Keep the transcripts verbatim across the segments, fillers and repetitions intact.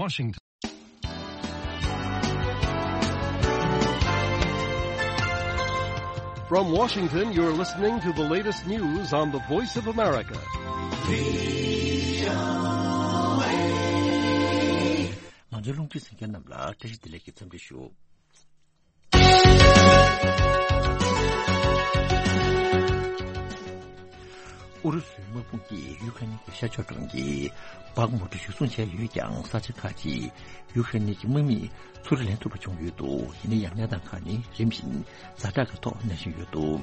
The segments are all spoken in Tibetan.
Washington. From Washington, you're listening to the latest news on the Voice of America. ང་ཚོའི་རླུང་འཕྲིན་གསན་མཁན་རྣམས་ལ་བཀྲ་ཤིས་བདེ་ལེགས་ཀྱི་འཚམས་འདྲི་ཞུ། ཨུ་རུ་སུའི་དམག་དཔུང་གིས་ཡུ་ཁ་ནི་གི་ཤར་ཕྱོགས་གྲོང་ཁྱེར་བག་མུ་ཏུ་གཞིར་བཟུང་བྱས་ཡོད་ཀྱང་ས་ཆ་ཁག་ཅིག་ཡུ་ཁ་ནི་གི་དམག་མིས་ཚུར་ལེན་ཐུབ་པ་བྱུང་ཡོད་འདུག་ཡིན་ན་ཡང་གནས་སྟངས་ཁག་ནི་རིམ་བཞིན་ཛ་དྲག་གི་ཐོག་གནས་བཞིན་ཡོད་འདུག་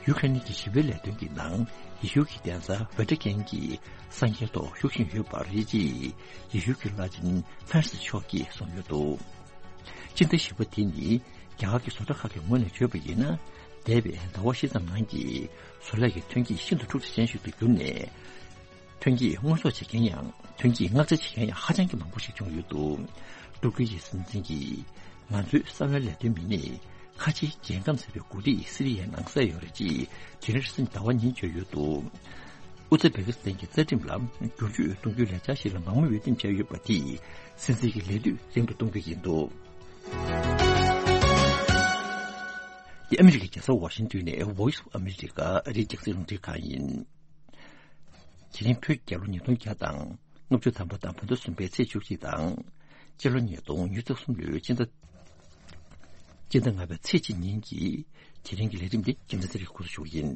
ཡུ་ཁ་ནི་གི་ཞི་བའི་ལས་དོན་གྱི་ནང་ཡེ་ཤུ་གི་གདན་ས་ཝེ་ཏི་ཀན་གྱི་གསར་འགྱུར་ཐོག་ཞུགས་བཞིན་ཡོད་པར་རེད་ཅེས་ཡེ་ཤུ་གི་བླ་ཆེན་ཧྥ་རན་སིས་མཆོག་གིས་གསུངས་ཡོད་འདུག་སྤྱི་ཟླ་བཞི་པ་དེ་ནི་རྒྱ་གར་གྱི་བཟོ་གྲྭ་ཁག་གི་ངོས་ནས་བརྗོད་པ་ཡིན་ན། འདས་པའི་ཟླ་བ་བཞི་ཙམ་ནང་གི་བཟོ་ལས་ཀྱི་ཐོན་སྐྱེད་ཤིན་ཏུ་འཁྲུག་ཆ་ཅན་ཞིག་ཏུ་གྱུར་ནས། ཐོན་སྐྱེད་དངོས་ཟོག་བྱེད་མཁན་ཡང་ཐོན་སྐྱེད་མངགས་ཆ་བྱེད་མཁན་ཡང་ཧ་ཅང་གི་མང་པོ་ཞིག་བྱུང་ཡོད་འདུག་ཏུར་ཀི་ཡི་སྲིད་འཛིན་གྱིས་ང་ཚོའི་གསང་བའི་ལས་དོན་མི་སྣས་ཁ་ཆེའི་རྒྱལ་ཁམས་ཟེར་བའི་འགོ་ཁྲིད་སི་རི་ཡའི་ནང་བསད་ཡོད་རེད་ཅེས་དེ་རིང་རེས་གཟའ་ཟླ་བ་ཉིན་བརྗོད་ཡོད་འདུག་ཨུ་ཛི་བེ་ཀི་སི་ཐན་གྱི་རྩ་ཁྲིམས་ལ་བསྒྱུར་བཅོས་གཏོང་རྒྱུའི་ལས་འཆར་ཞིག་ལ་མང་མོས་འོས་འདེམས་བྱས་ཡོད་པ་དེས་སྲིད་འཛིན་གྱི་ལས་དུས་རིང་དུ་གཏོང་རྒྱུ་ཡིན་འདུག་འདི་ཨ་མི་རི་ཀའི་རྒྱལ་ས་ཝ་ཤིང་ཏོན་ནས་Voice of America ཨ་རིའི་རྒྱང་སྲིང་རླུང་འཕྲིན་ཁང་ཡིན། དེ་རིང་བོད་རྒྱལ་ལོ་ཉིས་སྟོང་བརྒྱ་དང་ལྔ་བཅུ་ཐམ་པ་དང་བོད་ཟླ་གསུམ་པའི་ཚེས་བཅུ་གཅིག་དང་། སྤྱི་ལོ་ཉིས་སྟོང་ཉི་ཤུ་རྩ་གསུམ་ལོའི་སྤྱི་ཟླ་སྤྱི་ཟླ་ལྔ་པའི་ཚེས་གཅིག་ཉིན་གྱི་དེ་རིང་གི་ལས་རིམ་འདི་རྒྱལ་མཚན་ཚེ་རིང་འགོ་འཛུགས་ཞུ་གི་ཡིན།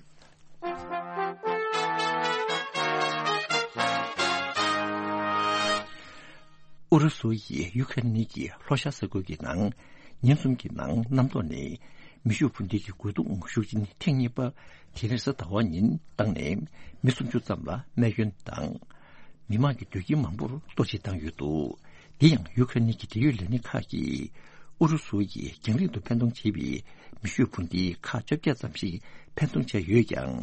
ཨུ་རུ་སུ་ཡིས་ཡུ་ཁ་རེན་གྱི་ལྷོ་ཤར་ས་ཁུལ་གྱི་ནང་ཉིན་གསུམ་གྱི་ནང་གནམ་ཐོག་ནས་མེ་ཤུགས་འཕུར་མདེལ་གྱི་རྒོལ་རྡུང་ཤུགས་ཆེན་ཐེངས་གཉིས་པ་དེ་རིང་གཟའ་ཟླ་བ་ཉིན་བཏང་ནས་མི་སུམ་ཅུ་ཙམ་ལ་རྨས་སྐྱོན་དང་། མི་མང་གི་སྡོད་ཁྱིམ་མང་པོར་གཏོར་བཤིག་བཏང་ཡོད་འདུག་དེ་ཡང་ཡུ་ཁ་རེན་གྱི་འབྲེལ་ཡོད་ལས་སྣེ་ཁག་གིས་ཨུ་རུ་སུ་ཡིས་རྒྱང་རིང་དུ་འཕེན་གཏོང་བྱས་པའི་མེ་ཤུགས་འཕུར་མདེལ་ཁག་བཅོ་བརྒྱད་ཙམ་ཞིག་འཕེན་གཏོང་བྱས་ཡོད་ཀྱང་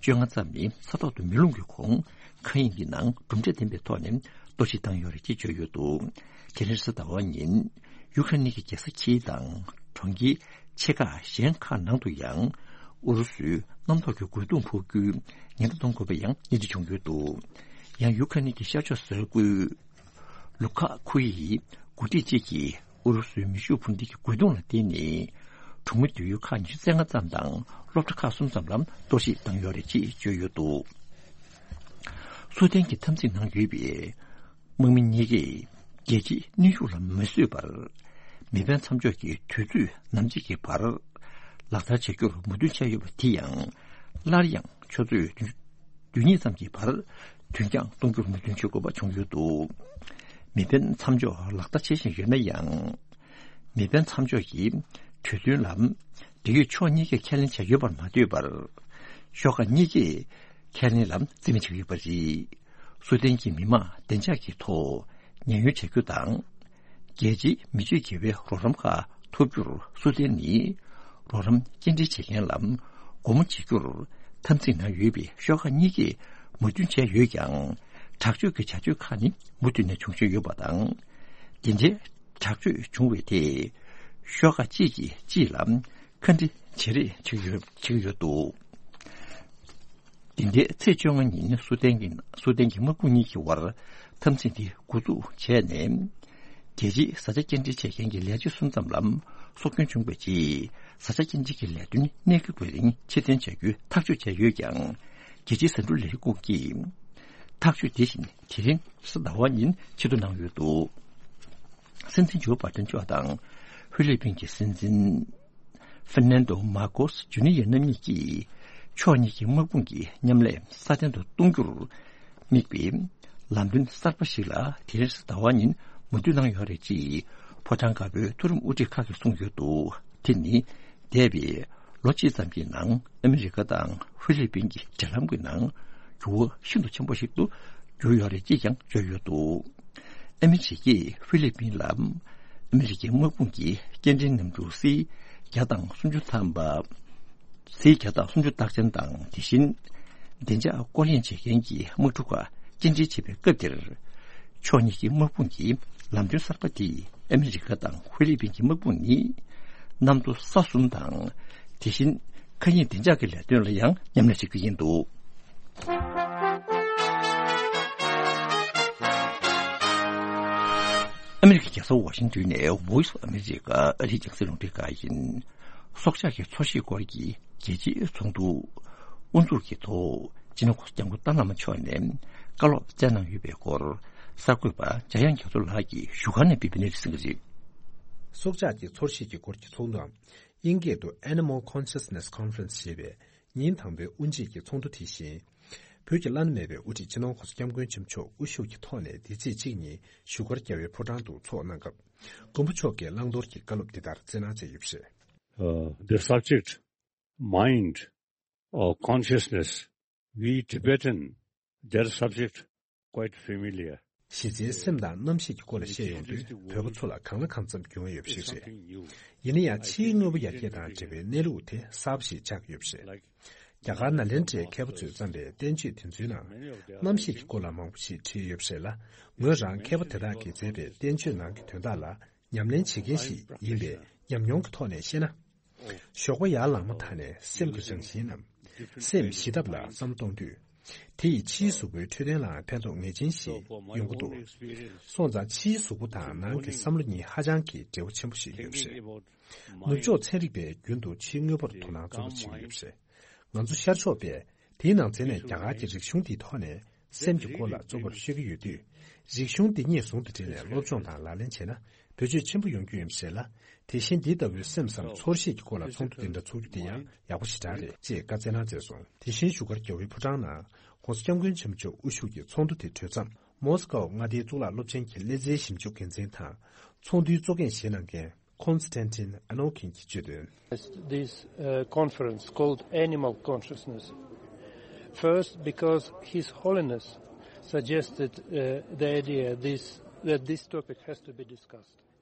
བཅོ་ལྔ་ཙམ་ནི་ས་ཐོག་ཏུ་མེ་རླུང་གི་ཁོངས་མཁའ་དབྱིངས་ཀྱི་ནང་གྲུབ་འབྲས་ལྡན་པའི་ཐོག་ནས་གཏོར་བཤིག་བཏང་ཡོད་རེད་ཅེས་བརྗོད་ཡོད་འདུག་དེ་རིང་གཟའ་ཟླ་བ་ཉིན་ཡུ་ཁ་རེན་གྱི་རྒྱལ་ས་ཁྱིའི་དང་གྲོང་ཁྱེར་ཆེ་ཁག་གཞན་ཁག་ནང་དུ་ཡང་ཨུ་རུ་སུའི་གནམ་ཐོག་གི་རྒོལ་རྡུང་ཕོག་རྒྱུའི་ཉེན་བརྡ་གཏོང་དགོས་པ་ཡང་སྙན་ཞུ་བྱུང་ཡོད་འདུག་ཡང་ཡུ་ཁ་རེན་གྱི་ཤར་ཕྱོགས་ས་ཁུལ་ལུ་ཁ་ཁུ་ཡི་འགོ་ཁྲིད་ཅིག་གིས་ཨུ་རུ་སུའི་མེ་ཤུགས་འཕུར་མདེལ་གྱི་རྒོལ་རྡུང་ལ་བརྟེན་ནས་གྲོང་མི་སྡོད་ཡུལ་ཁག་ཉི་ཤུ་རྩ་ལྔ་ཙམ་དང་སློབ་གྲྭ་ཁག་གསུམ་ཙམ་ལ་གཏོར་བཤིག་བཏང་ཡོད་རེད་ཅེས་བརྗོད་ཡོད་འདུག་སུའུ་ཏན་གྱི་འཐབ་འཛིང་ནང་ཡོད་པའི་དམག་མི་གཉིས་ཀས་རྒྱལ་སྤྱིའི་གནོན་ཤུགས་ལ་མ་བཟོད་པར་མེ་འཕེན་མཚམས་འཇོག་གི་དུས་ཚོད་ནམ་ཕྱེད་ཀྱི་བར་ལག་བསྟར་བྱ་རྒྱུར་མོས་མཐུན་བྱས་ཡོད་པ་དེ་ཡང་སླར་ཡང་ཆུ་ཚོད་བདུན་ཅུ་དོན་གཉིས་ཙམ་གྱི་བར་དོན་རྐྱང་གཏོང་རྒྱུར་མོས་མཐུན་བྱེད་དགོས་པ་བྱུང་ཡོད་འདུག་མེ་འཕེན་མཚམས་འཇོག་ལག་བསྟར་བྱེད་བཞིན་ཡོད་ན་ཡང་། མེ་འཕེན་མཚམས་འཇོག་གི་གྲོས་མཐུན་ལ་འབྲེལ་ཡོད་ཕྱོགས་གཉིས་ཀས་ཁས་ལེན་བྱས་ཡོད་པར་མ་ལྟོས་པར། ཤོག་ཁག་གཉིས་ཀས་ཁས་ལེན་ལ་རྩིས་མེད་བྱས་ཡོད་པ་རེད། སུའུ་ཏན་གྱི་མི་མང་བདེ་འཇགས་ཀྱི་ཐོག་ཉེན་གཡོལ་བྱ་རྒྱུ་དང་། རྒྱལ་སྤྱིའི་མི་སྤྱོད་བརྗེ་བའི་རོགས་རམ་ཁག་ཐོབ་རྒྱུར་སུའུ་ཏན་ནི་རོགས་རམ་སྐྱེལ་འདྲེན་བྱེད་མཁན་ལ་སྒོ་མོ་འབྱེད་རྒྱུར་འཐབ་འཛིང་ནང་ཡོད་པའི་ཤོག་ཁག་གཉིས་ཀས་མོས་མཐུན་བྱས་ཡོད་ཀྱང་། དྲག་སྤྱོད་ཀྱི་བྱ་སྤྱོད་ཁག་ནི་མུ་མཐུད་ནས་འབྱུང་བཞིན་ཡོད་པ་དང་། དེ་འདྲའི་དྲག་སྤྱོད་བྱུང་བའི་ཐད་ཤོག་ཁག་གཅིག་གིས་གཅིག་ལ་ཁ་འདྲི་བྱེད་རེས་བྱེད་ཀྱི་ཡོད་བྱེད་ཀྱི་ཡོད་འདུག་དེ་འདྲའི་ཚེས་བཅོ་ལྔ་ཉིན་སུའུ་ཏན་གྱི་སུའུ་ཏན་གྱི་དམག་དཔུང་གཉིས་ཀྱི་དབར་འཐབ་འཛིང་དེ་འགོ་འཛུགས་བྱས་ནས། རྒྱལ་སྤྱིའི་བཟའ་བཅའ་སྐྱེལ་འདྲེན་བྱེད་མཁན་གྱི་ལས་བྱེད་གསུམ་ཙམ་ལ་སྲོག་སྐྱོན་བྱུང་བའི་རྗེས། བཟའ་བཅའ་སྐྱེལ་འདྲེན་གྱི་ལས་དོན་གནད་འགག་པའི་རིང་ཕྱིར་འཐེན་བྱ་རྒྱུའི་ཐག་གཅོད་བྱས་ཡོད་ཀྱང་། རྒྱལ་སྤྱིའི་ཟ་འབྲུ་ལས་ཁུངས་ཀྱིས་ཐག་གཅོད་དེ་བཞིན་དེ་རིང་གཟའ་ཟླ་བ་ཉིན་ཕྱིར་བསྡུ་གནང་ཡོད་འདུག་སྲིད་འཛིན་ཇོ་བྷ་ཏན་མཆོག་དང་ཧྥི་ལི་པིན་གྱི་སྲིད་འཛིན་ཧྥེར་ནན་ཏོ་མར་ཀོ་སི་ཇུ་ནི་ཡར་རྣམ་གཉིས་ཀྱིས་ཕྱོགས་གཉིས་ཀྱི་དམག་དཔུང་གི་མཉམ་ལས་སྲ་བརྟན་དུ་གཏོང་རྒྱུར་དམིགས་པའི་ལམ་སྟོན་གསར་པ་ཞིག་ལ་དེ་རིང་གཟའ་ཟླ་བ་ཉིན་མོས་མཐུན་གནང་ཡོད་རེད་ཅེས་ཕོ་བྲང་དཀར་པོའི་མཐོ་རིམ་དབུ་ཁྲིད་ཁག་གིས་གསུངས་ཡོད་འདུག་དེ་ནི་འདས་པའི་ལོ་གཅིག་ཙམ་གྱི་ནང་ཨ་མི་རི་ཀ་དང་ཧྥི་ལི་པིན་གྱི་འབྲེལ་ལམ་གྱི་ནང་འགྱུར་བ་ཤིན་ཏུ་ཆེན་པོ་ཞིག་ཏུ་གྱུར་ཡོད་རེད་ཅེས་ཀྱང་བརྗོད་ཡོད་འདུག་ཨ་མི་རི་ཀས་ཧྥི་ལི་པིན་ལ་ཨ་མི་རི་ཀའི་དམག་དཔུང་གི་སྐྱེལ་འདྲེན་གནམ་གྲུ་སི་བརྒྱ་དང་སུམ་ཅུ་ཐམ་པ། སི་བརྒྱ་དང་སུམ་ཅུ་རྟགས་ཅན་དང་དེ་བཞིན་བདེ་འཇགས་སྐོར་གཡེང་བྱེད་མཁན་གྱི་དམག་འཁྲུག་ཁག་སྐྱེལ་འདྲེན་བྱེད་པའི་སྐབས་དེར། ཕྱོགས་གཉིས་ཀྱི་དམག་དཔུང་གི་ལམ་སྟོན་གསར་པ་དེས་ཨ་མི་རི་ཀ་དང་ཧྥི་ལི་པིན་གྱི་དམག་དཔུང་ནི་གནམ་གྲུ་ས་གསུམ་དང་དེ་བཞིན་མཁའ་དབྱིངས་བདེ་འཇགས་ཀྱི་ལས་དོན་ལ་ཡང་མཉམ་ལས་བྱེད་ཀྱི་ཡིན་འདུག་ཨ་མི་རི་ཀའི་རྒྱལ་ས་ཝ་ཤིང་ཏོན་ནས་Voice of America ཨ་རིའི་རྒྱང་སྲིང་རླུང་འཕྲིན་ཁང་ཡིན། སྲོག་ཆགས་ཀྱི་འཚོ་བཞེས་སྐོར་གྱི་རྒྱལ་སྤྱིའི་ཚོགས་འདུ་དབུ་འཛུགས་ཀྱི་ཐོག་སྤྱི་ནོར་གོང་ས་སྐྱབས་མགོན་ཏཱ་བླ་མ་མཆོག་ནས་བཀའ་སློབ་སྩལ་གནང་ཡོད་པའི་སྐོར། གསར་འགོད་པ་འཇམ་དབྱངས་རྒྱ་མཚོ་ལགས་ཀྱིས་བཞུགས་སྒར་ནས་སྤེལ་བའི་གནས་ཚུལ་གསན་གྱི་རེད། སྲོག་ཆགས་ཀྱི་འཚོ་བཞེས་ཀྱི་སྐོར་གྱི་ཚོགས་འདུའམ། དབྱིན་སྐད་དུ་Animal Consciousness Conference ཞེས་པའི་ཉིན་དང་པོའི་དབུ་འབྱེད་ཀྱི་ཚོགས་འདུ་དེ་བཞིན། བོད་ཀྱི་བླ་ན་མེད་པའི་དབུ་ཁྲིད་སྤྱི་ནོར་༸གོང་ས་༸སྐྱབས་མགོན་ཆེན་པོ་མཆོག་དབུ་བཞུགས་ཀྱི་ཐོག་ནས་འདི་ཚེས་གཅིག་ཉིན་བཞུགས་སྒར་རྒྱལ་བའི་ཕོ་བྲང་དུ་ཚོགས་གནང་སྐབས། མགོན་པོ་མཆོག་གིས་བླང་དོར་གྱི་བཀའ་སློབ་འདི་ལྟར་སྩལ་གནང་མཛད་ཡོད་པ་རེད། Uh, the subject, mind or consciousness, we Tibetan, that subject quite familiar. གཞི་རྩའི་སེམས་དང་རྣམ་ཤེས་ཀྱི་སྐོར་ལ་བཤད་ཡོང་དུས་བོད་པ་ཚོ་ལ་གང་ལ་གང་འཚམ་འགྱུར་བ་ཡོད་པ་ཞིག་རེད། ཡིན་ན་ཡང་ཕྱིའི་དངོས་པོ་ཡར་རྒྱས་དང་འབྲེལ་བའི་གནས་ལུགས་དེ་གསར་པ་ཞིག་ཆགས་ཡོད་པ་རེད། རྒྱ་གར་ནཱ་ལེནྡྲའི་མཁས་པ་ཚོས་བརྩམས་པའི་བསྟན་བཅོས་དེ་ཚོའི་ནང་རྣམ་ཤེས་ཀྱི་སྐོར་ལ་མང་པོ་ཞིག་བྲིས་ཡོད་པ་རེད་ལ། ངོས་རང་མཁས་པ་དེ་དག་གིས་མཛད་པའི་བསྟན་བཅོས་ནང་གི་དོན་དག་ལ་ཉམས་ལེན་བྱེད་མཁན་ཞིག་ཡིན་པའི་ཉམས་མྱོང་གི་ཐོག་ནས་བཤད་ན། ཞོགས་པ་ཡར་ལངས་མ་ཐག་ནས་སེམས་ཀྱི་རང་བཞིན་ནམ། སེམས་ཞི་ཐབས་ལ་བསམ་བློ་གཏོང་དུས། དེ་ཡིས་ཕྱིའི་གཟུགས་པོའི་འཕྲོད་བསྟེན་ལའང་ཕན་ཐོགས་ངེས་ཅན་ཞིག་ཡོང་གི་འདུག་སོང་ཙང་ཕྱིའི་གཟུགས་པོ་དང་ནང་གི་བསམ་བློ་གཉིས་ཧ་ཅང་གི་འབྲེལ་བ་ཆེན་པོ་ཞིག་ཡོད་པ་རེད། ནུབ་ཕྱོགས་ཚན་རིག་པས་རྒྱུན་དུ་ཕྱིའི་དངོས་པོར་དོ་སྣང་གཙོ་བོར་བྱེད་ཀྱི་ཡོད་པ་རེད། ང་ཚོ་ཤར་ཕྱོགས་པས་དེའི་ནང་ཚན་ནས་རྒྱ་གར་གྱི་རིག་གཞུང་དེའི་ཐོག་ནས་སེམས་ཀྱི་སྐོར་ལ་གཙོ་བོར་ཤོད་ཀྱི་ཡོད་དུས། རིག་གཞུང་འདི་གཉིས་ཟུང་དུ་འབྲེལ་ནས་སློབ་སྦྱོང་དང་ལག་ལེན་བྱས་ན་བེད་སྤྱོད་ཆེན་པོ་ཡོང་རྒྱུ་ཡིན་པ་རེད་ལ། དེ་བཞིན་འདི་ལྟ་བུའི་སེམས་སམ་ཚོར་ཤེས་ཀྱི་སྐོར་ལ་ཚོགས་འདུ་འདི་འདྲ་ཚོགས་རྒྱུ་དེ་ཡང་ཡག་པོ་ཞེ་དྲག་རེད་ཅེས་བཀའ་སྩལ་གནང་མཛད་སོང་། དེ་བཞིན་བཞུགས་སྒར་རྒྱལ་བའི་ཕོ་བྲང་ནང་༸གོང་ས་༸སྐྱབས་མགོན་ཆེན་པོ་མཆོག་དབུ་བཞུགས་ཀྱི་ཚོགས་འདུ་དེ་གྲོལ་མཚམས་མོ་སི་ཀོ་མངའ་སྡེའི་གཙུག་ལག་སློབ་ཆེན་གྱི་ཀླད་རྩའི་ཞིབ་འཇུག་འགན་འཛིན་དང་ཚོགས་འདུའི་གཙོ་འགན་བཞེས་གནང་མཁན། Konstantin Anokhin གྱིས་བརྗོད་དོན། This uh, conference called Animal Consciousness. First, because His Holiness suggested uh, the idea this, that this topic has to be discussed.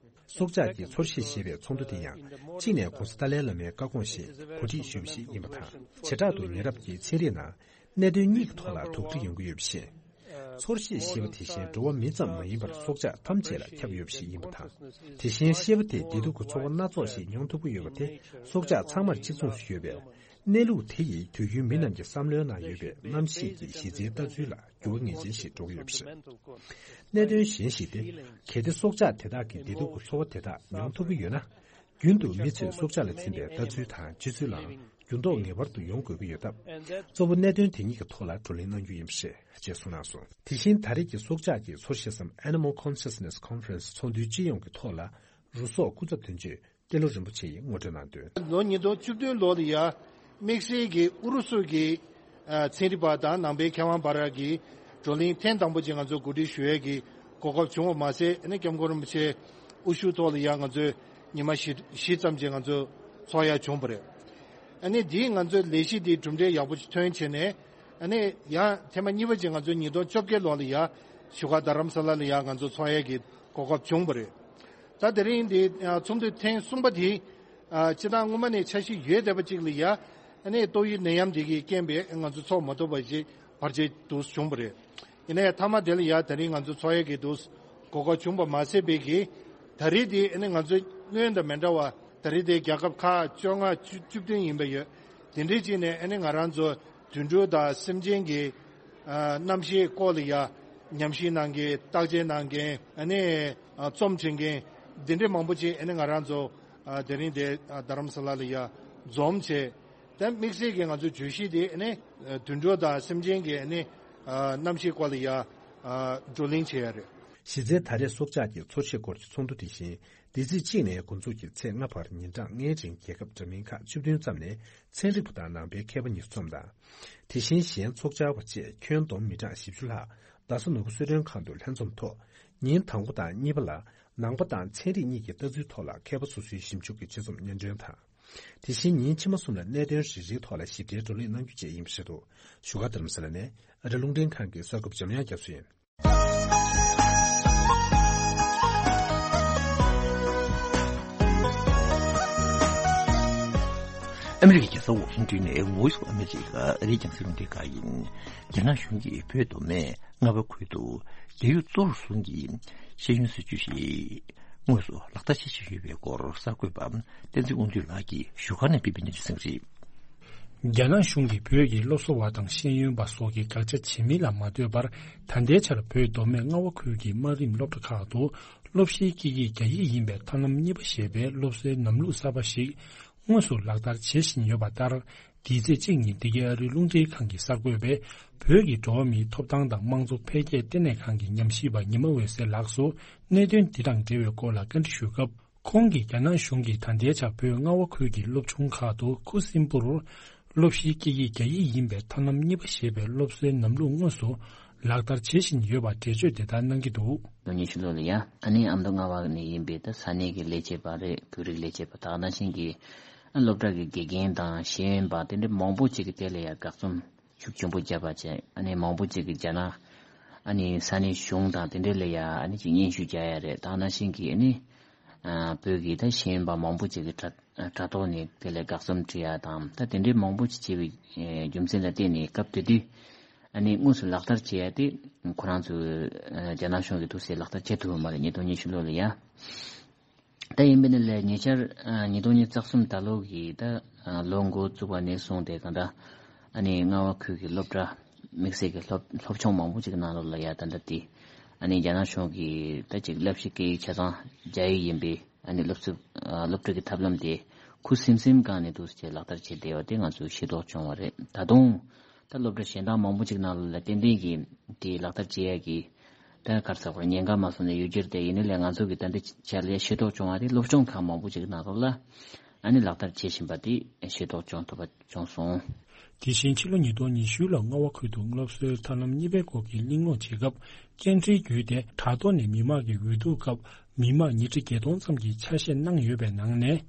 སྲོག་ཆགས་ཀྱི་ཚོར་ཤེས་ཞེས་པའི་ཚོགས་འདུ་དེ་ཡང་གཅིག་ནས་༸གོང་ས་ཏཱ་ལའི་བླ་མའི་བཀའ་དགོངས་བཞིན་གོ་སྒྲིག་ཞུས་པ་ཞིག་ཡིན་པ་དང་། བྱེ་བྲག་ཏུ་ཉེ་རབས་ཀྱི་ཚན་རིག་ནང་གནད་དོན་གཉིས་ཀྱི་ཐོག་ལ་དོགས་འདྲི་ཡོང་གི་ཡོད་པ་བཞིན། ཚོར་ཤེས་ཞེས་པ་དེ་བཞིན་འགྲོ་བ་མི་ཙམ་མ་ཡིན་པར་སྲོག་ཆགས་ཐམས་ཅད་ལ་ཁྱབ་ཡོད་པ་ཞིག་ཡིན་པ་དང་། དེ་བཞིན་ཤེས་པ་དེ་བདེ་སྡུག་གི་ཚོར་བ་སྣ་ཚོགས་ཤིག་མྱོང་ཐུབ་ཀྱི་ཡོད་པ་དེ་སྲོག་ཆགས་ཚང་མར་གཅིག་མཚུངས་སུ་ཡོད་པས། གནས་ལུགས་དེ་ཡིས་དུས་རྒྱུན་མི་རྣམས་ཀྱི་བསམ་བློའི་ནང་ཡོད་པའི་རྣམ་ཤེས་ཀྱི་གཞི་རྩའི་ལྟ་ཚུལ་ལ་འགྱུར་བ་ངེས་ཅན་ཞིག་འགྲོ་གི་ཡོད་པ་རེད། གནད་དོན་གཞན་ཞིག་སྟེ། གལ་ཏེ་སྲོག་ཆགས་དེ་དག་གིས་བདེ་སྡུག་གི་ཚོར་བ་དེ་དག་མྱོང་ཐུབ་ཀྱི་ཡོད་ན། རྒྱུན་དུ་མི་ཚོས་སྲོག་ཆགས་ལ་འཛིན་པའི་ལྟ་ཚུལ་དང་སྤྱོད་ཚུལ་ལའང་འགྱུར་ལྡོག་ངེས་པར་དུ་ཡོང་དགོས་ཀྱི་ཡོད་སྟབས། གཙོ་བོ་གནད་དོན་དེ་གཉིས་ཀྱི་ཐོག་ལ་བགྲོ་གླེང་གནང་རྒྱུ་ཡིན་པ་རེད་ཅེས་གསུངས་གནང་སོང་། དེ་བཞིན་ད་རེས་ཀྱི་སྲོག་ཆགས་ཀྱི་ཚོར་ཤེས་སམ་Animal Consciousness Conference ཚོགས་འདུའི་སྤྱི་ཡོངས་ཀྱི་ཐོག་ལ་རུ་སོག་སྐུ་ཚབ་དོན་གཅོད་ཏེ་ལོ་རིན་པོ་ཆེ་ཡིས་ངོ་སྤྲོད་གནང་དོན། ལོ་ཉིས་སྟོང་བཅུ་བདུན་ལོ་ལ་ཡ་དམིགས་བསལ་གྱི་ཨུ་རུ་སུ་གི་ཨ་ཚན་རིག་པ་དང་ནང་པའི་མཁས་དབང་བར་གྱི་བགྲོ་གླེང་ཐེངས་དང་པོ་ཅིག་ང་ཚོ་གོ་སྒྲིག་ཞུ་ཡས་ཀྱི་གོ་སྐབས་བྱུང་བ་མ་ཟད། ཨ་ནི་སྐྱབས་མགོན་རིན་པོ་ཆེ་དབུ་བཞུགས་ཐོག་ལ་ཡ་ང་ཚོས་ཉི་མ་བཞི་བཞི་ཙམ་ཅིག་ང་ཚོ་ཚོགས་ཡ་བྱུང་བ་རེད། ཨ་ནི་འདིས་ང་ཚོའི་ལས་གཞི་འདི་གྲུབ་འབྲས་ཡག་པོ་ཅིག་ཐོན་བྱས་ནས། ཨ་ནི་ཡང་ཐེངས་མ་གཉིས་པ་ཅིག་ང་ཚོ་ཉིས་སྟོང་བཅོ་བརྒྱད་ལོ་ལ་ཡ་བཞུགས་སྒར་རྡ་རམ་ས་ལ་ལ་ཡ་ང་ཚོ་ཚོགས་ཡས་ཀྱི་གོ་སྐབས་བྱུང་བ་རེད། ད་དེ་རིང་འདི་ཚོགས་འདུ་ཐེངས་གསུམ་པ་དེ་ཨ་སྤྱིར་བཏང་སྔོན་མ་ནས་འཆར་གཞི་ཡོད་བསྡད་པ་ཅིག་ལ་ཡ། ཨ་ནི་ཏོག་དབྱིབས་ནད་ཡམས་འདི་གི་རྐྱེན་པས་ང་ཚོ་ཚོགས་མ་ཐུབ་པ་ཞིག་བར་ཆད་དུ་བྱུང་བ་རེད། ཡིན་ན་ཡང་མཐའ་མ་དེ་ལ་ཡ་དེ་རིང་ང་ཚོ་ཚོགས་ཡས་ཀྱི་དུ་གོ་སྐབས་བྱུང་བ་མ་ཟད་པའི་གི་ད་རེས་དེ་ཨ་ནི་ང་ཚོ་སྔོན་དང་མི་འདྲ་བ། ད་རེས་དེ་རྒྱལ་ཁབ་ཁག་བཅོ་ལྔ་བཅུ་བཅུ་བདུན་ཡིན་པ་ཡོད། དེ་འདྲའི་ཅིག་ནས་ཨ་ནི་ང་རང་ཚོ་དུད་འགྲོ་དང་སེམས་ཅན་གྱི་ཨ་རྣམ་ཤེས་སྐོར་ལ་ཡ་ཉམས་ཞིབ་གནང་མཁན། བརྟག་དཔྱད་གནང་མཁན། ཨ་ནི་ཨ་རྩོམ་འབྲི་མཁན་འདི་འདྲའི་མང་པོ་ཅིག་ཨ་ནི་ང་རང་ཚོ་ཨ་དེ་རིང་དེ་ཨ་རྡ་རམ་ས་ལ་ལ་ཡ་འཛོམས་བྱས། དེ་དམིགས་བསལ་གྱི་ང་ཚོའི་བརྗོད་གཞི་དེ་ཨ་ནི་དུད་འགྲོ་དང་སེམས་ཅན་གྱི་ཨ་ནི་ཨ་རྣམ་ཤེས་སྐོར་ལ་ཡ་ཨ་བགྲོ་གླེང་བྱས་ཡ་རེད། གཞི་རྩའི་ད་རེས་སྲོག་ཆགས་ཀྱི་ཚོར་ཤེས་སྐོར་གྱི་ཚོགས་འདུ་དེ་བཞིན་འདི་ཚེས་གཅིག་ནས་འགོ་འཛུགས་ཀྱིས་ཚེས་ལྔ་བར་ཉིན་གྲངས་ལྔའི་རིང་རྒྱལ་ཁབ་འདྲ་མིན་ཁག་བཅུ་བདུན་ཙམ་ནས་ཚན་རིག་པ་དང་ནང་པའི་མཁས་པ་ཉེར་གསུམ་དང་། དེ་བཞིན་གཞན་ཚོགས་བཅར་བ་བཅས་ཁྱོན་བསྡོམས་མི་གྲངས་བཞི་བཅུ་ལྷག་རྡ་ས་ནོར་བུ་གསོལ་མགྲོན་ཁང་དུ་ལྷན་འཛོམས་ཐོག་ཉིན་དང་པོ་དང་གཉིས་པ་ལ་ནང་པ་དང་ཚན་རིག་གཉིས་ཀྱི་ལྟ་ཚུལ་ཐོག་ལ་མཁས་པ་སོ་སོའི་ཞིབ་འཇུག་གི་དཔྱད་རྩོམ་སྙན་སྒྲོན་དང་། དེ་བཞིན་ཉིན་ཕྱི་མ་གསུམ་ལ་གནད་དོན་རེ་རེའི་ཐོག་ལ་ཞིབ་ཕྲའི་བགྲོ་གླེང་གནང་རྒྱུ་བཅས་ཡིན་པ་རེད་འདུག་བཞུགས་སྒར་རྡ་རམ་ས་ལ་ནས་ཨ་རི་རླུང་འཕྲིན་ཁང་གི་གསར་འགོད་པ་འཇམ་དབྱངས་རྒྱ་མཚོ་ཡིན། ཨ་མི་རི་ཀའི་རྒྱལ་ས་ཝ་ཤིང་ཏོན་ནས་Voice of America ཨ་རིའི་རྒྱང་སྲིང་རླུང་འཕྲིན་ཁང་ཡིན། རྒྱ་ནག་གཞུང་གིས་བོད་མདོ་སྨད་རྔ་བ་ཁུལ་དུ་རྒྱ་ཡུལ་གཙོ་བོར་བཟུང་གིས་ཤེས་ཡོན་སྲིད་བྱུས་ཤིག་དངོས་སུ་ལག་བསྟར་བྱེད་བཞིན་ཡོད་པའི་སྐོར་གསར་འགོད་པ་བསྟན་འཛིན་དབང་འདུས་ལགས་ཀྱིས་བཞུགས་སྒར་ནས་སྤེལ་བའི་གནས་ཚུལ་གསན་གྱི་རེད། རྒྱ་ནག་གཞུང་གིས་བོད་ཀྱི་སློབ་གསོ་བ་དང་ཤེས་ཡོན་པ་སོགས་ཀྱི་དགག་བྱ་བྱེད་མིན་ལ་མ་ལྟོས་པར། ད་ལྟའི་ཆར་བོད་མདོ་སྨད་རྔ་བ་ཁུལ་གྱི་དམའ་རིམ་སློབ་གྲྭ་ཁག་ཏུ་ སློབ་གཞིའི་དཀྱིལ་ཡིག་རྒྱ་ཡིག་ཡིན་པའི་ཐབས་ལམ་གཉིས་པ་ཞེས་པའི་སློབ་གསོའི་ལམ་ལུགས་གསར་པ་ཞིག་དངོས་སུ་ལག་བསྟར་བྱེད་བཞིན་ཡོད་པ་ལྟར། འདིའི་ཚེས་གཅིག་ཉིན་འདི་གའི་ཨ་རིའི་རླུང་འཕྲིན་ཁང་གི་གསར་འགོད་པས་བོད་ཀྱི་འགྲོ་བ་མིའི་ཐོབ་ཐང་དང་དམངས་གཙོ་འཕེལ་རྒྱས་ལྟེ་གནས་ཁང་གི་ཉམས་ཞིབ་པ་ཉི་མ་འོད་ཟེར་ལགས་སུ་གནད་དོན་འདི་དང་འབྲེལ་བའི་སྐོར་ལ་བཀའ་འདྲི་ཞུས་སྐབས། ཁོང་གིས་རྒྱ་ནག་གཞུང་གིས་ད་ལྟའི་ཆར་བོད་རྔ་བ་ཁུལ་གྱི་སློབ་ཆུང་ཁག་ཏུ་ཁུ་སིམ་པོར་སློབ་གཞིའི་དཀྱིལ་ཡིག་རྒྱ་ཡིག་ཡིན་པའི་ཐབས་ལམ་གཉིས་པ་ཞེས་པའི་སློབ་གསོའི་ལམ་ལུགས་དངོས་སུ་ལག་བསྟར་བྱེད་བཞིན་ཡོད་པར་འགྲེལ་བརྗོད་དེ་ལྟར་གནང་གི་འདུག། ལོ་ཉི་ཤུ་ལོ་ལ་ཡ། ཨ་ནི་ཨ་མདོ་རྔ་བ་ནས་ཡིན་པའི་ད་ས་གནས་ཀྱི་ལས་བྱེད་པ་རེད། བོད་རིགས་ལས་བྱེད་པ་དག་ནང་བཞིན་གྱི་ཨ་སློབ་གྲྭ་གི་དགེ་རྒན་དང་ཤེས་ཡོན་པ་དེ་འདྲ་མང་པོ་ཅིག་གིས་དེ་ལ་ཡ་དགག་རྩོམ་ཤུགས་ཆེན་པོ་བརྒྱབ་པ་བྱས། ཨ་ནི་མང་པོ་ཅིག་གིས་རྒྱ་ནག་ཨ་ནི་ས་གནས་གཞུང་དང་དེ་འདྲ་ལ་ཡ་ཨ་ནི་ཅིག་སྙན་ཞུ་རྒྱག་ཡ་རེད། དག་ནང་བཞིན་གྱི་ཨ་ནི་ཨ་བོད་ཀྱི་ད་ཤེས་ཡོན་པ་མང་པོ་ཅིག་གིས་དྲ་དྲ་ཐོག་ནས་དེ་ལ་དགག་རྩོམ་བྲིས་ཡ་དང་། ད་དེ་འདྲའི་མང་པོ་ཅིག་བྱས་པའི་ཨེ་རྒྱུ་མཚན་ལ་བརྟེན་ནས་སྐབས་དེ་དུས་ཨ་ནི་དངོས་སུ་ལག་བསྟར་བྱེད་ཡ་དེ་ཁོ་རང་ཚོས་ཨ་རྒྱ་ནག་གཞུང་གིས་དུས་སུ་ལག་བསྟར་བྱེད་ཐུབ་པ་མ་རེད། ཉིས་སྟོང་ཉི་ཤུ་ལོ་ལ་ཡ། ད་ཡིན་པ་ནི་ལས་ཉེ་ཆར་ཨ་ཉིས་སྟོང་ཉི་ཤུ་རྩ་གསུམ་ད་ལོ་གི་ད་ཨ་ལོ་འགོ་བཙུགས་པ་ནས་བཟུང་སྟེ་གང་ལྟར་ཨ་ནི་རྔ་བ་ཁུལ་གྱི་སློབ་གྲྭ་དམིགས་བསལ་གྱི་སློབ་སློབ་ཆུང་མང་པོ་ཅིག་གི་ནང་ལོགས་ལ་ཡ་ད་ལྟ་དེ་ཨ་ནི་རྒྱ་ནག་གཞུང་གིས་ད་ཅིག་བསླབ་གཞི་སྐད་ཡིག་ཆ་ཚང་རྒྱ་ཡིག་ཡིན་པའི་ཨ་ནི་སློབ་གསོ་ཨ་སློབ་ཁྲིད་ཀྱི་ཐབས་ལམ་དེ་ཁུ་སིམ་སིམ་སྒང་ནས་འདུག་སེ་ལག་བསྟར་བྱས་བསྡད་པ་དེ་ང་ཚོས་ཤེས་རྟོགས་བྱུང་བ་རེད། ད་དུང་ད་སློབ་གྲྭ་གཞན་དག་མང་པོ་ཅིག་ནང་ལོགས་ལ་ཏན་ཏན་གྱིས་དེ་ལག་བསྟར་བྱེད་ཡ་གི་ད་ག་རེ་ཟེར་དགོས་རེད། ཉེན་ཁ་མ་སོང་ནས་ཡོད་ཀྱི་རེད། དེ་ཡིན་ནའི་ལས་ང་ཚོ་གི་ད་ལྟའི་ཆར་ལ་ཤེས་རྟོགས་བྱུང་བ་དེ་སློབ་སྦྱོང་ཁག་མང་པོ་ཅིག་ནང་ལོགས་ལ་ཨ་ནི་ལག་བསྟར་བྱེད་བཞིན་པ་དེ་ཤེས་རྟོགས་བྱུང་ཐུབ་པ་བྱུང་སོང་། དེ་བཞིན་ཕྱི་ལོ་ཉིས་སྟོང་ཉི་ཤུ་ལ་རྔ་བ་ཁུལ་དུ་སློབ་གསོའི་ཐབས་ལམ་གཉིས་པའི་སྐོར་གྱི་གླེང་སློང་བྱེད་སྐབས། སྐད་འཕྲིན་བརྒྱུད་དེ་དྲ་ཐོག་ནས་མི་མང་གི་འོས་བསྡུ་སྐབས་མི་མང་ཉིས་ཁྲི་བརྒྱད་སྟོང་ཙམ་གྱིས་ཆ་ཤས་གནང་ཡོད་པའི་ནང་ནས།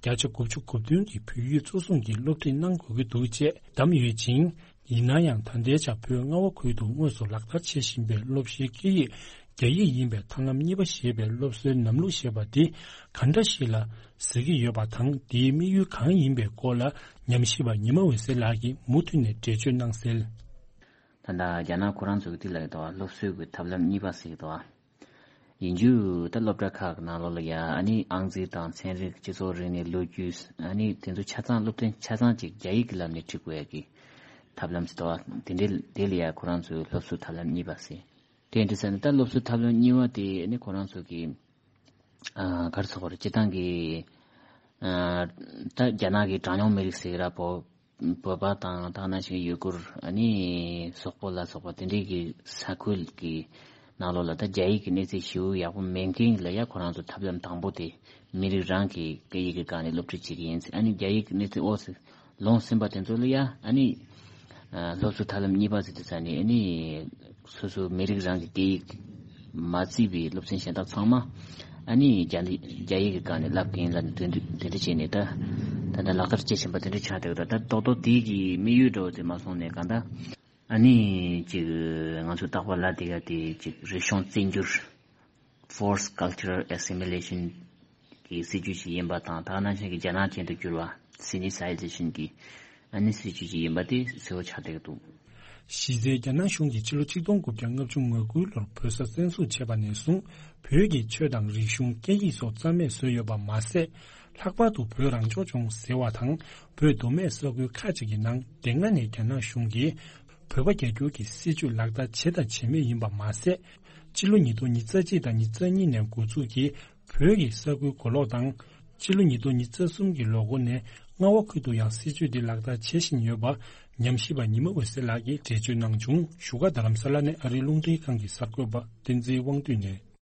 བརྒྱ་ཆ་དགུ་བཅུ་གོ་བདུན་གྱིས་བོད་ཡིག་གཙོ་བཟུང་གིས་སློབ་ཁྲིད་གནང་དགོས་ཀྱི་འདུག་ཅེས་བདམས་ཡོད་ཅིང་། ཡིན་ན་ཡང་ད་ལྟའི་ཆར་བོད་རྔ་བ་ཁུལ་དུ་དངོས་སུ་ལག་བསྟར་བྱེད་བཞིན་པའི་སློབ་གཞིའི་སྐད་ཡིག་རྒྱ་ཡིག་ཡིན་པའི་ཐབས་ལམ་གཉིས་པ་ཞེས་པའི་སློབ་གསོའི་ལམ་ལུགས་ཞེས་པ་འདི་ག་འདྲ་ཞིག་ལ་ཟེར་གྱི་ཡོད་པ་དང་། དེའི་དམིགས་ཡུལ་གང་ཡིན་པའི་སྐོར་ལ་ཉམས་ཞིབ་པ་ཉི་མ་འོད་ཟེར་ལགས་ཀྱིས་མུ་མཐུད་ནས་འགྲེལ་བརྗོད་གནང་གསལ། ད་ལྟ་རྒྱ་ནག་ཁོ་རང་ཚོ་གི་དེ་ལ་ཡོད་དོ། སློབ་གསོའི་གི་ཐབས་ལམ་གཉིས་པ་ཟེར་གི་འདུག། ཡིན་རྒྱུ་ད་སློབ་གྲྭ་ཁག་གི་ནང་ལོགས་ལ་ཡ་ཨ་ནི་ཨང་རྩིས་དང་ཚན་རིག་སྤྱི་ཚོགས་རིག་གནས་ལོ་རྒྱུས་ཨ་ནི་དེ་ཚོ་ཆ་ཚང་སློབ་ཚན་ཆ་ཚང་ཅིག་རྒྱ་ཡིག་གི་ལམ་ནས་ཁྲིད་དགོས་ཡ་གི་ཐབས་ལམ་ཞིག་འདུག་བ། དེ་འདྲའི་དེ་ལ་ཡ་ཁོ་རང་ཚོའི་སློབ་གསོའི་ཐབས་ལམ་གཉིས་པ་ཟེར། དེ་འདྲ་ཟེར་ན་ད་སློབ་གསོའི་ཐབས་ལམ་གཉིས་པ་དེ་ཨ་ནི་ཁོ་རང་ཚོ་གི་ཨ་ག་རེ་ཟེར་དགོས་རེད། སྤྱིར་བཏང་གི་ཨ་ད་རྒྱ་ནག་གི་གྲངས་ཉུང་མི་རིགས་ཟེར་གི་ར། བོད་བོད་པ་དང་དེ་ནང་བཞིན་ཡུ་གུར། ཨ་ནི་སོག་པོ་ལ་སོགས་པ་དེ་འདྲའི་གི་ས་ཁུལ་གི་ནང་ལོགས་ལ་ད་རྒྱ་ཡིག་གི་གནས་ཚད་ཞེ་པོ་ཡག་པོ་མེད་མཁན་ལ་ཡ་ཁོ་རང་ཚོ་ཐབས་ལམ་དང་པོ་དེ་མི་རིགས་རང་གི་སྐད་ཡིག་གི་སྒང་ནས་སློབ་ཁྲིད་བྱེད་ཀྱི་ཡིན་ཟེར། ཨ་ནི་རྒྱ་ཡིག་གི་གནས་ཚད་འོག་སུ་ལོངས་ཟིན་པ་དེ་ཚོ་ལ་ཡ་ཨ་ནི་ཨ་སློབ་གསོ་ཐབས་ལམ་གཉིས་པ་ཟེར་དུས་ཙ་ནས་ཨ་ནི་སོ་སོའི་མི་རིགས་རང་གི་སྐད་ཡིག་མ་བརྩིས་པའི་སློབ་ཚན་གཞན་དག་ཚང་མ་ཨ་ནི་རྒྱ་ནི་རྒྱ་ཡིག་གི་སྒང་ནས་བསླབ་མཁན་ལ་དེ་འདྲ་དེ་འདྲ་བྱས་ནས་ད་ད་ལྟ་ལག་བསྟར་བྱེད་བཞིན་པ་དེ་འདྲ་ཆགས་བསྡད་ཡོད། ད་ད་རྡོག་རྡོག་དེ་གི་དམིགས་ཡུལ་འདྲ་བོ་དེ་མ་སོང་ནས་གང་ལྟར་ཨ་ནི་ཅིག་ང་ཚོ་རྟག་པར་ལབ་བསྡད་ཡ་དེ་ཅིག་རིག་གཞུང་བཙན་སྒྱུར། Forced Cultural Assimilation གི་སྲིད་ཇུས་ཤིག་ཡིན་པ་དང་། དེ་ནང་བཞིན་གྱི་རྒྱ་ནག་ཅན་དུ་བསྒྱུར་བ། Sinicization གི་ཨ་ནི་སྲིད་ཇུས་ཤིག་ཡིན་པ་དེ་གསལ་པོ་ཆགས་བསྡད་ཀྱི་འདུག། གཞི་རྩའི་རྒྱ་ནག་གཞུང་གིས་ཕྱི་ལོ་ཆིག་སྟོང་དགུ་བརྒྱ་ལྔ་བཅུ་ང་དགུའི་ལོར་བོད་ས་བཙན་བཟུང་བྱས་པ་ནས་བཟུང་བོད་ཀྱི་ཆོས་དང་རིག་གཞུང་སྐད་ཡིག་སོགས་རྩ་མེད་བཟོས་ཡོད་པ་མ་ཟད། ལྷག་པར་དུ་བོད་རང་སྐྱོང་ལྗོངས་ཟེར་བ་དང་བོད་མདོ་སྨད་ས་ཁུལ་ཁག་ཅིག་གི་ནང་དེ་སྔ་ནས་རྒྱ་ནག་གཞུང་གིས་བོད་པ་རྒྱ་སྒྱུར་གྱི་སྲིད་བྱུས་ལག་བསྟར་བྱས་དང་བྱེད་མུས་ཡིན་པ་མ་ཟད། སྤྱི་ལོ་ཉིས་སྟོང་ཉི་ཤུ་རྩ་གཅིག་དང་ཉི་ཤུ་རྩ་གཉིས་ནས་འགོ་འཛུགས་ཀྱིས་བོད་ཀྱི་ས་ཁུལ་གོ་ལོག་དང་། སྤྱི་ལོ་ཉིས་སྟོང་ཉི་ཤུ་རྩ་གསུམ་གྱི་ལོ་འགོ་ནས་རྔ་བ་ཁུལ་དུ་ཡང་སྲིད་བྱུས་འདི་ལག་བསྟར་བྱེད་བཞིན་ཡོད་པ་ཉམས་ཞིབ་པ་ཉི་མ་འོད་ཟེར་ལགས་ཀྱིས་འགྲེལ་བརྗོད་གནང་བྱུང་། བཞུགས་སྒར་རྡ་རམ་ས་ལ་ནས་ཨ་རིའི་རླུང་འཕྲིན་ཁང་གི་གསར་འགོད་པ་བསྟན་འཛིན་དབང་འདུས་ནས།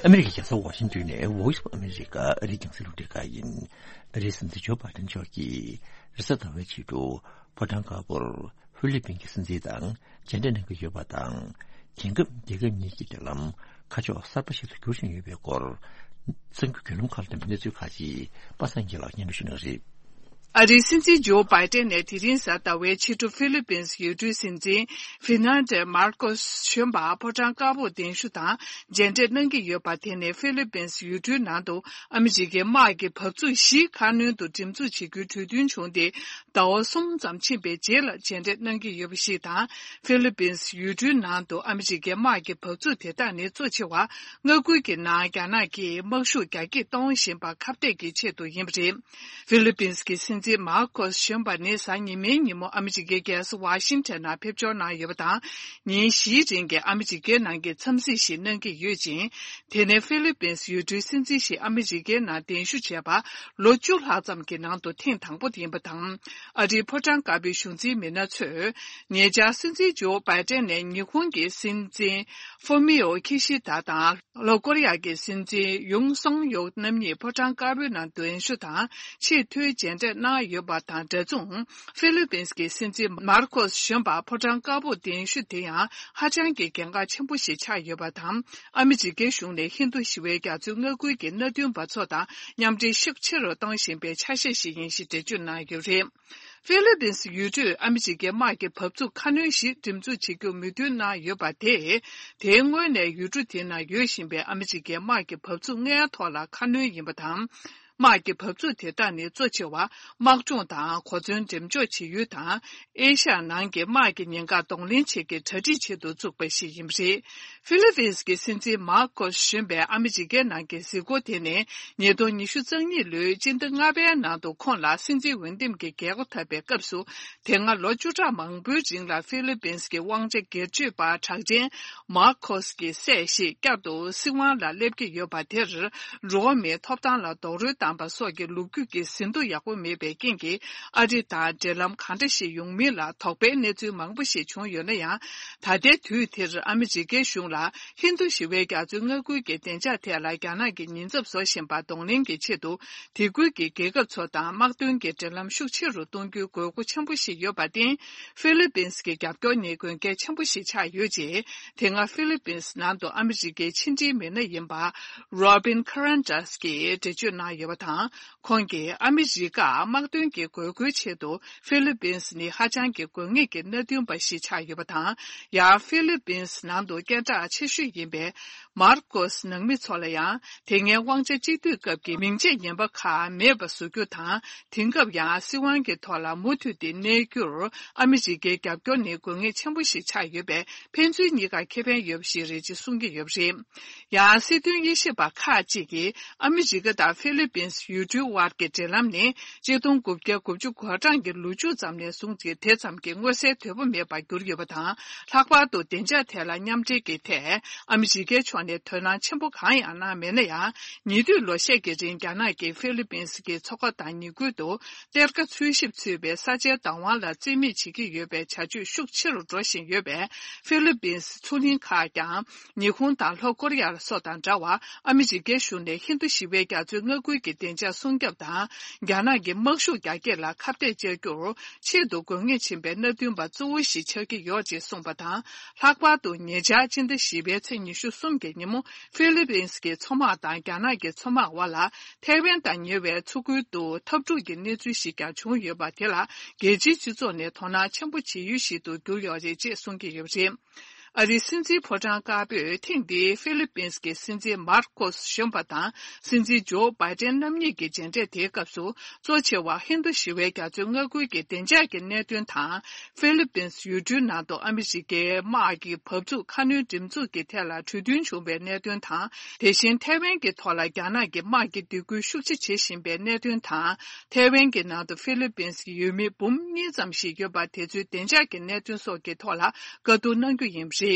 ཨ་མེ་རི་ཁའི་རྒྱལ་ས་ཝ་ཤིང་ཏོན་ནས་Voice of America ཨ་རིའི་རྒྱང་སྲིང་རླུང་འཕྲིན་ཁང་ཡིན། ཨ་རིའི་སྲིད་འཛིན་ཇོ་བྷའི་ཏན་མཆོག་གིས་རེས་གཟའ་ཟླ་བའི་ཕྱི་དྲོ་ཕོ་བྲང་དཀར་པོར་ཧྥི་ལི་པིན་གྱི་སྲིད་འཛིན་དང་མཇལ་འཕྲད་གནང་གི་ཡོད་པ་དང་། དེང་སྐབས་རྒྱལ་ཁབ་གཉིས་ཀྱི་འབྲེལ་ལམ་ཁ་ཕྱོགས་གསར་པ་ཞིག་ཏུ་འགྱུར་བཞིན་ཡོད་པའི་སྐོར། གསར་འགྱུར་བརྒྱུད་ལམ་ཁག་ལ་བརྟེན་པའི་གནས་ཚུལ་ཁག་ཅིག་པ་སངས་སྐྱིད་ལགས་སྙན་སྒྲོན་ཞུ་གནང་གི་རེད། ཨ་རིའི་སྲིད་འཛིན་ཇོ་བྷའི་ཏན་ནས་དེ་རིང་གཟའ་ཟླ་བའི་ཕྱི་དྲོ་ཧྥི་ལི་པིན་ཡུལ་གྲུའི་སྲིད་འཛིན་ཧྥི་ནན་ཏེ་མར་ཀོ་སི་གཞོན་པ་ཕོ་བྲང་དཀར་པོར་གདན་ཞུ་དང་མཇལ་འཕྲད་གནང་གི་ཡོད་པ་དེ་ནི་ཧྥི་ལི་པིན་ཡུལ་གྲུའི་ནང་དུ་ཨ་མི་རི་ཀའི་དམག་གི་འབབ་ཚུགས་བཞི་ཁ་སྣོན་དུ་འགྲེམས་འཛུགས་བྱེད་རྒྱུའི་གྲོས་མཐུན་བྱུང་སྟེ། ཟླ་བ་གསུམ་ཙམ་ཕྱིན་པའི་རྗེས་ལ་མཇལ་འཕྲད་གནང་གི་ཡོད་པ་ཞིག་དང་། ཧྥི་ལི་པིན་ཡུལ་གྲུའི་ནང་དུ་ཨ་མི་རི་ཀའི་དམག་གི་འབབ་ཚུགས་དེ་དག་ནི་གཙོ་ཆེ་བ་མངའ་ཁུལ་གྱི་ནང་རྒྱ་ནག་གིས་དམག་ཤུགས་རྒྱ་སྐྱེད་གཏོང་བཞིན་པ་ཁ་གཏད་ཀྱི་ཆེད་དུ་ཡིན་པ་རེད། ཧྥི་ལི་པིན་གྱི་སྲིད་ འཛིན་མར་ཁོ་སི་གཞོན་པ་ནི་གཟའ་ཉི་མའི་ཉིན་མོ་ཨ་མི་རི་ཀའི་རྒྱལ་ས་ཝ་ཤིང་ཊོན་ནང་ཕེབས་འབྱོར་གནང་ཡོད་པ་དང་། ཉིན་བཞིའི་རིང་གི་ཨ་མི་རི་ཀའི་ནང་གི་འཚམས་གཟིགས་ཤིག་གནང་གི་ཡོད་ཅིང་། དེ་ནས་ཧྥི་ལི་པིན་སི་ཡུལ་གྲུའི་སྲིད་འཛིན་ཞིག་ཨ་མི་རི་ཀའི་ནང་གདན་ཞུ་བྱས་པ་ལོ་བཅུ་ལྷག་ཙམ་གྱི་ནང་དུ་ཐེངས་དང་པོ་ཡིན་པ་དང་། ཨ་རིའི་ཕོ་བྲང་དཀར་པོའི་གཞུང་འཛིན་མི་སྣ་ཚོས། ཉེ་ཆར་སྲིད་འཛིན་ཇོ་བྷའི་ཏན་ནས་ཉི་ཧོང་གི་སྲིད་འཛིན་ཧྥུ་མི་ཡོ་ཁི་ཤི་ད་དང་། ལྷོ་ཀོ་རི་ཡ་གི་སྲིད་འཛིན་ཡུང་སུང་ཡོག་རྣམ་གཉིས་ཕོ་བྲང་དཀར་པོའི་ནང་གདན་ཞུ་དང་ཆེས་མཐོའི་མཇལ་འཕྲད་གནང་ཡོད་པ་དང་འདྲ་མཚུངས། ཧྥི་ལི་པིན་སི་གི་སྲིད་འཛིན་མར་ཁོ་སི་གཞོན་པ་ཕོ་བྲང་དཀར་པོར་གདན་ཞུ་དེ་ཡང་ཧ་ཅང་གི་གལ་འགངས་ཆེན་པོ་ཞིག་ཆགས་ཡོད་པ་དང་། ཨ་མི་རི་ཀའི་གཞུང་ནས་ཧིན་རྡུ་ཞི་བའི་རྒྱ་མཚོའི་མངའ་ཁུལ་གྱི་མནའ་མཐུན་པ་ཚོ་དང་མཉམ་འབྲེལ་ཤུགས་ཆེ་རུ་གཏོང་བཞིན་པའི་ཆ་ཤས་ཤིག་ཡིན་ཞེས་འགྲེལ་བརྗོད་གནང་ཡོད་པ་རེད། ཧྥི་ལི་པིན་སི་ཡུལ་གྲུས་ཨ་མི་རི་ཀའི་དམག་གི་བབས་ཚུགས་ཁ་སྣོན་ཞིག་སྒྲིག་འཛུགས་བྱེད་རྒྱུར་མོས་མཐུན་གནང་ཡོད་པ་དེས། དེའི་སྔོན་ནས་ཡུལ་གྲུ་དེའི་ནང་ཡོད་བཞིན་པའི་ཨ་མི་རི་ཀའི་དམག་གི་བབས་ཚུགས་ལྔའི་ཐོག་ལ་ཁ་སྣོན་ཡིན་པ་དང་། དམག་གི་བབས་ཚུགས་དེ་དག་ནི་གཙོ་ཆེ་བ་དམག་སྦྱོང་དང་གོ་མཚོན་འགྲེམས་འཇོག་བྱེད་ཡུལ་དང་། ཨེ་ཤ་ཡ་ནང་གི་དམག་གི་ཉེན་ཁ་གདོང་ལེན་བྱེད་ཀྱི་གྲ་སྒྲིག་ཆེད་དུ་བཙུགས་པ་ཞིག་ཡིན་པ་རེད། ཧྥི་ལི་པིན་སི་གི་སྲིད་འཛིན་མར་ཁོ་སི་གཞོན་པས་ཨ་མི་རི་ཀའི་ནང་གི་གཟིགས་སྐོར་དེ་ནི་ཉིས་སྟོང་ཉི་ཤུ་རྩ་གཉིས་ལོའི་སྤྱི་ཟླ་ལྔ་པའི་ནང་དུ་ཁོང་ལ་སྲིད་འཛིན་འོས་འདེམས་ཀྱི་རྒྱལ་སྒོ་འཐབ་པའི་སྐབས་སུ། དེ་སྔ་ལོ་བཅུ་ཕྲག་མང་པོའི་རིང་ལ་ཧྥི་ལི་པིན་སི་གི་དབང་ཆ་སྒེར་གཅོད་པ་གྲགས་ཅན་མར་ཁོ་སི་གི་སྲས་ཤིག་བསྐྱར་དུ་སྲིད་དབང་ལ་སླེབས་ཀྱི་ཡོད་པ་དེར། འགྲོ་བ་མིའི་ཐོབ་ཐང་ལ་རྡོག་རོལ་བཏང་པ་སོགས་ཀྱི་ལོ་རྒྱུས་ཀྱི་ཟིན་ཐོ་ཡག་པོ་མེད་པའི་རྐྱེན་གྱིས། ཨ་རི་དང་འབྲེལ་ལམ་གང་འདྲ་ཞིག་ཡོང་མིན་ལ་དོགས་པའི་གནས་ཚུལ་མང་པོ་ཞིག་བྱུང་ཡོད་ན་ཡང་། ད་ལྟའི་དུས་དེར་ཨ་མི་རི་ཀའི་གཞུང་ལ་ཧིན་རྡུ་ཞི་བའི་རྒྱ་མཚོའི་མངའ་ཁུལ་གྱི་བདེ་འཇགས་ཐད་ལ་རྒྱ་ནག་གིས་ཉེན་ཚབས་བཟོ་བཞིན་པ་གདོང་ལེན་གྱི་ཆེད་དུ། དེ་ཁུལ་གྱི་རྒྱལ་ཁབ་ཚོ་དང་དམག་དོན་གྱི་འབྲེལ་ལམ་ཤུགས་ཆེ་རུ་གཏོང་རྒྱུའི་དགོས་མཁོ་ཆེན་པོ་ཞིག་ཡོད་པར་བརྟེན། ཧྥི་ལི་པིན་སི་གི་རྒྱབ་སྐྱོར་ནི་དགོས་གལ་ཆེན་པོ་ཞིག་ཆགས་ཡོད་ཅེས། དེ་སྔ་ཧྥི་ལི་པིན་སི་ནང་དུ་ཨ་མི་རི་ཀའི་ཕྱི་འབྲེལ་མི་སྣ་ཡིན་པ། རོ་བིན་ཁ་རན་ཏྲ་སི་གིས་འགྲེལ་བརྗོད་གནང་ཡོད་པ་དང་། ཁོང་གིས་ཨ་མི་རི་ཀར་དམག་དོན་གྱི་དགོས་མཁོའི་ཆེད་དུ་ཧྥི་ལི་པིན་སི་ནི་ཧ་ཅང་གི་དགོས་ངེས་ཀྱི་མནའ་མཐུན་པ་ཞིག་ཆགས་ཡོད་པ་དང་། ཡང་ཧྥི་ལི་པིན་སི་ནང་དུ་སྐད་གྲགས་ཆེ་ཤོས་ཡིན་པའི་མར་ཀོ་སི་ནང་མི་ཚོ་ལ་ཡང་དེ་སྔའི་དབང་ཆ་གཅིག་སྡུད་སྐབས་ཀྱི་མིང་ཆད་ངན་པ་ཁག་མེད་པ་བཟོ་རྒྱུ་དང་། དེང་སྐབས་ཡང་སྲིད་དབང་གི་ཐོག་ལ་མུ་མཐུད་དེ་གནས་རྒྱུར་ཨ་མི་རི་ཀའི་རྒྱབ་སྐྱོར་ནི་དགོས་ངེས་ཆེན་པོ་ཞིག་ཆགས་ཡོད་པས། ཕན་ཚུན་གཉིས་ཀར་ཁེ་ཕན་ཡོད་པ་ཞིག་རེད་ཅེས་གསུང་གི་ཡོད་པ་རེད། ཡང་སྲིད་དོན་དབྱེ་ཞིབ་པ་ཁག་ཅིག་གིས་ཨ་མི་རི་ཀ་དང་ཧྥི་ལི་པིན་སི་ཡུལ་གྲུའི་དབར་གྱི་འབྲེལ་ལམ་ནི་ཆིག་སྟོང་དགུ་བརྒྱ་དགུ་བཅུ་གོ་གྲངས་ཀྱི་ལོ་མཇུག་ཙམ་ནས་བཟུང་སྟེ་དེ་ཙམ་གྱི་མངོན་གསལ་དོད་པོ་མེད་པར་གྱུར་ཡོད་པ་དང་། ལྷག་པར་དུ་བདེ་འཇགས་ཐད་ལ་མཉམ་འབྲེལ་གྱི་ཐད་ཨ་མི་རི་ཀའི་ཕྱོགས་ནས་དོ་སྣང་ཆེན་པོ་གང་ཡང་གནང་མེད་ན་ཡང་། ཉེ་དུས་ལོ་ཤས་ཀྱི་རིང་རྒྱ་ནག་གིས་ཧྥི་ལི་པིན་སི་གི་མཚོ་ཁ་དང་ཉེ་ཁུལ་དུ་གཏེར་ཁ་འཚོལ་ཞིབ་ཚུད་པའི་ས་ཆའི་བདག་དབང་ལ་རྩིས་མེད་བྱེད་ཀྱི་ཡོད་པའི་བྱ་སྤྱོད་ཤུགས་ཆེ་རུ་འགྲོ་བཞིན་ཡོད་པས། ཧྥི་ལི་པིན་སི་མཚོ་གླིང་ཁག་ཀྱང་། ཉི་ཧོང་དང་ལྷོ་ཀོ་རི་ཡ་སོགས་དང་འདྲ་བར་ཨ་མི་རི་ཀའི་གཞུང་ནས་ཧིན་རྡུ་ཞི་བའི་རྒྱ་མཚོའི་མངའ་ཁུལ་གྱི་བདེ་འཇགས་སྲུང་སྐྱོབ་དང་། རྒྱ་ནག་གི་དམག་ཤུགས་རྒྱ་སྐྱེད་ལ་ཁ་གཏད་བཅག་རྒྱུར་ཆེད་དུ་དགོས་ངེས་ཆེན་པོའི་མནའ་མཐུན་པ་གཙོ་བོ་ཞིག་ཆགས་ཀྱི་ཡོད་ཅེས་གསུངས་པ་དང་། ལྷག་པར་དུ་ཉེ་ཆར་སྤྱི་ཟླ་བཞི་པའི་ཚེས་ཉི་ཤུ་གསུམ་གྱི་ཉིན་མོ་ཧྥི་ལི་པིན་སི་གི་མཚོ་དམག་དང་རྒྱ་ནག་གི་མཚོ་དམག་དབར་ལ་ཐའེ་ཝན་དང་ཉེ་བའི་མཚོ་ཁུལ་དུ་འཐབ་འཁྲུག་གི་གནས་ཚུལ་ཞིག་ཀྱང་བྱུང་ཡོད་པ་དེ་ལ་རྒྱལ་སྤྱིའི་སྤྱི་ཚོགས་ནས་དོ་སྣང་ཆེན་པོ་བྱེད་ཡུལ་ཞིག་ཏུ་གྱུར་ཡོད་རེད་ཅེས་གསུང་གི་ཡོད་པ་རེད། ཨ་རིའི་སྲིད་འཛིན་ཕོ་བྲང་དཀར་པོས་ཐེངས་འདིའི་ཧྥི་ལི་པིན་སི་གི་སྲིད་འཛིན་མར་ཀོ་སི་གཞོན་པ་དང་སྲིད་འཛིན་ཇོ་བྷའི་ཏན་རྣམ་གཉིས་ཀྱི་མཇལ་འཕྲད་དེའི་སྐབས་སུ། གཙོ་ཆེ་བ་ཧིན་རྡུ་ཞི་བའི་རྒྱ་མཚོའི་མངའ་ཁུལ་གྱི་བདེ་འཇགས་ཀྱི་གནད་དོན་དང་། ཧྥི་ལི་པིན་སི་ཡུལ་གྲུའི་ནང་དུ་ཨ་མི་རི་ཀའི་དམག་གི་བབས་ཚུགས་ཁ་སྣོན་འགྲེམས་འཛུགས་ཀྱི་ཐད་ལ་གྲོས་མཐུན་བྱུང་བའི་གནད་དོན་དང་། དེ་བཞིན་ཐའེ་ཝན་གྱི་ཐོག་ལ་རྒྱ་ནག་གིས་དམག་གི་སྡིགས་སྐུལ་ཤུགས་ཆེ་བྱེད་བཞིན་པའི་གནད་དོན་དང་། ཐའེ་ཝན་གྱི་ནང་དུ་ཧྥི་ལི་པིན་སི་ཡུལ་མི་འབུམ་གཉིས་ཙམ་ཞིག་ཡོད་པ་དེ་ཚོའི་བདེ་འཇགས་ཀྱི་གནད་དོན་སོགས་ཀྱི་ཐོག་ལ་བཀའ་བསྡུར་གནང་རྒྱུ་ཡིན་པ་རེད།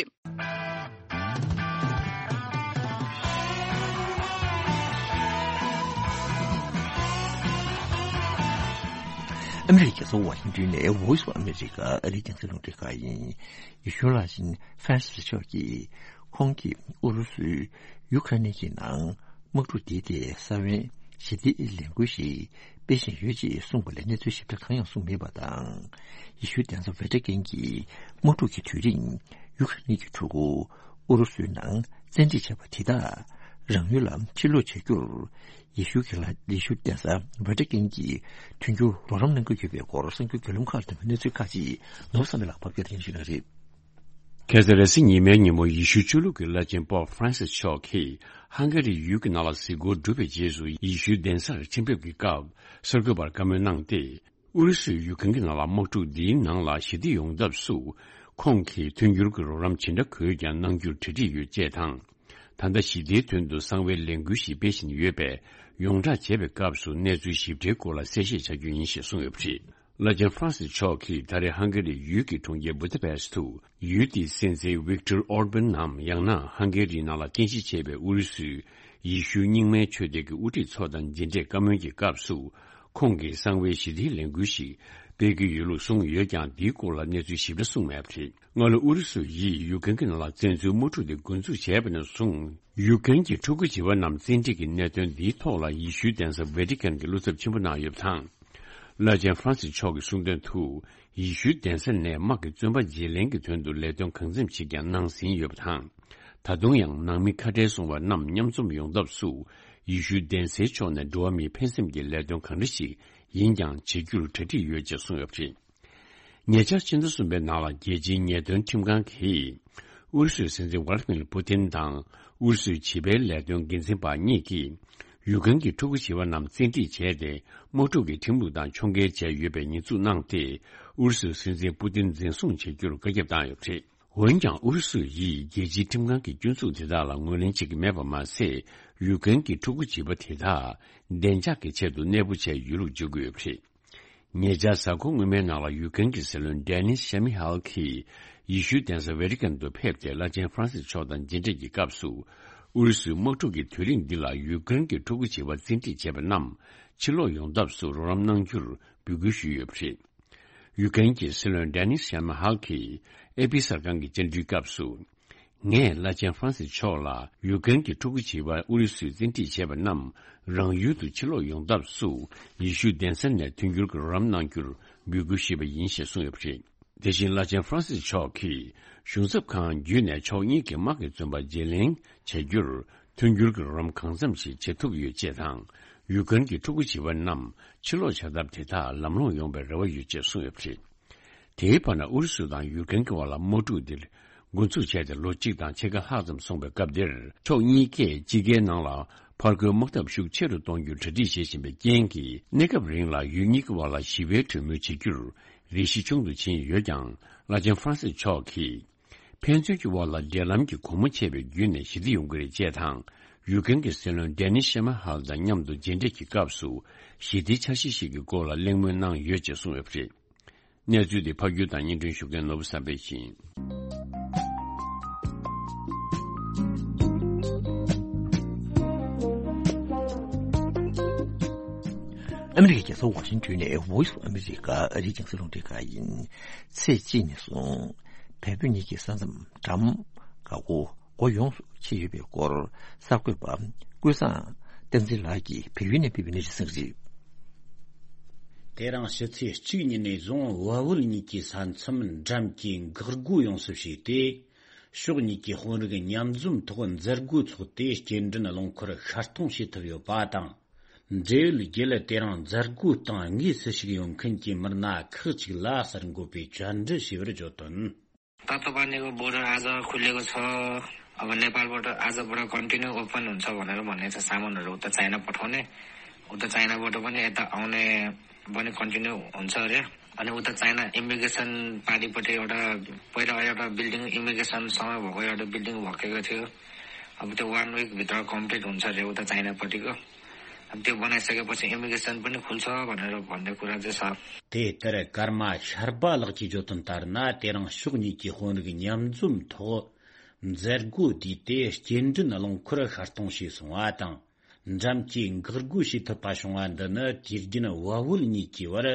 ཨ་མི་རི་ཀའི་རྒྱལ་ས་ཝ་ཤིང་ཏོན་ནས་Voice of America ཨ་རིའི་རྒྱང་སྲིང་རླུང་འཕྲིན་ཁང་ཡིན། ཡེ་ཤུ་བླ་ཆེན་ཧྥ་རན་སིས་མཆོག་གིས་ཁོང་གིས་ཨུ་རུ་སུས་ཡུ་ཁ་རེན་གྱི་ནང་དམག་འཁྲུག་འདིའི་ཐད་ས་བོན་ཞི་བདེའི་ལས་འགུལ་ཞིག་སྤེལ་བཞིན་ཡོད་ཅེས་གསུངས་པ་ལས་གནས་ཚུལ་ཞིབ་ཕྲ་གང་ཡང་གསུངས་མེད་པ་དང་། ཡེ་ཤུའི་གདན་ས་ཝེ་ཏི་ཀན་གྱི་དམག་འཁྲུག་གི་དུས་རིང་ཡུ་ཁ་རེན་གྱི་ཕྲུ་གུ་ཨུ་རུ་སུའི་ནང་བཙན་ཁྲིད་བྱས་པ་དེ་དག་རང་ཡུལ་ལ་ཕྱིར་ལོག་བྱ་རྒྱུར། ཡེ་ཤུ་གི་ལ་ཡེ་ཤུ་གདན་ས་ཝེ་ཏི་ཀན་གྱི་མཐུན་འགྱུར་རོགས་རམ་གནང་གི་ཡོད་པའི་སྐོར་གསར་འགྱུར་བརྒྱུད་ལམ་ཁག་དང་གནས་ཚུལ་ཁག་ཅིག་ནོར་བུ་བསམ་འཕེལ་ལགས་ཕབ་སྒྱུར་ཞུ་གནང་རེད། ཁ་སང་རེས་གཟའ་ཉི་མའི་ཉིན་མོ་ཡེ་ཤུ་ཆོས་ལུགས་ཀྱི་བླ་ཆེན་པོབ་ཧྥ་རན་སིས་མཆོག་གིས་ཧང་ག་རི་ཡུལ་གྱི་ནང་ལ་གཟིགས་སྐོར་གྲུབ་པའི་རྗེས་སུ་ཡེ་ཤུའི་གདན་སར་ཕྱིན་ཕེབས་ཀྱི་སྐབས་གསར་འགོད་པར་བཀའ་མོལ་གནང་སྟེ། ཨུ་རུ་སུས་ཡུ་ཁ་རེན་གྱི་ནང་ལ་དམག་འཁྲུག་འདིའི་ནང་ལ་ཞི་བདེ་ཡོང་ཐབས་སུ་ཁོང་གིས་མཐུན་འགྱུར་གྱི་རོགས་རམ་ཇི་འདྲ་དགོས་ཀྱང་གནང་རྒྱུར་གྲ་སྒྲིག་ཡོད་ཅེས་དང་། ད་ལྟ་ཞི་བདེའི་དོན་དུ་གསང་བའི་ལས་འགུལ་ཞིག་སྤེལ་བཞིན་ཡོད་པས། ཡོངས་བསྒྲགས་བྱས་པའི་སྐབས་སུ་གནས་ཚུལ་ཞིབ་ཕྲའི་སྐོར་ལ་གསལ་བཤད་བྱ་རྒྱུ་ཡིན་ཞེས་གསུངས་ཡོད་པ་རེད། བླ་ཆེན་ཧྥ་རན་སིས་མཆོག་གིས་ད་རེས་ཧང་ག་རིའི་ཡུལ་གྱི་གྲོང་ཁྱེར་བུ་ད་པེ་སི་ཊི་དུ་ཡུལ་དེའི་སྲིད་འཛིན་ཝིག་ཏོར་ཨོར་བན་ནམ། ཡང་ན་ཧང་ག་རིའི་ནང་ལ་རྟེན་གཞི་བྱས་པའི་ཨུ་རུ་སུའི་ཡེ་ཤུའི་རྙིང་མའི་ཆོས་སྡེ་གི་དབུ་ཁྲིད་ཚོ་དང་མཇལ་འཕྲད་བཀའ་མོལ་གྱི་སྐབས་སུ། ཁོང་གིས་གསང་བའི་ཞི་བདེའི་ལས་འགུལ་ཞིག་སྤེལ་གྱི་ཡོད་ལུགས་གསུངས་ཡོད་ཀྱང་། འདིའི་སྐོར་ལ་གནས་ཚུལ་ཞིབ་ཕྲ་གསུངས་མེད་པ་རེད། སྔ་ལོ་ཨུ་རུ་སུ་ཡིས་ཡུ་ཀེན་གྱི་ནང་ལ་བཙན་འཛུལ་དམག་འཁྲུག་དེ་འགོ་འཛུགས་བྱས་པ་ནས་བཟུང་། ཡུ་ཀེན་གྱི་ཕྲུ་གུ་བྱིས་པ་རྣམས་བཙན་ཁྲིད་ཀྱི་གནད་དོན་འདིའི་ཐོག་ལ་ཡེ་ཤུའི་གདན་ས་ཝེ་ཏི་ཀན་གྱིས་བློ་འཚབ་ཆེན་པོ་གནང་ཡོད་པ་དང་། བླ་ཆེན་ཧྥ་རན་སིས་མཆོག་གིས་གསུངས་དོན་དུ། ཡེ་ཤུའི་གདན་ས་ནས་དམག་གི་བཙོན་པ་བརྗེ་ལེན་གྱི་དོན་དུ་ལས་དོན་གང་འཚམ་ཞིག་ཀྱང་གནང་ཟིན་ཡོད་པ་དང་། ད་དུང་ཡང་ནང་མི་ཁ་བྲལ་སོང་བ་རྣམས་མཉམ་འཛོམས་ཡོང་ཐབས་སུ། ཡེ་ཤུའི་གདན་སའི་ཕྱོགས་ནས་འགྲོ་བ་མིའི་ཕན་སེམས་ཀྱི་ལས་དོན་གང་འདྲ་ཞིག་ཡིན་ཀྱང་བྱེད་རྒྱུར་གྲ་སྒྲིག་ཡོད་ཅེས་གསུངས་ཡོད་པ་རེད། ཉེ་ཆར་ཕྱི་ཟླ་གསུམ་པའི་ནང་ལ་རྒྱལ་སྤྱིའི་ཉེས་དོན་ཁྲིམས་ཁང་གིས། ཨུ་རུ་སུའི་སྲིད་འཛིན་ཝ་ལ་མིར་པུ་ཏིན་དང་ཨུ་རུ་སུའི་བྱིས་པའི་ལས་དོན་འགན་འཛིན་པ་གཉིས་ཀྱིས། ཡུ་ཀེན་གྱི་ཕྲུ་གུ་བྱིས་པ་རྣམས་བཙན་ཁྲིད་བྱས་ཏེ། དམག་འཁྲུག་གི་ཁྲིམས་ལུགས་དང་ཕྱོགས་འགལ་བྱས་ཡོད་པའི་ཉེས་འཛུགས་གནང་སྟེ། ཨུ་རུ་སུའི་སྲིད་འཛིན་པུ་ཏིན་འཛིན་བཟུང་བྱེད་རྒྱུར་བཀའ་ཁྱབ་བཏང་ཡོད་པ་རེད། འོན་ཀྱང་ཨུ་རུ་སུ་ཡིས་རྒྱལ་སྤྱིའི་ཁྲིམས་ཁང་གི་སྐྱོན་འཛུགས་དེ་དག་ལ་ངོས་ལེན་བྱེད་ཀྱི་མེད་པ་མ་ཟད། ཡུ་ཀེན་གྱི་ཕྲུ་གུ་བྱིས་པ་དེ་དག་བདེ་འཇགས་ཀྱི་ཆེད་དུ་གནས་སྤོ་བྱས་ཡོད་ལུགས་བརྗོད་ཀྱི་ཡོད་པ་རེད། ཉེ་ཆར་གཟའ་འཁོར་སྔོན་མའི་ནང་ལ་ཡུ་ཀེན་གྱི་སྲིད་བློན་ཌེ་ནིས་ཤ་མི་ཧལ་གྱིས་ཡེ་ཤུའི་གདན་ས་ཝེ་ཏི་ཀན་དུ་ཕེབས་ཏེ། བླ་ཆེན་ཧྥ་རན་སིས་མཆོག་དང་མཇལ་འཕྲད་ཀྱི་སྐབས་སུ། ཨུ་རུ་སུའི་དམག་འཁྲུག་གི་དུས་རིང་འདི་ལ་ཡུ་ཀེན་གྱི་ཕྲུ་གུ་བྱིས་པ་བཙན་ཁྲིད་བྱས་པ་རྣམས་ཕྱིར་ལོག་ཡོང་ཐབས་སུ་རོགས་རམ་གནང་རྒྱུར་འབོད་སྐུལ་ཞུས་ཡོད་པ་རེད། ཡུ་ཀེན་གྱི་སྲིད་བློན་ཌེ་ནིས་ཤ་མི་ཧལ་གྱིས་ཨེ་པི་གསར་ཁང་གི་བཅར་འདྲིའི་སྐབས་སུ། ངས་བླ་ཆེན་ཧྥ་རན་སིས་མཆོག་ལ་ཡུ་ཀེན་གྱི་ཕྲུ་གུ་བྱིས་པ་ཨུ་རུ་སུས་བཙན་ཁྲིད་བྱས་པ་རྣམས་རང་ཡུལ་དུ་ཕྱིར་ལོག་ཡོང་ཐབས་སུ་ཡེ་ཤུའི་གདན་ས་ནས་མཐུན་འགྱུར་གྱི་རོགས་རམ་གནང་རྒྱུར་འབོད་སྐུལ་ཞུས་པ་ཡིན་ཞེས་གསུངས་ཡོད་པ་རེད། དེ་བཞིན་བླ་ཆེན་ཧྥ་རན་སིས་མཆོག་གིས་གཞུང་ཚབ་ཁང་བརྒྱུད་ནས་ཕྱོགས་གཉིས་ཀྱི་དམག་གི་བཙོན་པ་བརྗེ་ལེན་བྱ་རྒྱུར་མཐུན་འགྱུར་གྱི་རོགས་རམ་གང་འཚམ་ཞིག་བྱེད་ཐུབ་ཡོད་ཅེས་དང་། ཡུ་ཀེན་གྱི་ཕྲུ་གུ་བྱིས་པ་རྣམས་ཕྱིར་ལོག་བྱ་ཐབས་དེ་དག་ལམ་ལྷོང་ཡོང་བའི་རེ་བ་ཡོད་ཅེས་གསུངས་ཡོད་པ་རེད། དེའི་བར་ན་ཨུ་རུ་སུ་དང་ཡུ་ཀེན་གྱི་བར་ལ་དམག་འཁྲུག་འདིར་འགོ་འཛུགས་བྱས་ཏེ་ལོ་གཅིག་དང་ཕྱེད་ཀ་ལྷག་ཙམ་སོང་བའི་སྐབས་འདིར། ཕྱོགས་གཉིས་ཀས་དཔྱིད་ཀའི་ནང་ལ་ཕར་རྒོལ་དམག་འཐབ་ཤུགས་ཆེ་རུ་གཏོང་རྒྱུར་གྲ་སྒྲིག་བྱེད་བཞིན་པའི་རྐྱེན་གྱིས། གནས་སྐབས་རིང་ལ་ཡུལ་གཉིས་ཀྱི་བར་ལ་ཞི་བའི་གྲོས་མོལ་བྱེད་རྒྱུར་རེ་ཞིག་ཆུང་དུ་ཕྱིན་ཡོད་ཀྱང་། བླ་ཆེན་ཧྥ་རན་སིས་མཆོག་གིས། ཕན་ཚུན་གྱི་བར་ལ་འབྲེལ་ལམ་གྱི་སྒོ་མོ་ཕྱེ་བའི་བརྒྱུད་ནས་ཞི་བདེ་ཡོང་གི་རེད་ཅེས་དང་། ཡུ་ཀེན་གྱི་སྲིད་བློན་ཌེ་ནིས་ཤ་མ་ཧལ་དང་མཉམ་དུ་མཇལ་འཕྲད་ཀྱི་སྐབས་སུ། ཞི་བདེའི་འཆར་གཞི་ཞིག་གི་སྐོར་ལ་གླེང་མོལ་གནང་ཡོད་ཅེས་གསུངས་ཡོད་པ་རེད། གནས་ཚུལ་འདི་ཕབ་སྒྱུར་དང་སྙན་སྒྲོན་ཞུ་མཁན་ནོར་བུ་བསམ་འཕེལ་ཡིན། ཨ་མི་རི་ཀའི་རྒྱལ་ས་ཝ་ཤིང་ཊོན་ནས་Voice of America ཨ་རིའི་རྒྱང་སྲིང་རླུང་འཕྲིན་ཁང་ཡིན། ཚེས་གཅིག་ནས་བཟུང་བལ་པོ་གཉིས་ཀྱི་ས་མཚམས་འགྲམ་འགག་སྒོ་སྒོ་ཡོངས་སུ་ཕྱེ་ཡོད་པའི་སྐོར་གསར་འགོད་པ་ཀུན་བཟང་བསྟན་འཛིན་ལགས་ཀྱིས་བལ་ཡུལ་ནས་སྤེལ་བའི་གནས་ཚུལ་གསན་གྱི་རེད། དེ་རིང་ཕྱི་ཚེས་གཅིག་ཉིན་ནས་བཟུང་བལ་བོད་གཉིས་ཀྱི་ས་མཚམས་འགྲམ་གྱི་འགག་སྒོ་ཡོངས་སུ་ཕྱེ་སྟེ། ཕྱོགས་གཉིས་ཀྱི་དཔོན་རིགས་མཉམ་འཛོམས་ཐོག་མཛད་སྒོ་འཚོགས་ཏེ། སྐྱེལ་འདྲེན་རླངས་འཁོར་ཤར་གཏོང་བྱེད་ཐུབ་ཡོད་པ་དང་། འབྲེལ་ཡོད་བརྒྱུད་ལ་དེ་རིང་མཛད་སྒོའི་སྟེང་དངོས་སུ་ཞུགས་ཡོད་མཁན་གྱི་མི་སྣ་ཁག་ཅིག་ལ་གསར་འགོད་པས་བཅར་འདྲི་ཞུས་པར་བརྗོད་དོན། तत्त्वपानीको बोर्डर आज खुलेको छ। अब नेपालबाट आजबाट continue open हुन्छ भनेर भनेको छ। सामानहरू उता चाइना पठाउने, उता चाइनाबाट पनि यता आउने पनि कन्टिन्यू हुन्छ अरे। अनि उता चाइना इमिग्रेसन पारिपट्टि एउटा, पहिला एउटा बिल्डिङ, इमिग्रेसनसँग भएको एउटा बिल्डिङ भत्केको थियो। अब त्यो वान विकभित्र कम्प्लिट हुन्छ अरे उता चाइनापट्टिको। अब त्यो बनाइसकेपछि इमिग्रेसन पनि खुल्छ भनेर भन्ने कुरा चाहिँ छ। དེ་ལྟར་ཀརྨ་ཤར་པ་ལགས་ཀྱིས་བརྗོད་དོན་ལྟར་ན། དེ་རིང་ཕྱོགས་གཉིས་ཀྱི་དཔོན་རིགས་མཉམ་འཛོམས་ཐོག་མཛད་སྒོ་བསྡུས་ཏེ། སྐྱེལ་འདྲེན་རླངས་འཁོར་ཤར་གཏོང་བྱས་སོང་བ་དང་། འགྲམ་གྱི་འགག་སྒོ་ཕྱེ་ཐུབ་པ་བྱུང་བ་འདི་ནི། དུས་རྒྱུན་བལ་བོད་གཉིས་ཀྱི་བར་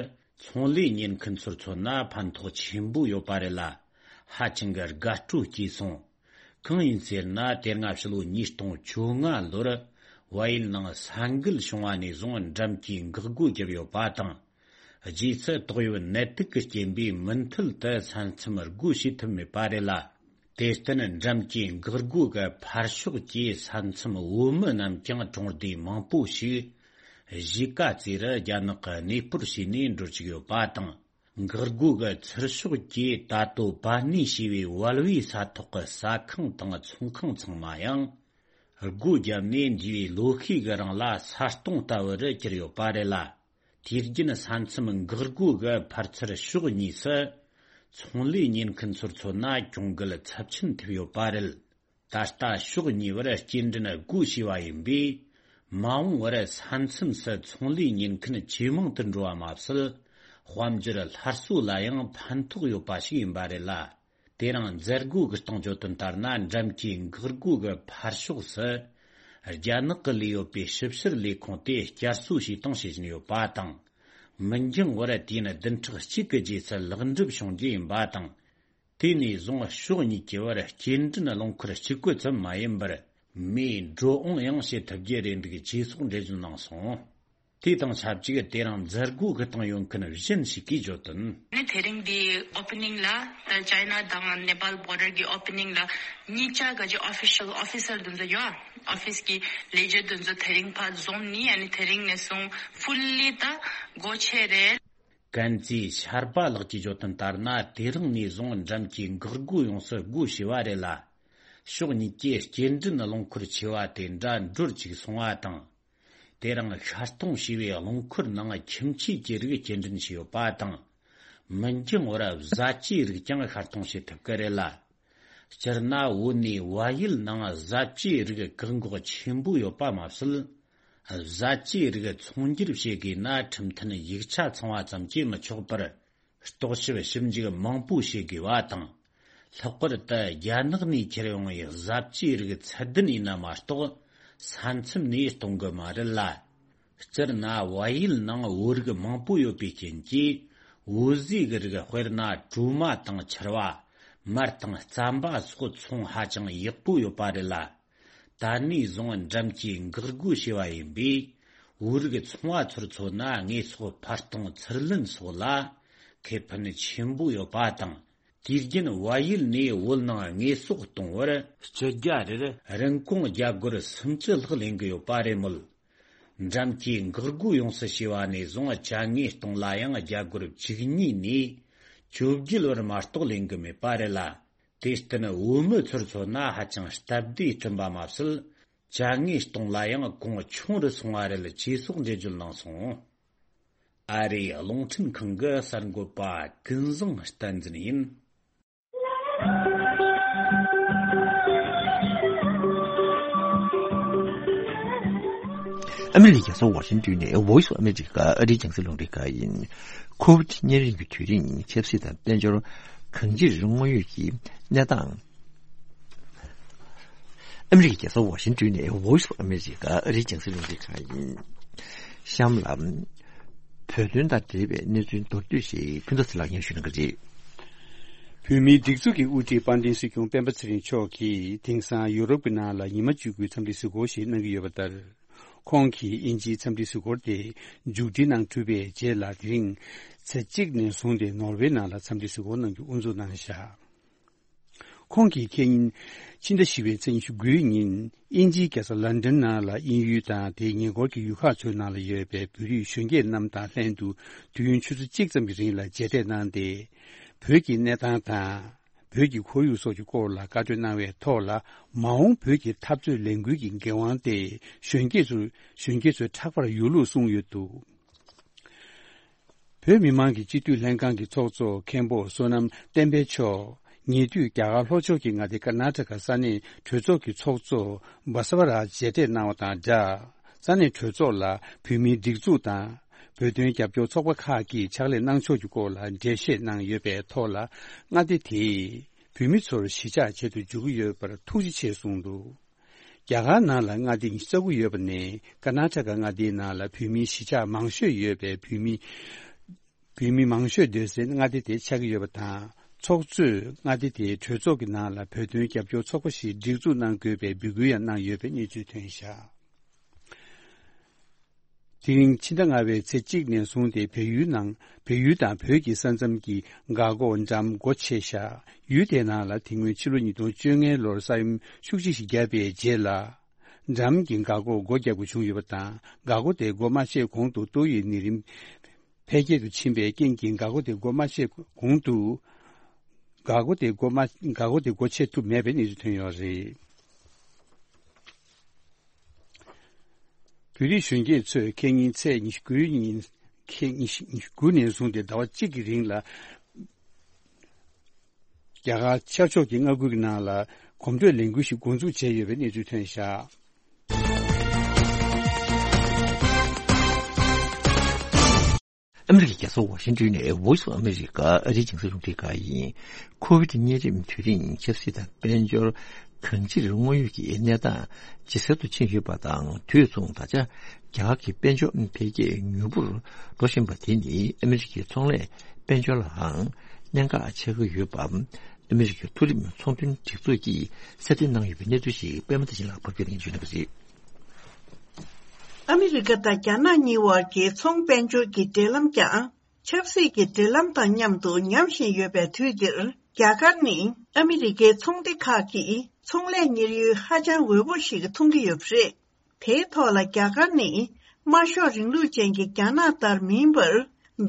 ཚོང་ལས་གཉེར་མཁན་ཚོར་མཚོན་ན་ཕན་ཐོགས་ཆེན་པོ་ཡོད་པ་རེད་ལ། ཧ་ཅང་གི་དགའ་སྤྲོ་སྐྱེས་སོང་། གང་ཡིན་ཟེར་ན། དེ་སྔ་ཕྱི་ལོ་ཉིས་སྟོང་བཅོ་ལྔ་ལོར་བལ་ཡུལ་ནང་ས་འགུལ་བྱུང་བ་ནས་བཟུང་འགྲམ་གྱི་འགག་སྒོ་བརྒྱབ་ཡོད་པ་དང་། རྗེས་སུ་ཏོག་དབྱིབས་ནད་དུག་གི་རྐྱེན་པས་མུ་མཐུད་དུ་ས་མཚམས་སྒོ་ཕྱེ་ཐུབ་མེད་པ་རེད་ལ། དེར་བརྟེན་འགྲམ་གྱི་འགག་སྒོ་གི་ཕར་ཕྱོགས་ཀྱི་ས་མཚམས་བོད་མི་རྣམས་ཀྱང་གྲོང་སྡེ་མང་པོ་ཞིག་གཞིས་ཀ་རྩེ་རུ་རྒྱ་ནག་གིས་གནས་སྤོར་བྱས་ནས་འགྲོ་བཅུག་ཡོད་པ་དང་། འགག་སྒོ་གི་ཚུར་ཕྱོགས་ཀྱི་ད་ལྟོ་པ་ནི་ཞེས་པའི་བལ་བོའི་ས་ཐོག་གི་ཟ་ཁང་དང་ཚོང་ཁང་ཚང་མ་ཡང་སྒོ་བརྒྱབ་ནས་འདས་པའི་ལོ་ཤས་ཀྱི་རིང་ལ་ས་སྟོང་ལྟ་བུ་རུ་གྱུར་ཡོད་པ་རེད་ལ། དུས་རྒྱུན་ས་མཚམས་འགག་སྒོ་གི་ཕར་ཚུར་ཕྱོགས་གཉིས་སུ་ཚོང་ལས་གཉེར་མཁན་ཚོར་མཚོན་ན་གྱོང་གུད་ཚབས་ཆེན་ཐེབས་ཡོད་པ་རེད། ད་ལྟ་ཕྱོགས་གཉིས་བར་སྐྱེལ་འདྲེན་སྒོ་ཕྱེ་བ་ཡིན་པས། མ་འོངས་པར་ས་མཚམས་སུ་ཚོང་ལས་གཉེར་མཁན་ཇེ་མང་དུ་འགྲོ་བ་མ་ཟད། དཔལ་འབྱོར་སླར་གསོ་ལ་ཡང་ཕན་ཐོགས་ཡོད་པ་ཞིག་ཡིན་པ་རེད་ལ། དེ་རིང་མཛད་སྒོ་གི་གཏོང་བརྗོད་དོན་ལྟར་ན། འགྲམ་གྱི་འགག་སྒོ་གི་ཕར་ཕྱོགས་སུ་རྒྱ་ནག་གི་ལས་ཡོད་པའི་ཞིབ་བཤེར་ལས་ཁུངས་དེ་བསྐྱར་གསོ་བྱས་སྟངས་བྱེད་བཞིན་ཡོད་པ་དང་། མི་འགྱངས་པར་དུས་ཡུན་བདུན་ཕྲག་གཅིག་གི་རྗེས་སུ་ལེགས་འགྲུབ་བྱུང་རྒྱུ་ཡིན་པ་དང་། དེ་ནས་བཟུང་ཕྱོགས་གཉིས་ཀྱི་བར་སྐྱེལ་འདྲེན་རླངས་འཁོར་གཅིག་པུ་ཙམ་མ་ཡིན་པར། མིའི་འགྲོ་འོང་ཡང་བྱེད་ཐུབ་རྒྱུ་རེད་འདུག་ཅེས་སོགས་འགྲེལ་བརྗོད་གནང་སོང་། དེ་དང་ཆབས་ཅིག་དེ་རིང་མཛད་སྒོ་གི་སྟེང་ཡོད་མཁན་གཞན་ཞིག་གིས་བརྗོད་དོན། ནི་དེ་རིང་འདི་ཨོ་པེ་ནིང་ལ་ད་ཅའི་ན་དང་ནེ་པཱལ་བོར་ཌར་གི་ཨོ་པེ་ནིང་ལ་གཉིས་ཆ་ག་ཅི་ཨོ་ཕི་ཤལ་ཨོ་ཕི་སར་དེ་ཚོ་ཡོད། ཨོ་ཕི་སི་གི་ལས་བྱེད་དེ་ཚོ་དེ་རིང་ཕར་འཛོམས་ནི་ཨ་ནི་དེ་རིང་ནས་བཟུང་ཕུལ་ལི་ད་སྒོ་ཕྱེ་རེད། ཀན་ཙི་ཤར་པ་ལགས་ཀྱིས་བརྗོད་དོན་ལྟར་ན། དེ་རིང་ནས་བཟུང་འགྲམ་གྱི་འགག་སྒོ་ཡོངས་སུ་སྒོ་ཕྱེ་བ་རེད་ལ། ཕྱོགས་གཉིས་ཀྱི་སྐྱེལ་འདྲེན་རླངས་འཁོར་ཆེ་བ་དེ་འདྲ་འགྲུལ་ཅིག་སོང་བ་དང་། དེ་རིང་ཤར་གཏོང་བྱས་པའི་རླངས་འཁོར་ནང་ཁྱིམ་ཆས་ཀྱི་རིགས་སྐྱེལ་འདྲེན་བྱས་ཡོད་པ་དང་། མི་འགྱངས་པར་བཟའ་བཅའི་རིགས་ཀྱང་ཤར་གཏོང་བྱེད་ཐུབ་ཀྱི་རེད་ལ། སྤྱིར་ན་བོད་ནས་བལ་ཡུལ་ནང་བཟའ་བཅའི་རིགས་བཀག་འགོག་ཆེན་པོ་ཡོད་པ་མ་ཟད། བཟའ་བཅའི་རིགས་ཚོང་སྒྱུར་བྱེད་དགོས་ན་ཁྲིམས་མཐུན་ཡིག་ཆ་ཚང་བ་ཙམ་གྱིས་མི་ཆོག་པར། རྟོག་ཞིབ་ཞིབ་འཇུག་མང་པོ་བྱེད་དགོས་པ་དང་། ལྷག་པར་དུ་རྒྱ་ནག་ནས་ཁྱེར་ཡོང་བའི་བཟའ་བཅའི་རིགས་ཚད་ལྡན་ཡིན་ན་མ་གཏོགས། ས་མཚམས་ནས་གཏོང་གི་མ་རེད་ལ། སྤྱིར་ན་བལ་ཡུལ་ནང་བོད་རིགས་མང་པོ་ཡོད་པའི་རྐྱེན་གྱིས། བོད་ཟས་ཀྱི་རིགས་དཔེར་ན་གྲོ་མ་དང་ཕྱུར་བ། མར་དང་རྩམ་པ་སོགས་ཚོང་ཧ་ཅང་ཡག་པོ་ཡོད་པ་རེད་ལ། ད་ནས་བཟུང་འགྲམ་གྱི་འགག་སྒོ་ཕྱེ་བ་ཡིན་པས། བོད་རིགས་ཚོང་བ་ཚོར་མཚོན་ན་དངོས་ཟོག་ཕར་གཏོང་ཚུར་ལེན་སོགས་ལ་ཁེ་ཕན་ཆེན་པོ་ཡོད་པ་དང་། དུས་རྒྱུན་བལ་ཡུལ་ནས་བོད་ནང་དངོས་ཟོག་གཏོང་བར་སྤྱི་རྒྱ་རེར་རིན་གོང་བརྒྱ་སྒོར་སུམ་ཅུ་ལྷག་ལེན་གྱི་ཡོད་པ་རེད་མོད། འགྲམ་གྱི་འགག་སྒོ་ཡོངས་སུ་ཕྱེ་བ་ནས་བཟུང་ཅ་དངོས་གཏོང་ལ་ཡང་བརྒྱ་སྒོར་བཅུ་གཉིས་ནས་བཅོ་བརྒྱད་བར་མ་གཏོགས་ལེན་གྱི་མེད་པ་རེད་ལ། དེར་བརྟེན་བོད་མི་ཚོར་མཚོན་ན་ཧ་ཅང་སྟབས་བདེ་བསྐྲུན་པ་མ་ཟད། ཅ་དངོས་གཏོང་ལ་ཡང་གོང་ཆུང་རུ་སོང་བ་རེད་ཅེས་སོགས་འགྲེལ་བརྗོད་གནང་སོང་། ཨ་རིའི་རླུང་འཕྲིན་ཁང་གི་གསར་འགོད་པ་ཀུན་བཟང་བསྟན་འཛིན་ཡིན། ཨ་མི་རི་ཀའི་རྒྱལ་ས་ཝ་ཤིང་ཏོན་ནས་Voice of America ཨ་རིའི་རྒྱང་སྲིང་རླུང་འཕྲིན་ཁང་ཡིན། ཁོ་ཝིད་གཉན་རིམས་ཀྱི་དུས་རིང་ཆབ་སྲིད་དང་དཔལ་འབྱོར་གང་ཅིར་དངོས་ཡོད་ཀྱི་གནས་སྟངས། ཨ་མི་རི་ཀའི་རྒྱལ་ས་ཝ་ཤིང་ཏོན་ནས་Voice of America ཨ་རིའི་རྒྱང་སྲིང་རླུང་འཕྲིན་ཁང་ཡིན། གཤམ་ལ། བོད་དོན་དང་འབྲེལ་བའི་གནས་ཚུལ་མདོར་བསྡུས་ཤིག་ཕུན་ཚོགས་ཚེ་ལགས་སྙན་ཞུ་གནང་གི་རེད། བོད་མིའི་སྒྲིག་འཛུགས་ཀྱི་དབུ་ཁྲིད་དཔལ་ལྡན་སྲིད་སྐྱོང་སྤེན་པ་ཚེ་རིང་མཆོག་གིས་དེང་སང་ཡུ་རོབ་ཀྱི་ནང་ལ་ཉི་མ་བཅུ་དགུའི་འཚམས་འདྲི་གཟིགས་སྐོར་ཞིག་གནང་གི་ཡོད་པ་ལྟར། ཁོང་གིས་དབྱིན་ཇིའི་འཚམས་འདྲི་གཟིགས་སྐོར་དེ་མཇུག་སྒྲིལ་གནང་གྲུབ་པའི་རྗེས་ལ། དེ་རིང་ཚེས་གཅིག་ནས་བཟུང་སྟེ་ནོར་ཝེ་ནང་ལ་འཚམས་འདྲི་གཟིགས་སྐོར་གནང་རྒྱུ་དབུ་འཛུགས་གནང་བཞག་ཁོང་གིས་ཁེ་ཉིན་ཕྱི་ཟླ་བཞི་པའི་ཚེས་ཉི་ཤུ་དགུའི་ཉིན་དབྱིན་ཇིའི་རྒྱལ་ས་ལན་ཌན་ནང་ལ་དབྱིན་ཡུལ་དང་དེའི་ཉེ་འཁོར་གྱི་ཡུལ་ཁག་ཚོའི་ནང་ལ་ཡོད་པའི་བོད་རིགས་གཞོན་སྐྱེས་རྣམས་དང་ལྷན་དུ་དུས་ཡུན་ཆུ་ཚོད་གཅིག་ཙམ་གྱི་རིང་ལ་མཇལ་འཕྲད་གནང་སྟེ། བོད་ཀྱི་གནས་སྟངས་དང་། བོད་ཀྱི་ཁོར་ཡུག་སོགས་ཀྱི་སྐོར་ལ་བཀའ་འཁྲོལ་གནང་བའི་ཐོག་ལ། མ་འོངས་བོད་ཀྱི་འཐབ་རྩོད་ལས་འགུལ་གྱི་འགན་དབང་དེ་གཞོན་སྐྱེས་ཚོ་གཞོན་སྐྱེས་ཚོའི་ཕྲག་པར་ཡོད་ལུགས་གསུངས་ཡོད་འདུག་བོད་མི་མང་གི་སྤྱི་འཐུས་ལྷན་ཁང་གི་ཚོགས་གཙོ་མཁན་པོ་བསོད་ནམས་བསྟན་འཕེལ་མཆོག་ཉེ་དུས་རྒྱ་གར་ལྷོ་ཕྱོགས་ཀྱི་མངའ་སྡེ་ཀར་ནཱ་ཊ་ཀ་ས་གནས་གྲོས་ཚོགས་ཀྱི་ཚོགས་གཙོ་བྷ་ས་ཝ་ར་མཇལ་འཕྲད་གནང་བ་དང་སྦྲགས། ས་གནས་གྲོས་ཚོགས་ལ་བོད་མིའི་སྒྲིག་འཛུགས་དང་། བོད་དོན་རྒྱབ་སྐྱོར་ཚོགས་པ་ཁག་གིས་ཕྱག་ལས་གནང་ཕྱོགས་ཀྱི་སྐོར་ལ་འགྲེལ་བཤད་གནང་ཡོད་པའི་ཐོག་ལ། མངའ་སྡེ་དེས་བོད་མི་ཚོར་གཞིས་ཆགས་བྱེད་དུ་འཇུག་གི་ཡོད་པར་ཐུགས་རྗེ་ཆེ་གསུངས་འདུག་རྒྱ་གར་ནང་ལ་མངའ་སྡེ་ཉི་ཤུ་རྩ་དགུ་ཡོད་པ་ནས། ཀར་ནཱ་ཊ་ཀ་མངའ་སྡེའི་ནང་ལ་བོད་མིའི་གཞིས་ཆགས་མང་ཤོས་ཡོད་པའི་བོད་མི། བོད་མི་མང་ཤོས་སྡོད་སའི་མངའ་སྡེ་དེ་ཆགས་ཀྱི་ཡོད་པ་དང་། ཚོགས་གཙོས་མངའ་སྡེ་དེའི་གྲོས་ཚོགས་ཀྱི་ནང་ལ་བོད་དོན་རྒྱབ་སྐྱོར་ཚོགས་པ་ཞིག་སྒྲིག་འཛུགས་གནང་དགོས་པའི་འབོད་སྐུལ་ཡང་གནང་ཡོད་པའི་གནས་ཚུལ་ཐོན་བཞག་དེ་རིང་ཕྱི་ཟླ་ལྔ་པའི་ཚེས་གཅིག་ནས་བཟུང་སྟེ་བལ་ཡུལ་ནང་བལ་ཡུལ་དང་བོད་ཀྱི་ས་མཚམས་ཀྱི་འགག་སྒོ་འགྲམ་སྒོ་ཕྱེ་བཞག་ཡུལ་དེའི་ནང་ལ་དེ་སྔོན་ཕྱི་ལོ་ཉིས་སྟོང་བཅོ་ལྔའི་ལོར་ས་ཡོམ་ཤུགས་ཆེ་ཞིག་བརྒྱབ་པའི་རྗེས་ལ། འགྲམ་གྱི་འགག་སྒོ་སྒོ་བརྒྱབ་དགོས་བྱུང་ཡོད་པ་དང་། འགག་སྒོ་དེ་སྒོ་མ་ཕྱེ་གོང་དུ་ཏོག་དབྱིབས་ནད་རིམས་འཕེལ་རྒྱས་སུ་ཕྱིན་པའི་རྐྱེན་གྱིས་འགག་སྒོ་དེ་སྒོ་མ་ཕྱེ་གོང་དུ། འགག་སྒོ་དེ་སྒོ་མ་འགག་སྒོ་དེ་སྒོ་ཕྱེ་ཐུབ་མེད་པའི་གནས་ཚུལ་ཐོན་ཡོད་རེད། བོད་རིགས་གཞོན་སྐྱེས་ཚོས་ཁེ་ཉིན་ཚེས་ཉི་ཤུ་དགུའི་ཉིན། ཁེ་ཉི་ཤུ་ཉི་ཤུ་དགུ་ནས་བཟུང་སྟེ་ཟླ་བ་གཅིག་གི་རིང་ལ། རྒྱ་གར་ཤར་ཕྱོགས་ཀྱི་མངའ་ཁུལ་གྱི་ནང་ལ་གོམ་བགྲོད་ལས་འགུལ་ཞིག་འགོ་འཛུགས་བྱས་ཡོད་པའི་གནས་ཚུལ་ཐོན་བཞག་ཨ་མི་རི་ཀའི་རྒྱལ་ས་ཝ་ཤིང་ཏོན་ནས་Voice of America ཨ་རིའི་རྒྱང་སྲིང་རླུང་འཕྲིན་ཁང་ཡིན། ཁོ་བིད་གཉན་རིམས་དུས་རིང་ཆབ་སྲིད་དང་དཔལ་འབྱོར་གང་ཅིར་དངོས་ཡོད་ཀྱི་གནས་སྟངས་ཇེ་གསལ་དུ་ཕྱིན་ཡོད་པ་དང་། དུས་མཚུངས་ད་ཆ་རྒྱ་གར་གྱི་དཔལ་འབྱོར་འཕེལ་རྒྱས་མྱུར་པོར་འགྲོ་བཞིན་པ་དེ་ནི་ཨ་མི་རི་ཀའི་ཚོང་ལས་དཔལ་འབྱོར་ལའང་གནད་འགག་ཆགས་ཀྱི་ཡོད་པ། ཨ་མི་རི་ཀའི་མཐོ་རིམ་ཚོང་དོན་སྒྲིག་འཛུགས་ཀྱིས་གསལ་སྟོན་གནང་ཡོད་པའི་གནས་ཚུལ་ཞིག་པད་མ་བདེ་ཆེན་ལགས་ཕབ་སྒྱུར་གནང་ཞུ་གནང་གི་རེད། ཨ་མི་རི་ཀ་དང་རྒྱ་ནག་གཉིས་བར་གྱི་ཚོང་དཔལ་འབྱོར་གྱི་འབྲེལ་ལམ་ཀྱང་ཆབ་སྲིད་ཀྱི་འབྲེལ་ལམ་དང་མཉམ་དུ་ཉམས་བཞིན་ཡོད་པའི་དུས་འདིར། རྒྱ་གར་ནི་ཨ་མི་རི་ཀའི་ཚོང་སྡེ་ཁག་གིས་ཚོང་ལས་གཉེར་ཡུལ་ཧ་ཅང་འོས་པོ་ཞིག་མཐོང་གི་ཡོད་པ་རེད། དེའི་ཐོག་ལ་རྒྱ་གར་ནི་དམར་ཤོག་རིང་ལུགས་ཅན་གྱི་རྒྱ་ནག་ལྟར་མིན་པར།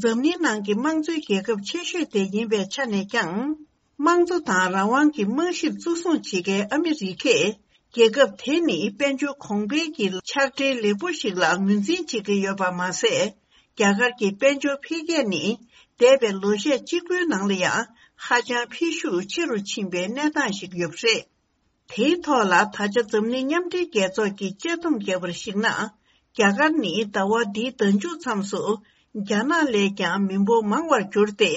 འཛམ་གླིང་ནང་གི་དམངས་གཙོའི་རྒྱལ་ཁབ་ཆེ་ཤོས་དེ་ཡིན་པའི་ཆ་ནས་ཀྱང་། དམངས་གཙོ་དང་རང་དབང་གི་རྨང་གཞིར་གཙོ་བཟུང་བྱེད་མཁན་ཨ་མི་རི་ཀས། རྒྱལ་ཁབ་དེ་ནི་དཔལ་འབྱོར་གོང་འཕེལ་གྱི་ཕྱག་སྦྲེལ་ལེགས་པོ་ཞིག་ལ་ངོས་འཛིན་བྱེད་ཀྱི་ཡོད་པ་མ་ཟད། རྒྱ་གར་གྱི་དཔལ་འབྱོར་འཕེལ་རྒྱས་ནི། འདས་པའི་ལོ་ཤས་གཅིག་པུའི་ནང་ལ་ཡང་ཧ་ཅང་འཕེལ་ཤུགས་ཆེ་རུ་ཕྱིན་པའི་གནས་སྟངས་ཤིག་ཡོད་པ་རེད། དེའི་ཐོག་ལ་ད་ཆ་འཛམ་གླིང་མཉམ་འབྲེལ་རྒྱལ་ཚོགས་ཀྱིས་དཔྱད་སྡོམ་བརྒྱབ་པར་གཞིགས་ན། རྒྱ་གར་ནི་ཟླ་བ་འདིའི་ཟླ་མཇུག་མཚམས་སུ་རྒྱ་ནག་ལས་ཀྱང་མི་འབོར་མང་བར་གྱུར་ཏེ།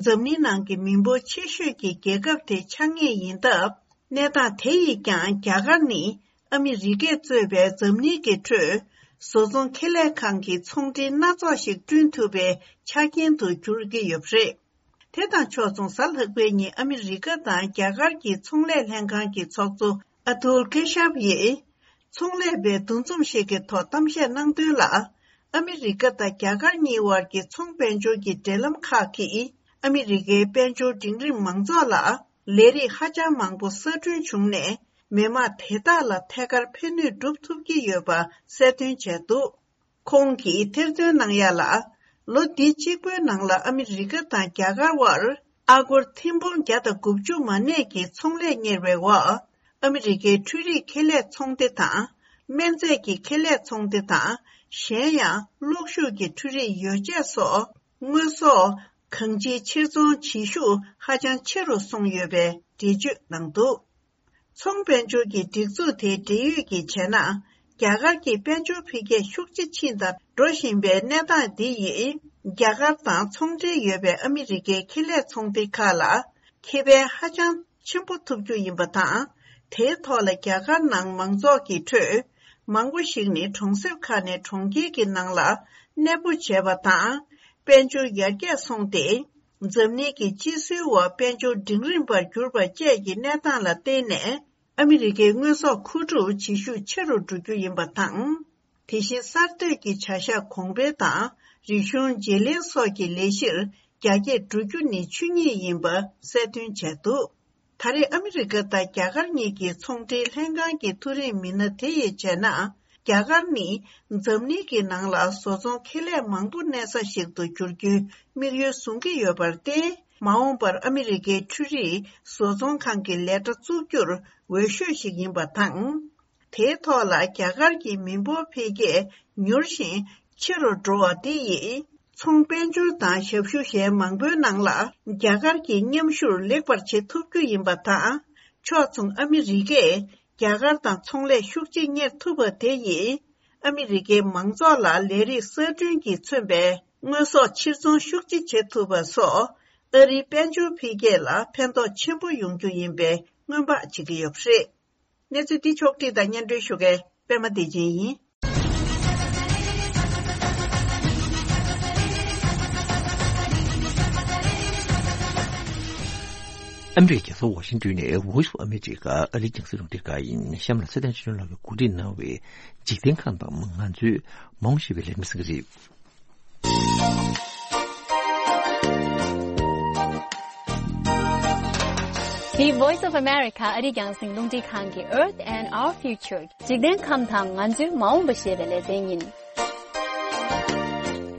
འཛམ་གླིང་ནང་གི་མི་འབོར་ཆེ་ཤོས་ཀྱི་རྒྱལ་ཁབ་དེ་ཆགས་ངེས་ཡིན་སྟབས། གནས་སྟངས་དེ་ཡིས་ཀྱང་རྒྱ་གར་ནི་ཨ་མི་རི་ཀས་གཙོས་པའི་འཛམ་གླིང་གི་ཁྲོད་བཟོ་ཚོང་ཁེ་ལས་ཁང་གི་ཚོང་འབྲེལ་སྣ་ཚོགས་ཤིག་བསྐྲུན་ཐུབ་པའི་ཆ་རྐྱེན་དུ་གྱུར་གྱི་ཡོད་པ་རེད། དེ་དང་ཕྱོགས་མཚུངས། གཟའ་ལྷག་པའི་ཉིན་ཨ་མི་རི་ཀ་དང་རྒྱ་གར་གྱི་ཚོང་ལས་ལྷན་ཁང་གི་ཚོགས་གཙོ་ཨ་ཐུལ་ཁེ་ཤབ་ཡིས། ཚོང་ལས་པའི་འདུ་འཛོམས་ཤིག་གི་ཐོག་གཏམ་བཤད་གནང་དོན་ལ། ཨ་མི་རི་ཀ་དང་རྒྱ་གར་གཉིས་བར་གྱི་ཚོང་དཔལ་འབྱོར་གྱི་འབྲེལ་ལམ་ཁག་གིས། ཨ་མི་རི་ཀའི་དཔལ་འབྱོར་འབྲིང་རིམ་མང་ཚོགས་ལ། ལས་རིགས་ཧ་ཅང་མང་པོ་གསར་སྐྲུན་བྱུང་ནས། མི་དམངས་དེ་དག་ལ་ཐད་ཀར་ཕན་ནུས་སྒྲུབ་ཐུབ་ཀྱི་ཡོད་པ་གསལ་སྟོན་བྱས་འདུག་ཁོང་གིས་ཐེར་འདོན་གནང་ཡ་ལ། ལོ་འདི་གཅིག་པོའི་ནང་ལ་ཨ་མི་རི་ཀ་དང་རྒྱ་གར་དབར་ཨ་སྒོར་ཐེར་འབུམ་བརྒྱ་དང་དགུ་བཅུ་མ་ནས་ཀྱི་ཚོང་ལས་གཉེར་བའི་འོག་ཨ་མི་རི་ཀའི་འཕྲུལ་རིག་ཁེ་ལས་ཚོང་སྡེ་དང་། སྨན་རྫས་ཀྱི་ཁེ་ལས་ཚོང་སྡེ་དང་། གཞན་ཡང་གློག་ཤུགས་ཀྱི་འཕྲུལ་རིག་ཡོ་བྱད་སོགས་དངོས་ཟོག་གང་ཅིའི་ཕྱིར་ཚོང་བྱེད་ཤུགས་ཧ་ཅང་ཆེ་རུ་སོང་ཡོད་པའི་འགྲེལ་བརྗོད་གནང་འདུག་ཚོང་དཔལ་འབྱོར་གྱི་སྒྲིག་འཛུགས་དེའི་འབྲེལ་ཡོད་ཀྱིས་བྱས་ན། རྒྱ་གར་གྱི་དཔལ་འབྱོར་འཕེལ་རྒྱས་ཤུགས་ཆེ་ཕྱིན་དང་འགྲོ་བཞིན་པའི་གནས་སྟངས་འདི་ཡིས། རྒྱ་གར་དང་ཚོང་འབྲེལ་ཡོད་པའི་ཨ་མི་རི་ཀའི་ཁེ་ལས་ཚོང་སྡེ་ཁག་ལ་ཁེ་ཕན་ཧ་ཅང་ཆེན་པོ་ཐོབ་རྒྱུ་ཡིན་པ་དང་། དེའི་ཐོག་ལ་རྒྱ་གར་ནང་མང་ཚོགས་ཀྱི་ཁྲོད་མང་པོ་ཞིག་ནི་གྲོང་གསེབ་ཁག་ནས་གྲོང་ཁྱེར་གྱི་ནང་ལ་གནས་སྤོ་བྱས་པ་དང་། དཔལ་འབྱོར་ཡར་རྒྱས་སོང་སྟེ། འཛམ་གླིང་གི་སྤྱི་སྲོལ་འོག་དཔལ་འབྱོར་འབྲིང་རིམ་པར་གྱུར་པ་བཅས་ཀྱི་གནས་སྟངས་ལ་བརྟེན་ནས། ཨ་མི་རི་ཀའི་དངོས་ཟོག་མཁོ་སྒྲུབ་བྱེད་ཤུགས་ཆེ་རུ་འགྲོ་རྒྱུ་ཡིན་པ་དང་། དེ་བཞིན་གསར་གཏོད་ཀྱི་བྱ་གཞག་གོང་འཕེལ་དང་། རིག་གཞུང་བརྗེ་ལེན་སོགས་ཀྱི་ལས་གཞིར་རྒྱ་སྐྱེད་འགྲོ་རྒྱུ་ནི་ཆོས་ཉིད་ཡིན་པ་གསལ་སྟོན་བྱས་འདུག་ད་རེས་ཨ་མི་རི་ཀ་དང་རྒྱ་གར་གཉིས་ཀྱི་ཚོང་འབྲེལ་ལྷན་ཁང་གི་མཐོ་རིམ་མི་སྣ་དེ་ཡིས་བྱས་ན། རྒྱ་གར་ནི་འཛམ་གླིང་གི་ནང་ལ་བཟོ་ཚོང་ཁེ་ལས་མང་པོ་གནས་ས་ཞིག་ཏུ་འགྱུར་རྒྱུའི་དམིགས་ཡུལ་བཟུང་གི་ཡོད་པར་བརྟེན། མ་འོངས་པར་ཨ་མི་རི་ཀའི་འཕྲུལ་རིག་བཟོ་ཚོང་ཁང་གི་ལས་གྲྭ་བཙུགས་རྒྱུར་འོས་ཤོས་ཤིག་ཡིན་པ་དང་། དེའི་ཐོག་ལ་རྒྱ་གར་གྱི་མི་འབོར་འཕེལ་རྒྱས་མྱུར་ཞིང་ཆེ་རུ་འགྲོ་བ་དེ་ཡིས། ཚོང་དཔལ་འབྱོར་དང་ཞབས་ཞུ་གཞན་མང་པོའི་ནང་ལ་རྒྱ་གར་གྱི་མཉམ་ཞུགས་ལེགས་པར་བྱེད་ཐུབ་རྒྱུ་ཡིན་པ་དང་། ཕྱོགས་མཚུངས་ཨ་མི་རི་ཀས་རྒྱ་གར་དང་ཚོང་ལས་ཤུགས་ཆེ་གཉེར་ཐུབ་པ་དེ་ཡིས། ཨ་མི་རི་ཀའི་མང་ཚོགས་ལ་ལས་རིགས་གསར་སྐྲུན་གྱིས་མཚོན་པའི་དངོས་ཟོག་ཕྱིར་ཚོང་ཤུགས་ཆེ་བྱེད་ཐུབ་པ་སོགས། ཨ་རིའི་དཔལ་འབྱོར་འཕེལ་རྒྱས་ལ་ཕན་ཐོགས་ཆེན་པོ་ཡོང་རྒྱུ་ཡིན་པའི་སྔོན་དཔག་བྱེད་ཀྱི་ཡོད་པ་རེད། གནས་ཚུལ་འདི་ཕྱོགས་བསྒྲིགས་དང་སྙན་སྒྲོན་ཞུ་མཁན་པད་མ་བདེ་ཆེན་ཡིན། ཨ་མི་རི་ཀའི་རྒྱལ་ས་ཝ་ཤིང་ཏོན་ནས་Voice of America ཨ་རིའི་རྒྱང་སྲིང་རླུང་འཕྲིན་ཁང་ཡིན། གཤམ་ལ་ཚེ་བརྟན་ཆོས་སྒྲོན་ལགས་ཀྱིས་གོ་སྒྲིག་གནང་བའི་འཇིག་རྟེན་ཁམས་དང་ང་ཚོའི་མ་འོངས་ཞེས་པའི་ལས་རིམ་གསན་གྱི་རེད། འདི་Voice of America ཨ་རིའི་རྒྱང་སྲིང་རླུང་འཕྲིན་ཁང་གི་Earth and Our Future འཇིག་རྟེན་ཁམས་དང་ང་ཚོའི་མ་འོངས་པ་ཞེས་པའི་ལེ་ཚན་ཡིན།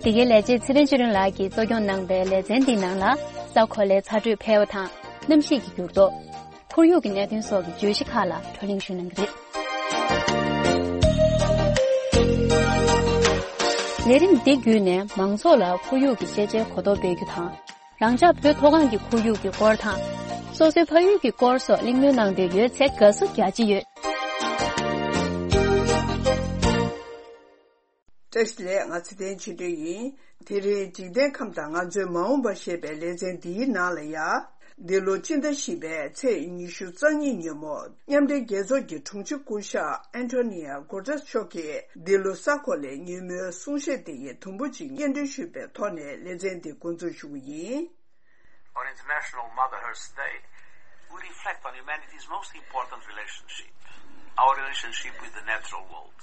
འདི་གའི་ལས་བྱེད་ཚེ་བརྟན་ཆོས་སྒྲོན་ལགས་ཀྱིས་གཙོ་སྐྱོང་གནང་པའི་ལེ་ཚན་འདིའི་ནང་ལ། ས་གོ་ལའི་ཚ་དྲོད་འཕེལ་བ་དང་། གནམ་གཤིས་ཀྱི་འགྱུར་ལྡོག་ཁོར་ཡུག་གི་གནད་དོན་སོགས་ཀྱི་བརྗོད་གཞི་ཁག་ལ་བགྲོ་གླེང་ཞུ་གནང་གི་རེད། ལས་རིམ་འདི་བརྒྱུད་ནས་མང་ཚོགས་ལ་ཁོར་ཡུག་གི་ཤེས་བྱའི་གོ་རྟོགས་སྤེལ་རྒྱུ་དང་། རང་ཅག་བོད་མཐོ་སྒང་གི་ཁོར་ཡུག་གི་སྐོར་དང་། སོ་སོའི་ཕ་ཡུལ་གྱི་སྐོར་སོགས་གླེང་མོལ་གནང་འདོད་ཡོད་ཚེ་དགའ་བསུ་རྒྱ་ཆེ་ཡོད། བཀྲ་ཤིས་བདེ་ལེགས། ང་ཚེ་བརྟན་ཆོས་སྒྲོན་ཡིན། དེ་རིང་འཇིག་རྟེན་ཁམས་དང་ང་ཚོའི་མ་འོངས་པ་ཞེས་པའི་ལེ་ཚན་འདིའི་ནང་ལ་ཡ། འདི་ལོ་སྤྱི་ཟླ་བཞི་པའི་ཚེས་ཉི་ཤུ་རྩ་གཉིས་ཉིན་མོ། མཉམ་འབྲེལ་རྒྱལ་ཚོགས་ཀྱི་དྲུང་ཆེ་སྐུ་ཞབས་ཨན་ཐོ་ནི་ཡ་གུ་ཏྲེས་མཆོག་གིས་འདི་ལོ་གཟའ་འཁོར་ལོའི་ཉིན་མོའི་གསུང་བཤད་དེ་ཡི་དུམ་བུ་གཅིག་སྙན་སྒྲོན་ཞུས་པའི་ཐོག་ནས་ལེ་ཚན་འདི་འགོ་འཛུགས་ཞུ་གི་ཡིན། On International Mother Earth Day, we reflect on humanity's most important relationship, our relationship with the natural world.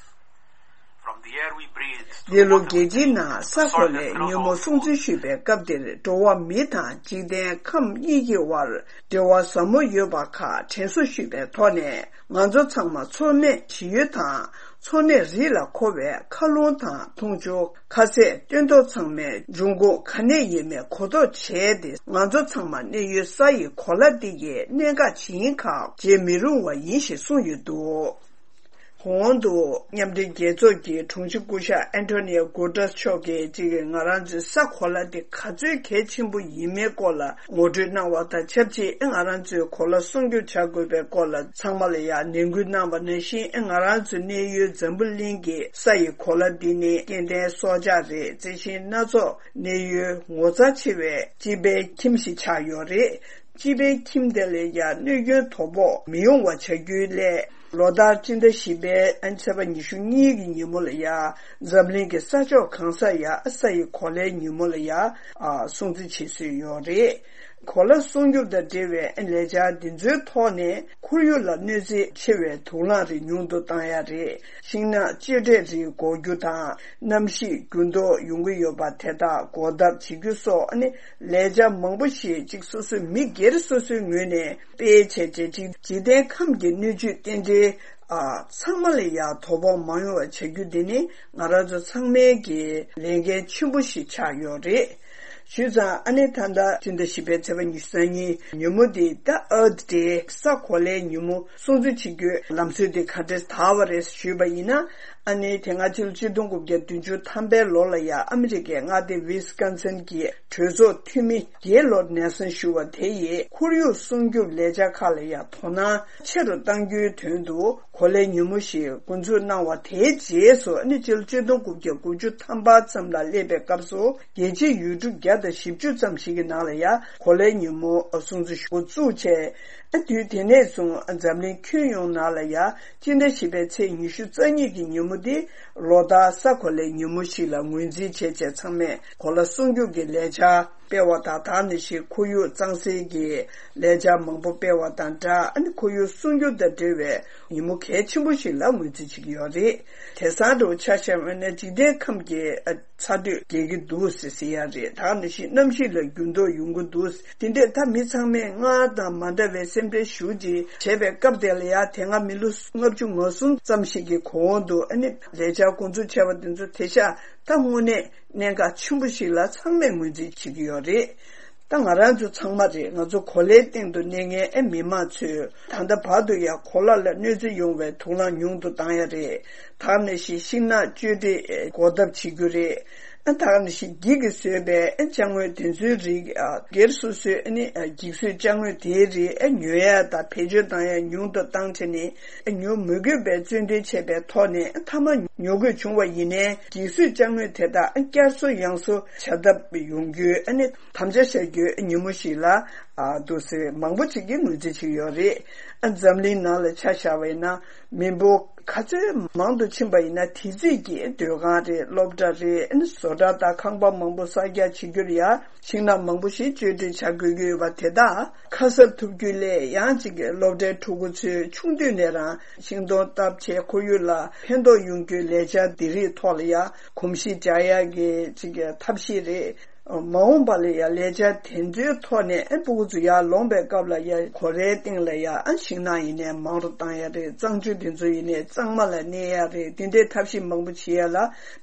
From the air we breathe to the འདི་ལོ་རྒྱལ་སྤྱིའི་ནང་གཟའ་འཁོར་ལོའི་ཉིན་མོ་སྲུང་བརྩི་ཞུས་པའི་སྐབས་འདིར། འགྲོ་བ་མི་དང་འཇིག་རྟེན་ཁམས་གཉིས་ཀྱི་དབར་འབྲེལ་བ་ཟབ་མོ་ཡོད་པ་ཁག་དྲན་གསོ་ཞུས་པའི་ཐོག་ནས། ང་ཚོ་ཚང་མ་འཚོ་གནས་ཞི་ཡུལ་དང་འཚོ་གནས་རིགས་ལ་མཁོ་བའི་མཁའ་རླུང་དང་འཐུང་ཆུ། ཁ་ཟས་སྟོན་ཐོག་ཚང་མའི་འབྱུང་ཁུངས་ག་ནས་ཡིན་མིན་གོ་རྟོགས་བྱས་ཏེ། ང་ཚོ་ཚང་མ་གནས་ཡུལ་ས་ཡི་གོ་ལ་འདི་ཡི་གནད་འགག་ཇི་ཡིན་ཁག་བརྗེད་མི་རུང་བ་ཡིན་ཞེས་གསུངས་ཡོད་འདུག། གོང་དུ་མཉམ་འབྲེལ་རྒྱལ་ཚོགས་ཀྱི་དྲུང་ཆེ་སྐུ་ཞབས་ཨན་ཐོ་ནི་ཡ་གུ་ཏྲེས་མཆོག་གིས་གཅིག་གིས་ང་རང་ཚོའི་གཟའ་གོ་ལ་འདི་ག་ཚོད་གལ་ཆེན་པོ་ཡིན་མིན་སྐོར་ལ་ངོ་སྤྲོད་གནང་བ་དང་ཆབས་ཅིག། ང་རང་ཚོས་གོ་ལ་སྲུང་སྐྱོབ་བྱ་དགོས་པའི་སྐོར་ལ་ཚང་མ་ལ་ཡང་ནན་སྐུལ་གནང་བ་ནང་བཞིན། ང་རང་ཚོའི་གནས་ཡུལ་འཛམ་བུ་གླིང་གི་ས་ཡི་གོ་ལ་འདི་ནི་སྐྱེ་ལྡན་སྲོག་ཆགས་རེད། རྩི་ཤིང་སྣ་ཚོགས་གནས་ཡུལ་ངོ་མཚར་ཆེ་བའི་སྤྱི་པའི་ཁྱིམ་ཞིག་ཆགས་ཡོད་རེད། སྤྱི་པའི་ཁྱིམ་དེ་ལ་ཡང་གནོད་སྐྱོན་དོ་ཕོག་མི་ཡོང་བ་བྱ་རྒྱུའི་སླད། ལོ་ལྟར་སྤྱི་ཟླ་བཞི་པའི་ཨ་ཚེས་པ་ཉི་ཤུ་གཉིས་ཀྱི་ཉིན་མོ་ལ་ཡང་འཛམ་གླིང་གི་ས་ཕྱོགས་གང་སར་ཡང་ས་ཡི་གོ་ལའི་ཉིན་མོ་ལ་ཡང་ཨ་སྲུང་བརྩི་བྱེད་སྲོལ་ཡོད་རེད། གོ་ལ་སྲུང་སྐྱོབ་དང་འབྲེལ་བའི་ལས་འཆར་འདི་ཚོའི་ཐོག་ནས་ཁོར་ཡུག་ལ་གནོད་འཚེ་ཆེ་བའི་དུག་རླངས་རིགས་ཉུང་དུ་བཏང་ཡ་རེད། ཤིང་ནགས་གཅོད་འབྲེག་རིགས་འགོག་རྒྱུ་དང་། གནམ་གཤིས་འགྱུར་ལྡོག་ཡོང་གི་ཡོད་པ་དེ་དག་འགོག་ཐབས་བྱེད་རྒྱུ་སོགས་ཨ་ནི་ལས་འཆར་མང་པོ་ཞིག་ཅིག་སོ་སོའི་མི་སྒེར་སོ་སོའི་ངོས་ནས་སྤེལ་བྱས་རྗེས། འཇིག་འཇིག་རྟེན་ཁམས་ཀྱི་སྣོད་བཅུད་རྟེན་འབྲེལ་ཨ་ཚང་མ་ལ་ཡང་དོ་ཕོག་མ་ཡོང་བ་བྱ་རྒྱུ་འདི་ནི་ང་རང་ཚོ་ཚང་མའི་གི་ལས་འགན་ཆེན་པོ་ཞིག་ཆགས་ཡོད་རེད། ཞུས་ཙང་ཨ་ནི་ད་ལྟ་སྤྱི་ཟླ་བཞི་པའི་ཚེས་པ་ཉི་ཤུ་རྩ་གཉིས་ཉིན་མོ་འདི་ད་Earth Day གཟའ་གོ་ལའི་ཉིན་མོ་སྲུང་བརྩི་བྱེད་རྒྱུའི་ལམ་སྲོལ་འདི་ག་འདྲས་དར་བ་རེད་ཞུས་པ་ཡིན་ན། ཨ་ནི་དེ་སྔ་ཕྱི་ལོ་ཆིག་སྟོང་དགུ་བརྒྱ་བདུན་ཅུ་ཐམ་པའི་ལོ་ལ་ཡང་ཨ་མི་རི་ཀའི་མངའ་སྡེ་ཝི་སི་ཀོན་སིན་གྱི་གྲོས་ཚོགས་འཐུས་མི་གེ་ལོར་ནེལ་སོན་ཞུ་བ་དེ་ཡིས་ཁོར་ཡུག་སྲུང་སྐྱོབ་ལས་འཆར་ཁག་ལ་ཡང་དོ་སྣང་ཆེ་རུ་གཏང་རྒྱུའི་དོན་དུ་གོ་ལའི་ཉིན་མོ་ཞིག་འགོ་འཛུགས་གནང་བ། དེའི་རྗེས་སུ་ཨ་ནི་ཕྱི་ལོ་ཆིག་སྟོང་དགུ་བརྒྱ་དགུ་ཅུ་ཐམ་པ་ཙམ་ལ་སླེབས་པའི་སྐབས་སུ་རྒྱལ་སྤྱིའི་ཡུལ་གྲུ་བརྒྱ་དང་བཞི་བཅུ་ཙམ་ཞིག་གི་ནང་ལ་ཡང་གོ་ལའི་ཉིན་མོ་སྲུང་བརྩི་ཞུ་འགོ་བཙུགས་བྱས། ཨ་དུས་དེ་ནས་བཟུང་འཛམ་གླིང་ཁྱོན་ཡོངས་ནང་ལ་ཡང་སྤྱི་ཟླ་བཞི་པའི་ཚེས་ཉི་ཤུ་རྩ་གཉིས་ཀྱི་ཉིན་མོ་དེ་ལོ་ལྟར་གཟའ་གོ་ལའི་ཉིན་མོ་ཞིག་ལ་ངོས་འཛིན་བྱས་བྱས། ཚང་མས་གོ་ལ་སྲུང་སྐྱོབ་ཀྱི་ལས་འཆར་སྤེལ་བ་དང་། དེ་ནང་བཞིན་ཁོར་ཡུག་གཙང་སེལ་གྱི་ལས་འཆར་མང་པོ་སྤེལ་བ་དང་སྦྲགས། ཨ་ནི་ཁོར་ཡུག་སྲུང་སྐྱོབ་དང་འབྲེལ་བའི་ཉིན་མོ་གལ་ཆེན་པོ་ཞིག་ལ་ངོས་འཛིན་བྱེད་ཀྱི་ཡོད་རེད། དེང་སང་འདྲ་བོ་ཆ་བཞག་པ་ན་འཇིག་རྟེན་ཁམས་ཀྱི་ཚ་དྲོད་རྒྱས་ཀྱི་འདུག་ཟེར་ཟེར་ཡ་རེད། དེ་ནང་བཞིན་གནམ་གཤིས་ལ་འགྱུར་ལྡོག་ཡོང་གི་འདུག། དེ་འདྲས་ད་མི་ཚང་མས་སྔར་དང་མ་འདྲ་བའི་སེམས་ཁྲལ་ཞེ་པོ་ཅིག་བྱས་པའི་སྐབས་དེ་ལ་ཡང་། དེ་སྔ་མི་ལོ་ལྔ་བཅུ་ང་གསུམ་ཙམ་ཞིག་གི་གོང་དུ་ཨ་ནི་ལས་འཆར་འགོ་འཛུགས་བྱས་པ་དེ་ཚོ་དེང་སང་ད་དངོས་གནས་གནད་འགག་ཆེན་པོ་ཞིག་ལ་ཚང་མས་ངོས་འཛིན་བྱེད་ཀྱི་ཡོད་རེད། ད་ང་རང་ཚོ་ཚང་མ་རེད། ང་ཚོ་གོ་ལའི་སྟེང་དུ་གནས་མཁན་ཨེ་མི་མང་ཚོས་ད་ལྟ་བར་དུ་ཡང་གོ་ལ་ལ་གནོད་འཚེ་ཡོང་བའི་དུག་རླངས་ཉུང་དུ་བཏང་ཡ་རེད། དེ་ནང་བཞིན་ཤིང་ནགས་གཅོད་འབྲེག་འགོག་ཐབས་བྱེད་རྒྱུ་རེད། ཨ་དེ་ནང་བཞིན་འགྱིག་གིས་བཟོས་པའི་ཨ་ཅ་དངོས་དེ་ཚོའི་རིགས། ཨ་སྒེར་སོ་སོའི་ཨ་ནི་ཨ་འགྱིག་བཟོས་ཅ་དངོས་དེའི་རིགས་ཨ་ཉོ་ཡ་དང་བེད་སྤྱོད་བཏང་ཡ་ཉུང་དུ་བཏང་བྱས་ནས། ཨ་ཉོ་མི་དགོས་པའི་བརྩོན་འགྲུས་བྱས་པའི་ཐོག་ནས། ཨ་མཐའ་མ་ཉོ་དགོས་བྱུང་བ་ཡིན་ནའི་འགྱིག་བཟོས་ཅ་དངོས་དེ་དག་ཨ་བསྐྱར་གསོ་ཡང་གསོ་བྱ་ཐབས་ཡོང་རྒྱུའི་ཨ་ནི་དམ་བཅའ་བཞག་རྒྱུའི་ཉིན་མོ་ཞིག་ལ་ཨ་འདུག་སེ་མང་པོ་ཅིག་གིས་ངོས་འཛིན་བྱེད་ཀྱི་ཡོད་རེད། ཨ་འཛམ་གླིང་ནང་ལ་ཆ་བཞག་པ་ཡིན་ན། མི་འབོར་ག་ཚོད་མང་དུ་ཕྱིན་པ་ཡིན་ན། དེ་ཙམ་གྱིས་སྡོད་ཁང་རེད། སློབ་གྲྭ་རེད། ཨ་ནི་བཟོ་གྲྭ་དང་ཁང་པ་མང་པོ་གསར་རྒྱག་བྱེད་རྒྱུར་ཡང་ཤིང་ནགས་མང་པོ་ཞིག་གཅོད་འབྲེག་བྱ་དགོས་ཀྱི་ཡོད་པ་དེ་དག་ཁ་གསབ་ཐུབ་རྒྱུ་སླད། ཡང་གཅིག་གི་སློབ་གྲྭའི་ཕྲུ་གུ་ཚོས་ཆུང་དུས་ནས་རང་ཤིང་སྡོང་བཏབ་བྱས་ཁོར་ཡུག་ལ་ཕན་ཐོགས་ཡོང་རྒྱུའི་ལས་འཆར་འདི་རིགས་ཐོག་ལ་ཡང་གོམས་གཤིས་འཇགས་ཡག་གི་གཅིག་གི་ཐབས་ཤེས་རེད། མ་འོངས་པ་ལ་ཡང་ལས་འཆར་དེ་ཚོའི་ཐོག་ནས་ཨེ་ཕྲུ་གུ་ཚོ་ཡར་ལོངས་པའི་སྐབས་ལ་ཡང་གོ་ལའི་སྟེང་ལ་ཡང་ཨ་ཤིང་ནགས་ཡིན་ནའི་མང་རུ་བཏང་ཡ་རེད། གཙང་ཆུ་དེ་ཚོ་ཡིན་ནའི་གཙང་མ་ལ་གནས་ཡ་རེད། དེ་འདྲའི་ཐབས་ཤེས་མང་པོ་བྱེད་ཡ་ལ་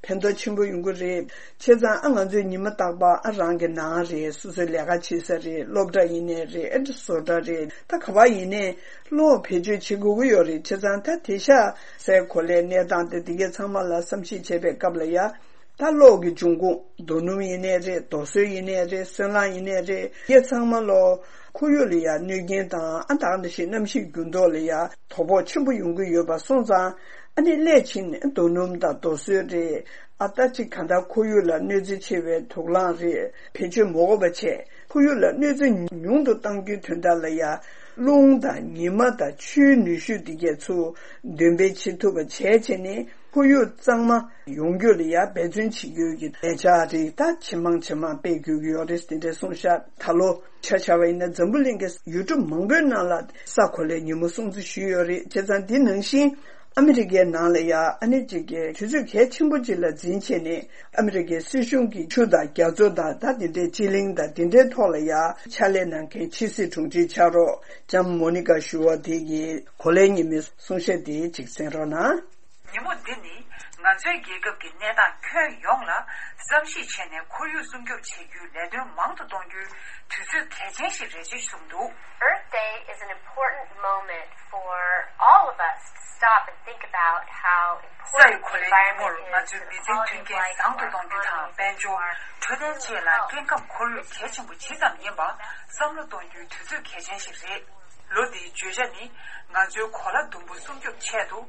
ཕན་ཐོགས་ཆེན་པོ་ཡོང་གི་རེད། བྱས་ཙང་ཨ་ང་ཚོས་ཉི་མ་རྟག་པར་ཨ་རང་གི་ནང་རེད། སོ་སོའི་ལས་ཀ་བྱེད་ས་རེད། སློབ་གྲྭ་ཡིན་ནའི་རེད། ཨ་བཟོ་གྲྭ་རེད། ད་ག་པར་ཡིན་ནའི་གློག་བེད་སྤྱོད་བྱེད་དགོས་ཀྱི་ཡོད་རེད། བྱས་ཙང་ད་དེང་སང་སའི་གོ་ལའི་གནས་སྟངས་དེ་དེ་གའི་ཚང་མ་ལ་བསམ་གཞིག་བྱེད་པའི་སྐབས་ལ་ཡ། ད་གློག་གི་འབྱུང་ཁུངས་རྡོ་སྣུམ་ཡིན་ནའི་རེད། རྡོ་སོལ་ཡིན་ནའི་རེད། སོལ་རླངས་ཡིན་ནའི་རེད། དེ་ཚང་མ་ལོ་ ཁོར་ཡུག་ལ་ཡང་གནོད་སྐྱོན་དང་ཨ་ད་ག་ནང་བཞིན་གནམ་གཤིས་འགྱུར་ལྡོག་ལ་ཡང་དོ་ཕོག་ཆེན་པོ་ཡོང་གི་ཡོད་པ་སོང་ཙང་། ཨ་ནི་སླད་ཕྱིན་རྡོ་སྣུམ་དང་རྡོ་སོལ་རེད། ཨ་ད་ཅིག་གང་ལྟར་ཁོར་ཡུག་ལ་གནོད་འཚེ་ཆེ་བའི་དུག་རླངས་རེད། བེད་སྤྱོད་མ་དགོས་པ་བྱས། ཁོར་ཡུག་ལ་གནོད་འཚེ་ཉུང་དུ་གཏང་རྒྱུའི་དོན་དག་ལ་ཡང་རླུང་དང་ཉི་མ་དང་ཆུའི་ནུས་ཤུགས་འདི་གས་ཚུར་འདོན་སྤེལ་བྱེད་ཐུབ་པ་བྱས་བྱས་ནས། ཁོར་ཡུག་གཙང་མ་ཡོང་རྒྱུ་ལ་ཡང་འབད་བརྩོན་བྱེད་རྒྱུ་གི་ལས་འཆར་རིགས་ད་ཇེ་མང་ཇེ་མང་སྤེལ་དགོས་ཀྱི་ཡོད་རེད། དེ་འདྲ་གསུངས་ཤག་ད་ལོ་ཆ་བཞག་པ་ཡིན་ན་འཛམ་བུ་གླིང་གི་ཡུལ་གྲུ་མང་པོའི་ནང་ལ་ས་གོ་ལའི་ཉིན་མོ་སྲུང་བརྩི་ཞུས་ཡོད་རེད། བྱས་ཙང་འདི་ནང་བཞིན་ཨ་མི་རི་ཀའི་ནང་ལ་ཡང་ཨ་ནི་གཅིག་གི་དུས་ཚོད་གལ་ཆེན་པོ་གཅིག་ལ་འཛིན་བྱས་ནས། ཨ་མི་རི་ཀའི་སྲིད་གཞུང་གི་ཆུ་དང་རྒྱ་མཚོ་དང་ད་དེ་འདྲའི་སྤྱི་གླིང་དང་དེ་འདྲའི་ཐོག་ལ་ཡང་ཕྱག་ལས་གནང་མཁན་ཕྱི་སྲིད་དྲུང་ཆེ་ཕྱག་རོགས་ལྕམ་མོ་ནི་ཀ་ཞུ་བ་དེ་གིས་གོ་ལའི་ཉི་མའི་གསུང་བཤད་དེ་གཅིག་གསན་རོགས་གནང་། ཉིན་མོ་འདི་ནི་ང་ཚོའི་རྒྱལ་ཁབ་ཀྱི་གནས་སྟངས་ཁྱོན་ཡོངས་ལ་བསམ་གཞིག་བྱས་ནས་ཁོར་ཡུག་སྲུང་སྐྱོབ་བྱེད་རྒྱུའི་ལས་དོན་མང་དུ་གཏོང་རྒྱུའི་དུས་ཚོད་གལ་ཆེན་ཞིག་རེད་ཅེས་གསུངས་འདུག Earth Day is an important moment for all of us to stop and think about how ས་ཡི་གོ་ལའི་ཉིན་མོར་ང་ཚོས་མི་ཚེའི་མཐུན་རྐྱེན་བཟང་དུ་གཏོང་རྒྱུ་དང་། དཔལ་འབྱོར། འཕྲོད་བསྟེན་བཅས་ལ་སྐྱེ་ཁམས་ཁོར་ཡུག་གལ་ཆེན་པོ་ཇི་ཙམ་ཡིན་པ་བསམ་བློ་གཏོང་རྒྱུའི་དུས་ཚོད་གལ་ཆེན་ཞིག་རེད། ལོ་འདིའི་བརྗོད་བྱ་ནི། ང་ཚོའི་གོ་ལ་ཟླུམ་པོ་སྲུང་སྐྱོབ་ཆེད་དུ་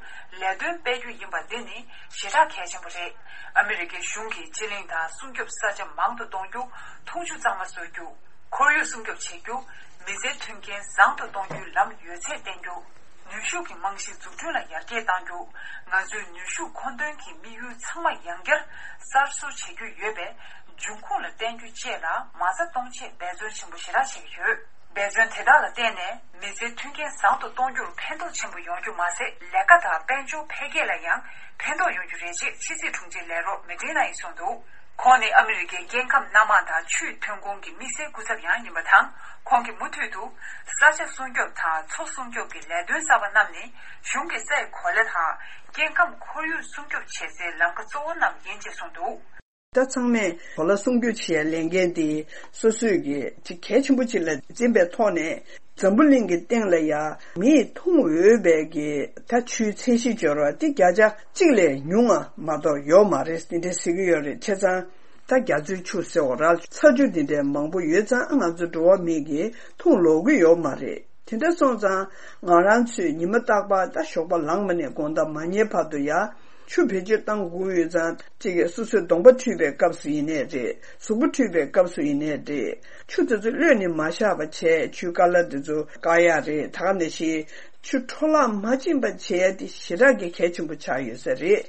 ལས་དོན་སྤེལ་རྒྱུ་ཡིན་པ་འདི་ནི་ཞེ་དྲག་གལ་ཆེན་པོ་རེད། ཨ་མི་རི་ཀའི་གཞུང་གིས་སྤྱི་གླིང་དང་སྲུང་སྐྱོབ་ས་ཆ་མང་དུ་གཏོང་རྒྱུ། འཐུང་ཆུ་གཙང་མ་བཟོ་རྒྱུ། ཁོར་ཡུག་སྲུང་སྐྱོབ་བྱེད་རྒྱུ། མི་ཚེའི་མཐུན་རྐྱེན་བཟང་དུ་གཏོང་རྒྱུའི་ལམ་ཡོད་ཚད་བསྟན་རྒྱུ། ནུས་ཤུགས་ཀྱི་རྨང་གཞི་འཛུགས་སྐྲུན་ལ་ཡར་རྒྱས་གཏང་རྒྱུ། ང་ཚོའི་ནུས་ཤུགས་མཁོ་འདོན་གྱི་དམིགས་ཡུལ་ཚང་མ་ཡང་བསྐྱར་གསར་བཟོ་བྱེད་རྒྱུ་ཡོད་པས། འབྱུང་ཁུངས་ལ་བརྟེན་རྒྱུ་བཅས་ལ་མ་རྩ་གཏོང་ཆེད་འབད་བརྩོན་ཆེན་པོ་ཞེ་དྲག་བྱེད་ཀྱི་ཡོད། འབད་བརྩོན་དེ་དག་ལ་བརྟེན་ནས་མི་ཚེའི་མཐུན་རྐྱེན་བཟང་དུ་གཏོང་རྒྱུར་ཕན་ཐོགས་ཆེན་པོ་ཡོང་རྒྱུ་མ་ཟད། ལས་ཀ་དང་དཔལ་འབྱོར་འཕེལ་རྒྱས་ལ་ཡང་ཕན་ཐོགས་ཡོང་རྒྱུ་རེད་ཅེས་ཕྱི་སྲིད་དྲུང་ཆེ་ལས་རོགས་མེ་ཏྲི་ན་ཡིས་གསུངས་འདུག་ཁོང་ནི་ཨ་མི་རི་ཀའི་སྐྱེ་ཁམས་སྣ་མང་དང་ཆུའི་ཐོན་ཁུངས་ཀྱི་དམིགས་བསལ་སྐུ་ཚབ་ཡང་ཡིན་པ་དང་། ཁོང་གིས་མུ་མཐུད་དུ་ས་ཆ་སྲུང་སྐྱོབ་དང་མཚོ་སྲུང་སྐྱོབ་ཀྱི་ལས་དོན་གསར་པ་རྣམས་ནི་གཞུང་གི་ས་ཡི་གོ་ལ་དང་སྐྱེ་ཁམས་ཁོར་ཡུག་སྲུང་སྐྱོབ་བྱེད་སའི་ལམ་ཁ་གཙོ་བོ་རྣམས་ཡིན་ཅེས་གསུངས་འདུག་ད་ཚང་མས་གོ་ལ་སྲུང་སྐྱོབ་བྱེད་ཡའི་ལས་འགན་དེ་སོ་སོས་ཀྱི་ཅིག་གལ་ཆེན་པོ་ཅིག་ལ་འཛིན་པའི་ཐོག་ནས། འཛམ་བུ་གླིང་གི་སྟེང་ལ་ཡ་མིས་འཐུང་འོས་པའི་གི་ད་ཆུའི་ཚད་གཞི་སྦྱོར་བ་དེ་བརྒྱ་ཆ་གཅིག་ལས་ཉུང་བ་མ་གཏོགས་ཡོད་མ་རེད། དེ་འདྲ་ཟེར་གྱི་ཡོད་རེད། བྱས་ཙང་ད་རྒྱ་མཚོའི་ཆུ་ཟེར་བ་ར་ཚ་ཆུ་དེ་འདྲའི་མང་པོ་ཡོད་ཙང་ང་ཚོ་འགྲོ་བ་མི་གིས་འཐུང་ལོག་གི་ཡོད་མ་རེད། དེ་འདྲ་སོང་ཙང་ང་རང་ཚོས་ཉི་མ་རྟག་པར་ད་ཞོགས་པ་ལངས་པ་ནས་དགོང་དག་མ་ཉལ་བར་དུ་ཡ། ཆུ་བེད་སྤྱོད་བཏང་དགོས་ཡོད་ཙང་། གཅིག་གིས་སོ་སོའི་གདོང་པ་འཁྲུད་པའི་སྐབས་སུ་ཡིན་ནའི་རེད། གཟུགས་པོ་འཁྲུད་པའི་སྐབས་སུ་ཡིན་ནའི་རེད། ཆུ་དེ་ཚོ་གློད་ནས་མ་བཞག་པ་བྱས། ཆུའི་ཀ་ལ་དེ་ཚོ་བཀག་ཡ་རེད། ད་ག་ནང་བཞིན་ཆུ་འཕྲོ་བརླག་མ་ཕྱིན་པ་བྱས་ཏེ་ཞེ་དྲག་གི་གལ་ཆེན་པོ་ཆགས་ཡོད་ས་རེད།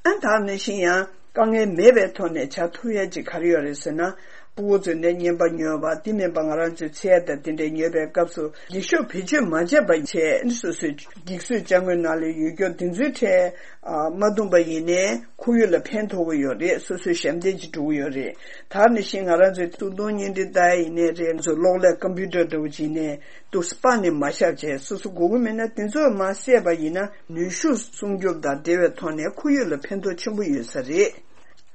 ཨ་ད་ག་ནང་བཞིན་ཡང་དཀའ་ངལ་མེད་པའི་ཐོག་ནས་བྱ་ཐུབ་ཡ་ཅིག་ག་རེ་ཡོད་རེད་ཟེར་ན། ཕྲུ་གུ་ཚོས་ནས་རྔན་པ་ཉོས་པ་དེ་མིན་པ་ང་རང་ཚོའི་ཚལ་དང་དེ་འདྲས་ཉོས་པའི་སྐབས་སུ་འགྱིག་ཤོག་བེད་སྤྱོད་མ་བྱས་པ་བྱས། སོ་སོའི་འགྱིག་བཟོས་ཅ་དངོས་ནང་ལ་ཡོད་རྒྱུ་དེ་ཚོའི་ཁྲལ་ཨ་མ་བཏུངས་པ་ཡིན་ནའི་ཁོར་ཡུག་ལ་ཕན་ཐོགས་ཀྱི་ཡོད་རེད། སོ་སོའི་ཞབས་འདེགས་ཅིག་འགྲོ་གི་ཡོད་རེད། ད་ནི་བཞིན་ང་རང་ཚོའི་ཚོང་དོན་བརྙན་འཕྲིན་ལྟ་ཡ་ཡིན་ནའི་རེད། ང་ཚོ་གློག་ཀླད་ཀམ་པུ་ཊར་འདྲ་བོ་ཅིག་ཡིན་ནའི་འདུག་སེ་སྤར་ནས་མ་བཞག་བྱས། སོ་སོ་དགོས་ཀྱི་མེད་ན་དེ་ཚོ་མར་བསད་པ་ཡིན་ན་ནུས་ཤུགས་སྲུང་སྐྱོབ་དང་འབྲེལ་བའི་ཐོག་ནས་ཁོར་ཡུག་ལ་ཕན་ཐོགས་ཆེན་པོ་ཡོད་ས་རེད།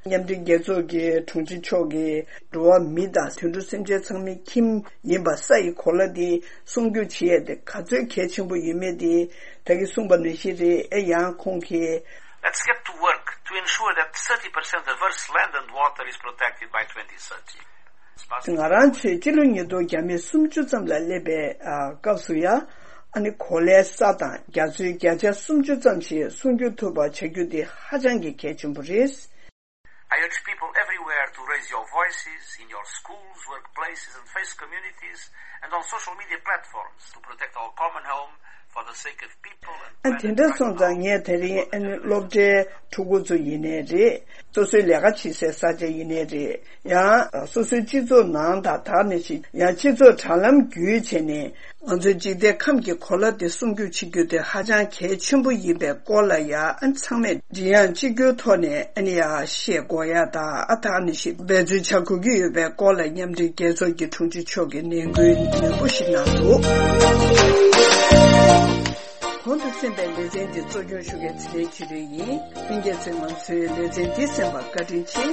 མཉམ་འབྲེལ་རྒྱལ་ཚོགས་ཀྱི་དྲུང་ཆེ་མཆོག་གིས་འགྲོ་བ་མི་དང་དུད་འགྲོ་སེམས་ཅན་ཚང་མའི་ཁྱིམ་ཡིན་པ་ས་ཡི་གོ་ལ་འདི་སྲུང་སྐྱོབ་བྱེད་ཡས་དེ་ག་ཚོད་གལ་ཆེན་པོ་ཡོད་མེད་དེ་ད་གིན་གསུངས་པ་ནང་བཞིན་རེད། ཨེ་ཡང་ཁོང་གིས། Let's get to work to ensure that thirty percent of Earth's land and water is protected by twenty thirty. ང་རང་ཚོས་སྤྱི་ལོ་ཉིས་སྟོང་བརྒྱ་མེད་སུམ་ཅུ་ཙམ་ལ་སླེབས་པའི་ཨ་སྐབས་སུ་ཡང་ཨ་ནི་གོ་ལའི་ས་དང་རྒྱ་མཚོའི་བརྒྱ་ཆ་སུམ་ཅུ་ཙམ་ཞིག་སྲུང་སྐྱོབ་ཐུབ་པ་བྱ་རྒྱུ་དེ་ཧ་ཅང་གི་གལ་ཆེན་པོ་རེད། I urge people everywhere to raise your voices in your schools, workplaces, and faith communities, and on social media platforms to protect our common home for the sake of people and planet right now. ཨ་དེ་འདྲ་སོང་ཙང་ངས་དེ་རིང་ཨ་ནི་སློབ་གྲྭའི་ཕྲུ་གུ་ཚོ་ཡིན་ནའི་རེད། སོ་སོའི་ལས་ཀ་བྱེད་སའི་ས་ཆ་ཡིན་ནའི་རེད། ཡང་སོ་སོའི་སྤྱི་ཚོགས་ནང་དང་ད་ནི་ཞིག་ཡང་སྤྱི་ཚོགས་དྲ་ལམ་བརྒྱུད་བྱས་ནས། ང་ཚོའི་འཇིག་རྟེན་ཁམས་ཀྱི་གོ་ལ་དེ་སྲུང་སྐྱོབ་བྱེད་རྒྱུ་དེ་ཧ་ཅང་གལ་ཆེན་པོ་ཡིན་པའི་སྐོར་ལ་ཡ་ཨ་ཚང་མས་མགྲིན་དབྱངས་གཅིག་གྱུར་ཐོག་ནས་ཨ་ནི་ཡ་བཤད་དགོས་ཡ་དང་། ཨ་ད་ནི་ཞིག་འབད་བརྩོན་བྱ་དགོས་ཀྱི་ཡོད་པའི་སྐོར་ལ་མཉམ་འབྲེལ་རྒྱལ་ཚོགས་ཀྱི་དྲུང་ཆེ་མཆོག་གིས་ནན་སྐུལ་ནན་པོ་ཞིག་གནང་འདུག་གོང་དུ་གསན་པའི་ལེ་ཚན་འདི་གཙོ་སྐྱོང་ཞུ་མཁན་ཚེ་རིང་ཆོས་སྒྲོན་ཡིན། ལྷན་རྒྱས་ཚོས་ང་ཚོའི་ལེ་ཚན་འདི་གསན་པར་བཀའ་དྲིན་ཆེ།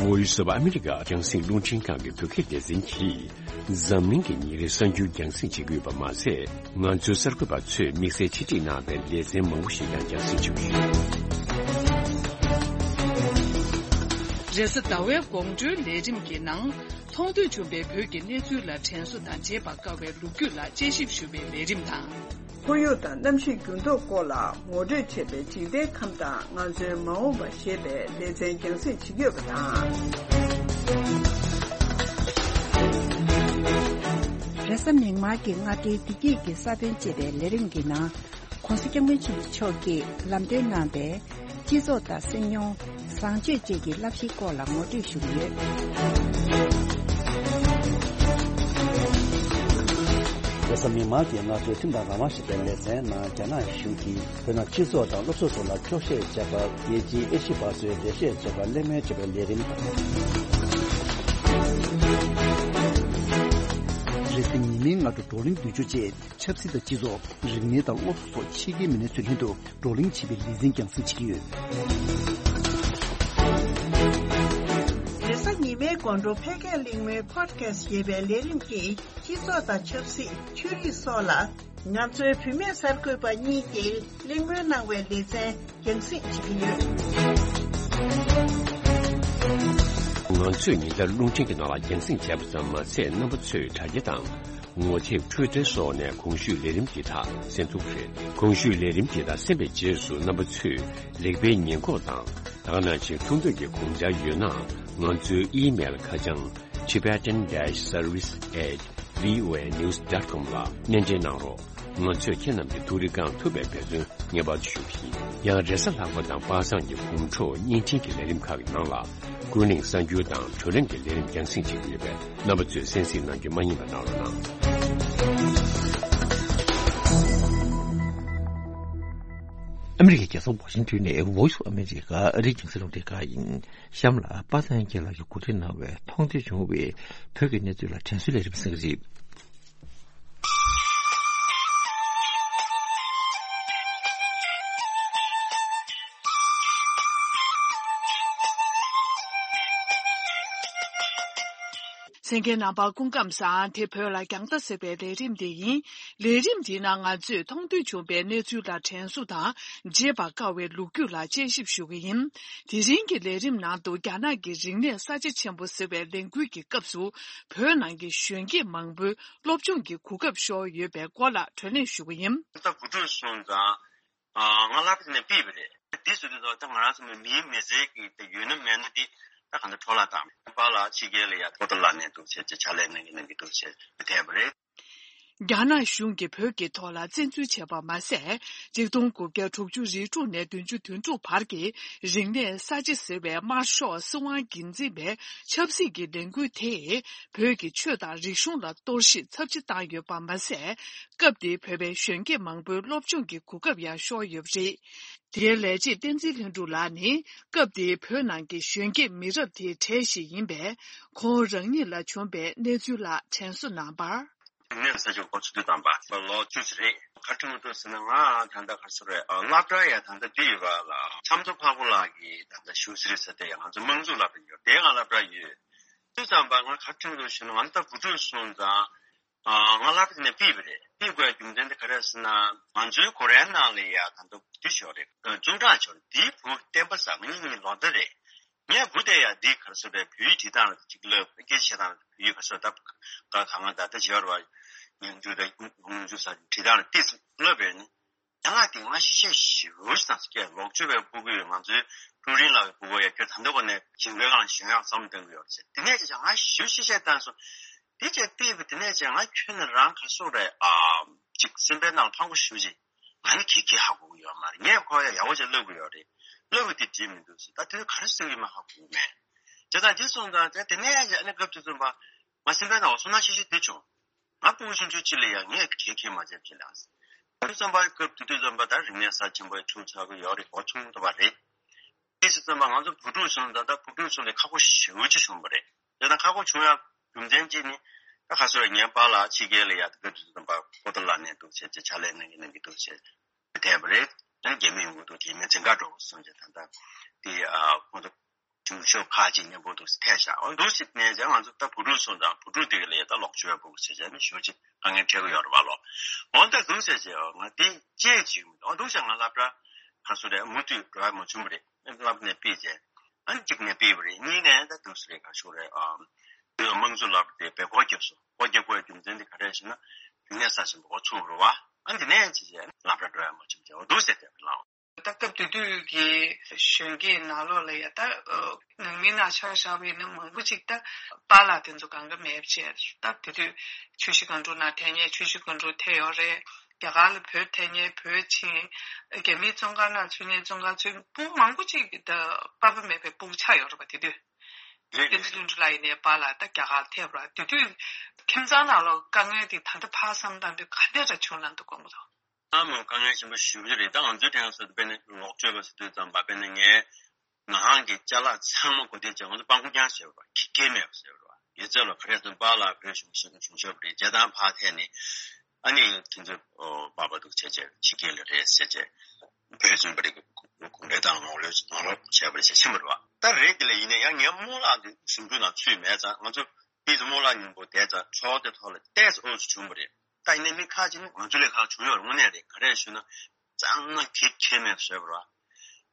Voice of America རྒྱང་སྲིང་རླུང་འཕྲིན་ཁང་གི་བོད་སྐད་སྡེ་ཚན་གྱིས་འཛམ་གླིང་གི་ཉིན་རེའི་གསར་འགྱུར་རྒྱང་སྲིང་བྱེད་ཀྱི་ཡོད་པ་མ་ཟད། ང་ཚོའི་གསར་འགོད་པ་ཚོས་དམིགས་བསལ་ཆེད་སྒྲིག་གནང་བའི་ལེ་ཚན་མང་པོ་ཞིག་ཀྱང་རྒྱང་སྲིང་བྱེད་ཀྱི་ཡོད། རེས་གཟའ་ཟླ་བའི་དགོང་དྲོའི་ལས་རིམ་གྱི་ནང་། མཐོང་ཐོས་བྱུང་བའི་བོད་ཀྱི་གནས་ཚུལ་ལ་དྲན་གསོ་དང་། བརྗེད་པར་དཀའ་བའི་ལོ་རྒྱུས་ལ་དཔྱད་ཞིབ་ཞུ་བའི་ལས་རིམ་དང་། ཁོར་ཡུག་དང་གནམ་གཤིས་འགྱུར་ལྡོག་སྐོར་ལ་ངོ་སྤྲོད་བྱས་པའི་འཇིག་རྟེན་ཁམས་དང་ང་ཚོའི་མ་འོངས་པ་ཞེས་པའི་ལེ་ཚན་རྒྱང་སྲིང་བྱེད་ཀྱི་ཡོད་པ་དང་། རེས་གཟའ་མིག་དམར་གྱི་སྔ་དྲོའི་བདེ་སྐྱིད་ཀྱི་ས་བོན་ཅེས་པའི་ལས་རིམ་གྱི་ནང་། ༸གོང་ས་༸སྐྱབས་མགོན་ཆེན་པོ་མཆོག་གིས་ལམ་སྟོན་གནང་བའི་སྤྱི་ཚོགས་དང་སེམས་མྱོང་། བཟང་སྤྱོད་བཅས་ཀྱི་བསླབ་གཞིའི་སྐོར་ལ་ངོ་སྤྲོད་ཞུ་གི་ཡོད། རེས་གཟའ་མིག་དམར་གྱི་སྔ་དྲོའི་ཁྲིམས་དང་རང་དབང་ཞེས་པའི་ལེ་ཚན་ནང་། རྒྱ་ནག་གཞུང་གིས་བོད་ནང་སྤྱི་ཚོགས་དང་སློབ་གསོ་སོགས་ལ་འཁྱོག་བཤད་བྱས་པར། རྒྱལ་སྤྱིའི་ཨེ་ཤི་ཡ་པ་ཚོས་འགྲེལ་བཤད་བྱས་པར་གླེང་མོལ་བྱས་པའི་ལས་རིམ་དང་། རེས་གཟའ་ཉི་མའི་སྔ་དྲོ་བགྲོ་གླེང་མདུན་སྐྱོད་ཅེས། ཆབ་སྲིད་དང་སྤྱི་ཚོགས། རིག་གནས་དང་སློབ་གསོ་སོགས་ཕྱི་རྒྱལ་མི་སྣ་ཚོའི་མདུན་དུ་བགྲོ་གླེང་བྱེད་པའི་ལེ་ཚན་རྒྱང་སྲིང་བྱེད་ཀྱི་ཡོད། རེས་གཟའ་ཉི་མའི་དགོང་དྲོ་ཕལ་སྐད་གླེང་མོལ་Podcast་ཞེས་པའི་ལས་རིམ་གྱིས་སྤྱི་ཚོགས་དང་ཆབ་སྲིད། ཆོས་རིག་སོགས་ལ་ང་ཚོའི་བུད་མེད་གསར་འགོད་པ་གཉིས་ཀྱིས་གླེང་མོལ་གནང་བའི་ལེ་ཚན་རྒྱང་སྲིང་བྱེད་ཀྱི་ཡོད། ང་ཚོས་ཉིན་ལྟར་རླུང་འཕྲིན་གྱི་ནང་ལ་རྒྱང་སྲིང་བྱས་པ་ཙམ་མ་ཟད། རྣམ་པ་ཚོས་དྲ་རྒྱ་དང་། ངོ་དེབ། Twitter་སོགས་ནས་གོང་ཞུས་ལས་རིམ་འདི་དག་གསན་ཐུབ་རེད། གོང་ཞུས་ལས་རིམ་འདི་དག་གསན་པའི་རྗེས་སུ་རྣམ་པ་ཚོས་ལེགས་སྤེལ་ཉེས་འགོག་དང་། ད་ག་ནང་བཞིན་ཐུགས་འདོད་ཀྱི་དགོངས་འཆར་ཡོད་ན། ང་ཚོའི་ཨི་མེལ་ཁ་བྱང་tibetan dash service at voanews dot com་ལ་སྣེ་འདྲེན་གནང་རོགས། ང་ཚོས་ཁྱེད་རྣམས་ཀྱི་ཐུགས་རེ་བསྐང་ཐུབ་པའི་འབད་བརྩོན་ངེས་པར་དུ་ཞུ་གི་ཡིན། ཡང་རེས་གཟའ་ལྷག་པ་དང་པ་སངས་ཀྱི་དགོང་དྲོ་བརྙན་འཕྲིན་གྱི་ལས་རིམ་ཁག་གི་ནང་ལ། ཀུན་གླེང་གསར་འགྱུར་དང་བགྲོ་གླེང་གི་ལས་རིམ་རྒྱང་སྲིང་བྱེད་ཀྱི་ཡོད་པས། རྣམ་པ་ཚོས་གསན་གཟིགས་གནང་རྒྱུ་མ་བསྙེལ་བ་གནང་རོགས་གནང་། ཨ་མི་རི་ཀའི་རྒྱལ་ས་ཝ་ཤིང་ཏོན་ནས་Voice of America་ཨ་རིའི་རྒྱང་སྲིང་རླུང་འཕྲིན་ཁང་ཡིན། གཤམ་ལ་པ་སངས་རྒྱས་ལགས་ཀྱིས་གོ་སྒྲིག་གནང་བའི་མཐོང་ཐོས་བྱུང་བའི་བོད་ཀྱི་གནས་ཚུལ་ལ་དྲན་གསོའི་ལས་རིམ་གསན་གྱི་རེད། གསན་མཁན་རྣམ་པ་སྐུ་ཁམས་བཟང་། དེ་བོད་ལ་རྒྱང་ལྟ་ཟེར་བའི་ལས་རིམ་དེ་ཡིན། ལས་རིམ་འདིའི་ནང་ང་ཚོས་མཐོང་ཐོས་བྱུང་བའི་གནས་ཚུལ་ལ་དྲན་གསོ་དང་། བརྗེད་པར་དཀའ་བའི་ལོ་རྒྱུས་ལ་དཔྱད་ཞིབ་ཞུ་གི་ཡིན། དེ་རིང་གི་ལས་རིམ་ནང་དུ་རྒྱ་ནག་གི་རིག་གནས་གསར་བརྗེ་ཆེན་པོ་ཟེར་བའི་ལས་འགུལ་གྱི་སྐབས་སུ་བོད་ནང་གི་གཞོན་སྐྱེས་མང་པོའི་སློབ་སྦྱོང་གི་གོ་སྐབས་ཤོར་ཡོད་པའི་སྐོར་ལ་བགྲོ་གླེང་ཞུ་གི་ཡིན། ད་བུ་ཕྲུག་སོང་ཙང་། ང་སློབ་གྲྭ་ནས་ཕུད་པ་རེད། འདི་ཟེར་དུས་ད་ང་རང་ཚོ་མིའི་མི་ཚེ་གི་དེ་ཡོད་ན་མེད་ན་འདི་ད་གང་ལྟར་འཕྲོ་བརླག་བཏང་། པཱ་ལགས་ཕྱི་རྒྱལ་ལ་ཡ་པོ་ཏཱ་ལ་ནས་འདུག་བྱས་ཅིག་ཕྱག་ལས་གནང་གི་གནང་གི་འདུག་བྱས་ཐལ་བ་རེད། རྒྱ་ནག་གཞུང་གིས་བོད་ཀྱི་ཐོག་ལ་བཙན་འཛུལ་བྱས་པ་མ་ཟད། ཆིག་སྟོང་དགུ་བརྒྱ་དྲུག་ཅུ་རེ་དྲུག་ནས་བདུན་ཅུ་དོན་དྲུག་བར་གྱི་རིག་གནས་གསར་བརྗེ་ཟེར་བའི་དམར་ཤོག་སྲིད་དབང་སྒེར་འཛིན་པའི་ཆབ་སྲིད་ཀྱི་ལས་འགུལ་དེས་བོད་ཀྱི་ཆོས་དང་རིག་གཞུང་ལ་གཏོར་བཤིག་ཚབས་ཆེ་བཏང་ཡོད་པ་མ་ཟད། སྐབས་དེའི་བོད་པའི་གཞོན་སྐྱེས་མང་པོའི་སློབ་སྦྱོང་གི་གོ་སྐབས་ཡང་ཤོར་ཡོད་པ་རེད། དེའི་ལས་བྱེད་བསྟན་འཛིན་ལྷུན་གྲུབ་ལགས་ནི་སྐབས་དེའི་བོད་ནང་གི་གཞོན་སྐྱེས་མི་རབས་དེའི་གྲས་ཤིག་ཡིན་པས། ཁོང་རང་ཉིད་ལ་བྱུང་བའི་གནས་ཚུལ་ལ་དྲན་གསོ་གནང་བར། རིག་གནས་ས་ཆ་འགོ་ཚུགས་དུས་ཙམ་པ་ལོ་བཅུ་ཙམ་རེད། ག་རེ་དྲན་གྱི་འདུག་ཟེར་ན། ང་ད་ལྟ་ག་རེ་ཟེར་རེད། སློབ་གྲྭ་ཡ་ད་ལྟ་འདི་ཡོད་པ་ལ་ཆབ་མདོ་འཕགས་པ་ལགས་ཀྱིས་ད་ལྟ་ཞུ་ཟེར་ཟེར་དེ་ཡ་ང་ཚོ་དམངས་གཙོ་སློབ་གྲྭ་ཡོད་དེ་ང་སློབ་གྲྭ་ཡོད། དུས་ཙམ་པ་ང་ག་རེ་དྲན་གྱི་འདུག་ཟེར་ན། ང་ད་བུ་ཕྲུག་སོང་ཙང་། ང་སློབ་གྲྭ་ནས་ཕུད་པ་རེད། ཕུད་དགོས་རྒྱུ་མཚན་དེ་ག་རེ་ཟེར་ན། ང་ཚོའི་གོ་རའི་ནང་ལ་ཡ་ད་ལྟ་འདི་ཤོར་རེད། ཙུང་ཀྲང་ཤོར་རེད། འདིའི་བུ་བསྟན་པ་བཟང་། ངེད་གཉིས་ལོ་ཟླ་རེད། ངས་བུ་དེ་ཡ་འདི་ག་རེ་ཟེར་རེད། བོད་ཡིག་བྲིས་སྟངས་ལ་གཅིག་སློབ། སྐད་ཆ་བཤད་སྟངས་ལ་བོད་ཡིག་ག་རེ་ཟེར་ད་ག་གང་ང་ད་ལྟ་བྱེད་པར་བ་ཉིན་རྒྱུ་དང་ཉིན་རྒྱུ་ས་བྲིས་སྟངས་ལ་ཏིས་སློབ་པས་ནི། ཡང་ལ་དེ་སྔ་ཤེས་བྱ་ཞེ་པོ་ཞིག་དང་སྐད་ལོག་སྤྱོད་པའི་སྤུ་གུ་ཡོད། ང་ཚོའི་ཀྲུའུ་རིན་ལགས་ཀྱི་སྤུ་གུ་ཡ་ཁྱོད་ད་ལྟ་བར་ནས་ཇིང་གོའི་སྒང་ལ་ཞོན་ཡག་བསམ་བློ་གཏོང་གི་ཡོད་རེད་ཟེར། དེ་ནས་ཅི་ང་ཞེ་པོ་ཤེས་བྱ་བཏང་སོང་། དེ་རྗེས་ཕུད་པ་དེ་ནས་ཅི་ང་ཁྱོན་ནས་རང་ག་རེ་ཟེར་རེད། ཨ་ཅིག་སེམས་པའི་ནང་ཕངས་པོ་ཞེ་པོ་ཅིག་ང་ནི་ག་གེ་ཧ་གོ་གི་ཡོད་མ་རེད། ངས་ཁོ་ཡ་ཡག་པོ་ཅིག་བསླབ་གི་ཡོད་རེད། བསླབ་པ་དེ་འགྲིག་མི་འདུག་ཟེར། ད་དེ་ག་རེ་ཟེར་གི་མ་ཧ་གོ་གི་མེད། དེ་དང་དེ་སོང་ཙང་དེ་ནས་ཅི་ཨ་ནི་སྐབས་དེ་ཙམ་པ་ང་སེམས་པའི་ནང་ལ་བསོད་ནམས་ཤེས་བྱ་དེ་བྱུང་། ང་སྤུ་གུ་ཆུང་ཆུང་ཅིག་ལ་ཡང་ངས་ག་གེ་མ་བྱས་བྱས་ལ། དུས་ཙམ་པ་སྐབས་དེ་དུས་ཙམ་པ་ད་རིག་གནས་གསར་ཆེན་པོ་ཆུང་ཆགས་ཀྱི་ཡོད་རེད། འགོ་ཆུང་དུ་བ་རེད། དེ་ཙམ་པ་ང་ཚོ་བུ་ཕྲུག་ཆུང་ད་ལྟ་བུ་ཕྲུག་ཆུང་ལ་ཁག་པོ་ཞེ་པོ་ཅིག་བྱུང་བ་རེད། དེ་དང་ཁག་པོ་བྱུང་ཡ་རྒྱུ་མཚན་གཅིག་ནི། ད་ག་ཟེར་ངའི་པཱ་ལགས་ཕྱི་རྒྱལ་ལ་ཡ་སྐབས་དུས་ཙམ་པ་པོ་ཏཱ་ལ་ནས་འདུག་བྱས་ཅིག་ཕྱག་ལས་གནང་གི་གནང་གི་འདུག་བྱས་བསྡད་པ་རེད། ཨ་ནི་རྒྱ་མི་ཡོང་གི་འདུག་རྒྱ་མི་འཛིན་གྲྭ་འགྲོ་དགོས་སོང་ཅིག་ད་ལྟ་དེ་ཨ་ཁོང་ཚོ། ཆུང་ཤོས་ཁག་ཅིག་མཉམ་པོ་འདུག་སེ་ཐལ་བཞག་འོ་འདུག་སེ་ནས་ཀྱང་ང་ཚོ་ད་བུ་ཕྲུག་སོང་ཙང་བུ་ཕྲུག་དེ་ག་ལ་ཡ་ད་ལོག་སྤྱོད་པ་བུ་ཟེར་བྱས་ནས་ཞེ་པོ་ཅིག་དཀའ་ངལ་འཕྲད་ཀྱི་ཡོད་རེད་པ་ལོ། འོ་ད་འདུག་སེ་བྱས་ང་དེ་བཅད་ཅིག་འོ་འདུག་སེ་ང་སློབ་གྲྭ་ག་ཚོད་རེད་མུ་མཐུད་འགྲོ་ཡ་མ་བྱུང་བ་རེད། སློབ་གྲྭ་ནས་ཕུད་བྱས། ཨ་ནི་གཅིག་ནས་སྤེལ་བ་རེད། གཉིས་ནས་ད་དུས་སུ་རེད། ག་ཤོག་རེད། ཨ་དམངས་གཙོ་ལབ་དེ་བེད་སྒོ་རྒྱབ་སོང་། སྒོ་རྒྱབ་དགོས་རྒྱུ་མཚན་དེ་ག་རེ་ཞེ་ན། རིག་གནས་གསར་ཆེན་པོ་འགོ་ཚུགས་རེད་བ། ཨ་འདི་ནས་ཅི་བྱས་སློབ་གྲྭ་འགྲོ་ཡ་མ་བྱུང་བྱས་འོ་འདུག་ཟེར་དེ་ལའོ། ད་སྐབས་དེ་དུས་ཀྱི་གཞོན་སྐྱེས་ནང་ལོགས་ལ་ཡ་ད་ནང་མི་ནང་ཆ་བཞག་པ་ཡིན་ན་མང་པོ་ཅིག་ད་པཱ་ལགས་དེ་ཚོ་གང་ག་མེད་པ་བྱས། ད་དེ་དུས་ཆུ་བཞི་སྒང་དྲུག་ནང་ཐད་མཁན་ཆུ་བཞི་སྒང་དྲུག་ཐད་ཡོད་རེད། རྒྱ་གར་ལ་བོད་ཐད་མཁན་བོད་ཕྱིན། རྒྱ་མིའི་བཙོན་ཁང་ནང་ཚུད་མཁན་བཙོན་ཁང་ཚུད། སྤུན་མང་པོ་ཅིག་ད་པ་ཕ་མེད་པའི་སྤུ་གུ་ཆགས་ཡོད་རེད་པ། དེ་དུས་རེད། བསྟན་འཛིན་ལྷུན་གྲུབ་ལགས་ཡིན་ནའི་པཱ་ལགས་ད་རྒྱ་གར་ལ་ཐད་པ་རེད། དེ་དུས་ཁྱིམ་ཚང་ནང་ལོགས་དཀའ་ངལ་དེ་ད་ལྟ་ཕར་བསམ་བཏང་དུས་ག་འདྲ་འདྲ་བྱུང་ལབ་འདུག་གོ་མོ་དང་། ཨ་མོ་དཀའ་ངལ་ཆེན་པོ་ཞེ་པོ་ཅིག་རེད། ད་ང་ཚོའི་དྲན་གསོ་དཔེར་ན་ལོག་སྤྱོད་པ་ཟེར་དུས་ཙམ་པ་དཔེར་ན་ངའི་ང་རང་གི་ཅ་ལག་ཚང་མ་གོ་བདེ་བྱས་ང་ཚོ་སྤྲང་པོ་རྐྱང་བྱས་པ་ཁྱི་སྐད་མེད་པ་ཟེར་བ། ཡོད་ཚད་ལ་ག་རེ་ཟེར་པཱ་ལགས་བོད་གཞུང་གཞུང་ཞབས་རེད། རྒྱ་དང་ཕར་ཐད་ནས་ཨ་ནི་ཁྱེད་ཚོ་པ་པ་འདུག་བྱས་བྱས་ཕྱི་རྒྱལ་ལ་རེད་ཟེར་བྱས་བོད་བཙོན་པ་རེད། གུང་ཁྲན་ཏང་ངོ་ལོག་ངོ་ལོག་བྱས་པ་རེད་ཟེར་ཕྱིན་པ་རེད་བ། ད་རེད་དེ་ལ་ཡིན་ན་ཡང་ངའི་རྨོ་ལགས་འདི་ཞིབ་འཇུག་ནང་ཚུད་མེད་ཙང་ང་ཚོ་དེ་ཚོ་རྨོ་ལགས་མཉམ་པོ་བསྡད་ཙང་ཚོགས་དེ་ཐོག་ལ་ཏོག་ཙམ་ཨོ་ཚོ་བྱུང་བ་རེད། ད་ཡིན་ནའི་མི་ཁ་ཅིག་ནི་ང་ཚོ་ལས་ཁག་བྱུང་ཡོད་རེད། དངོས་གནས་རེད། ག་རེ་ཞུ་ན་གཙང་མ་གེགས་ཁྱད་མེད་བཟོས་པ་རེད་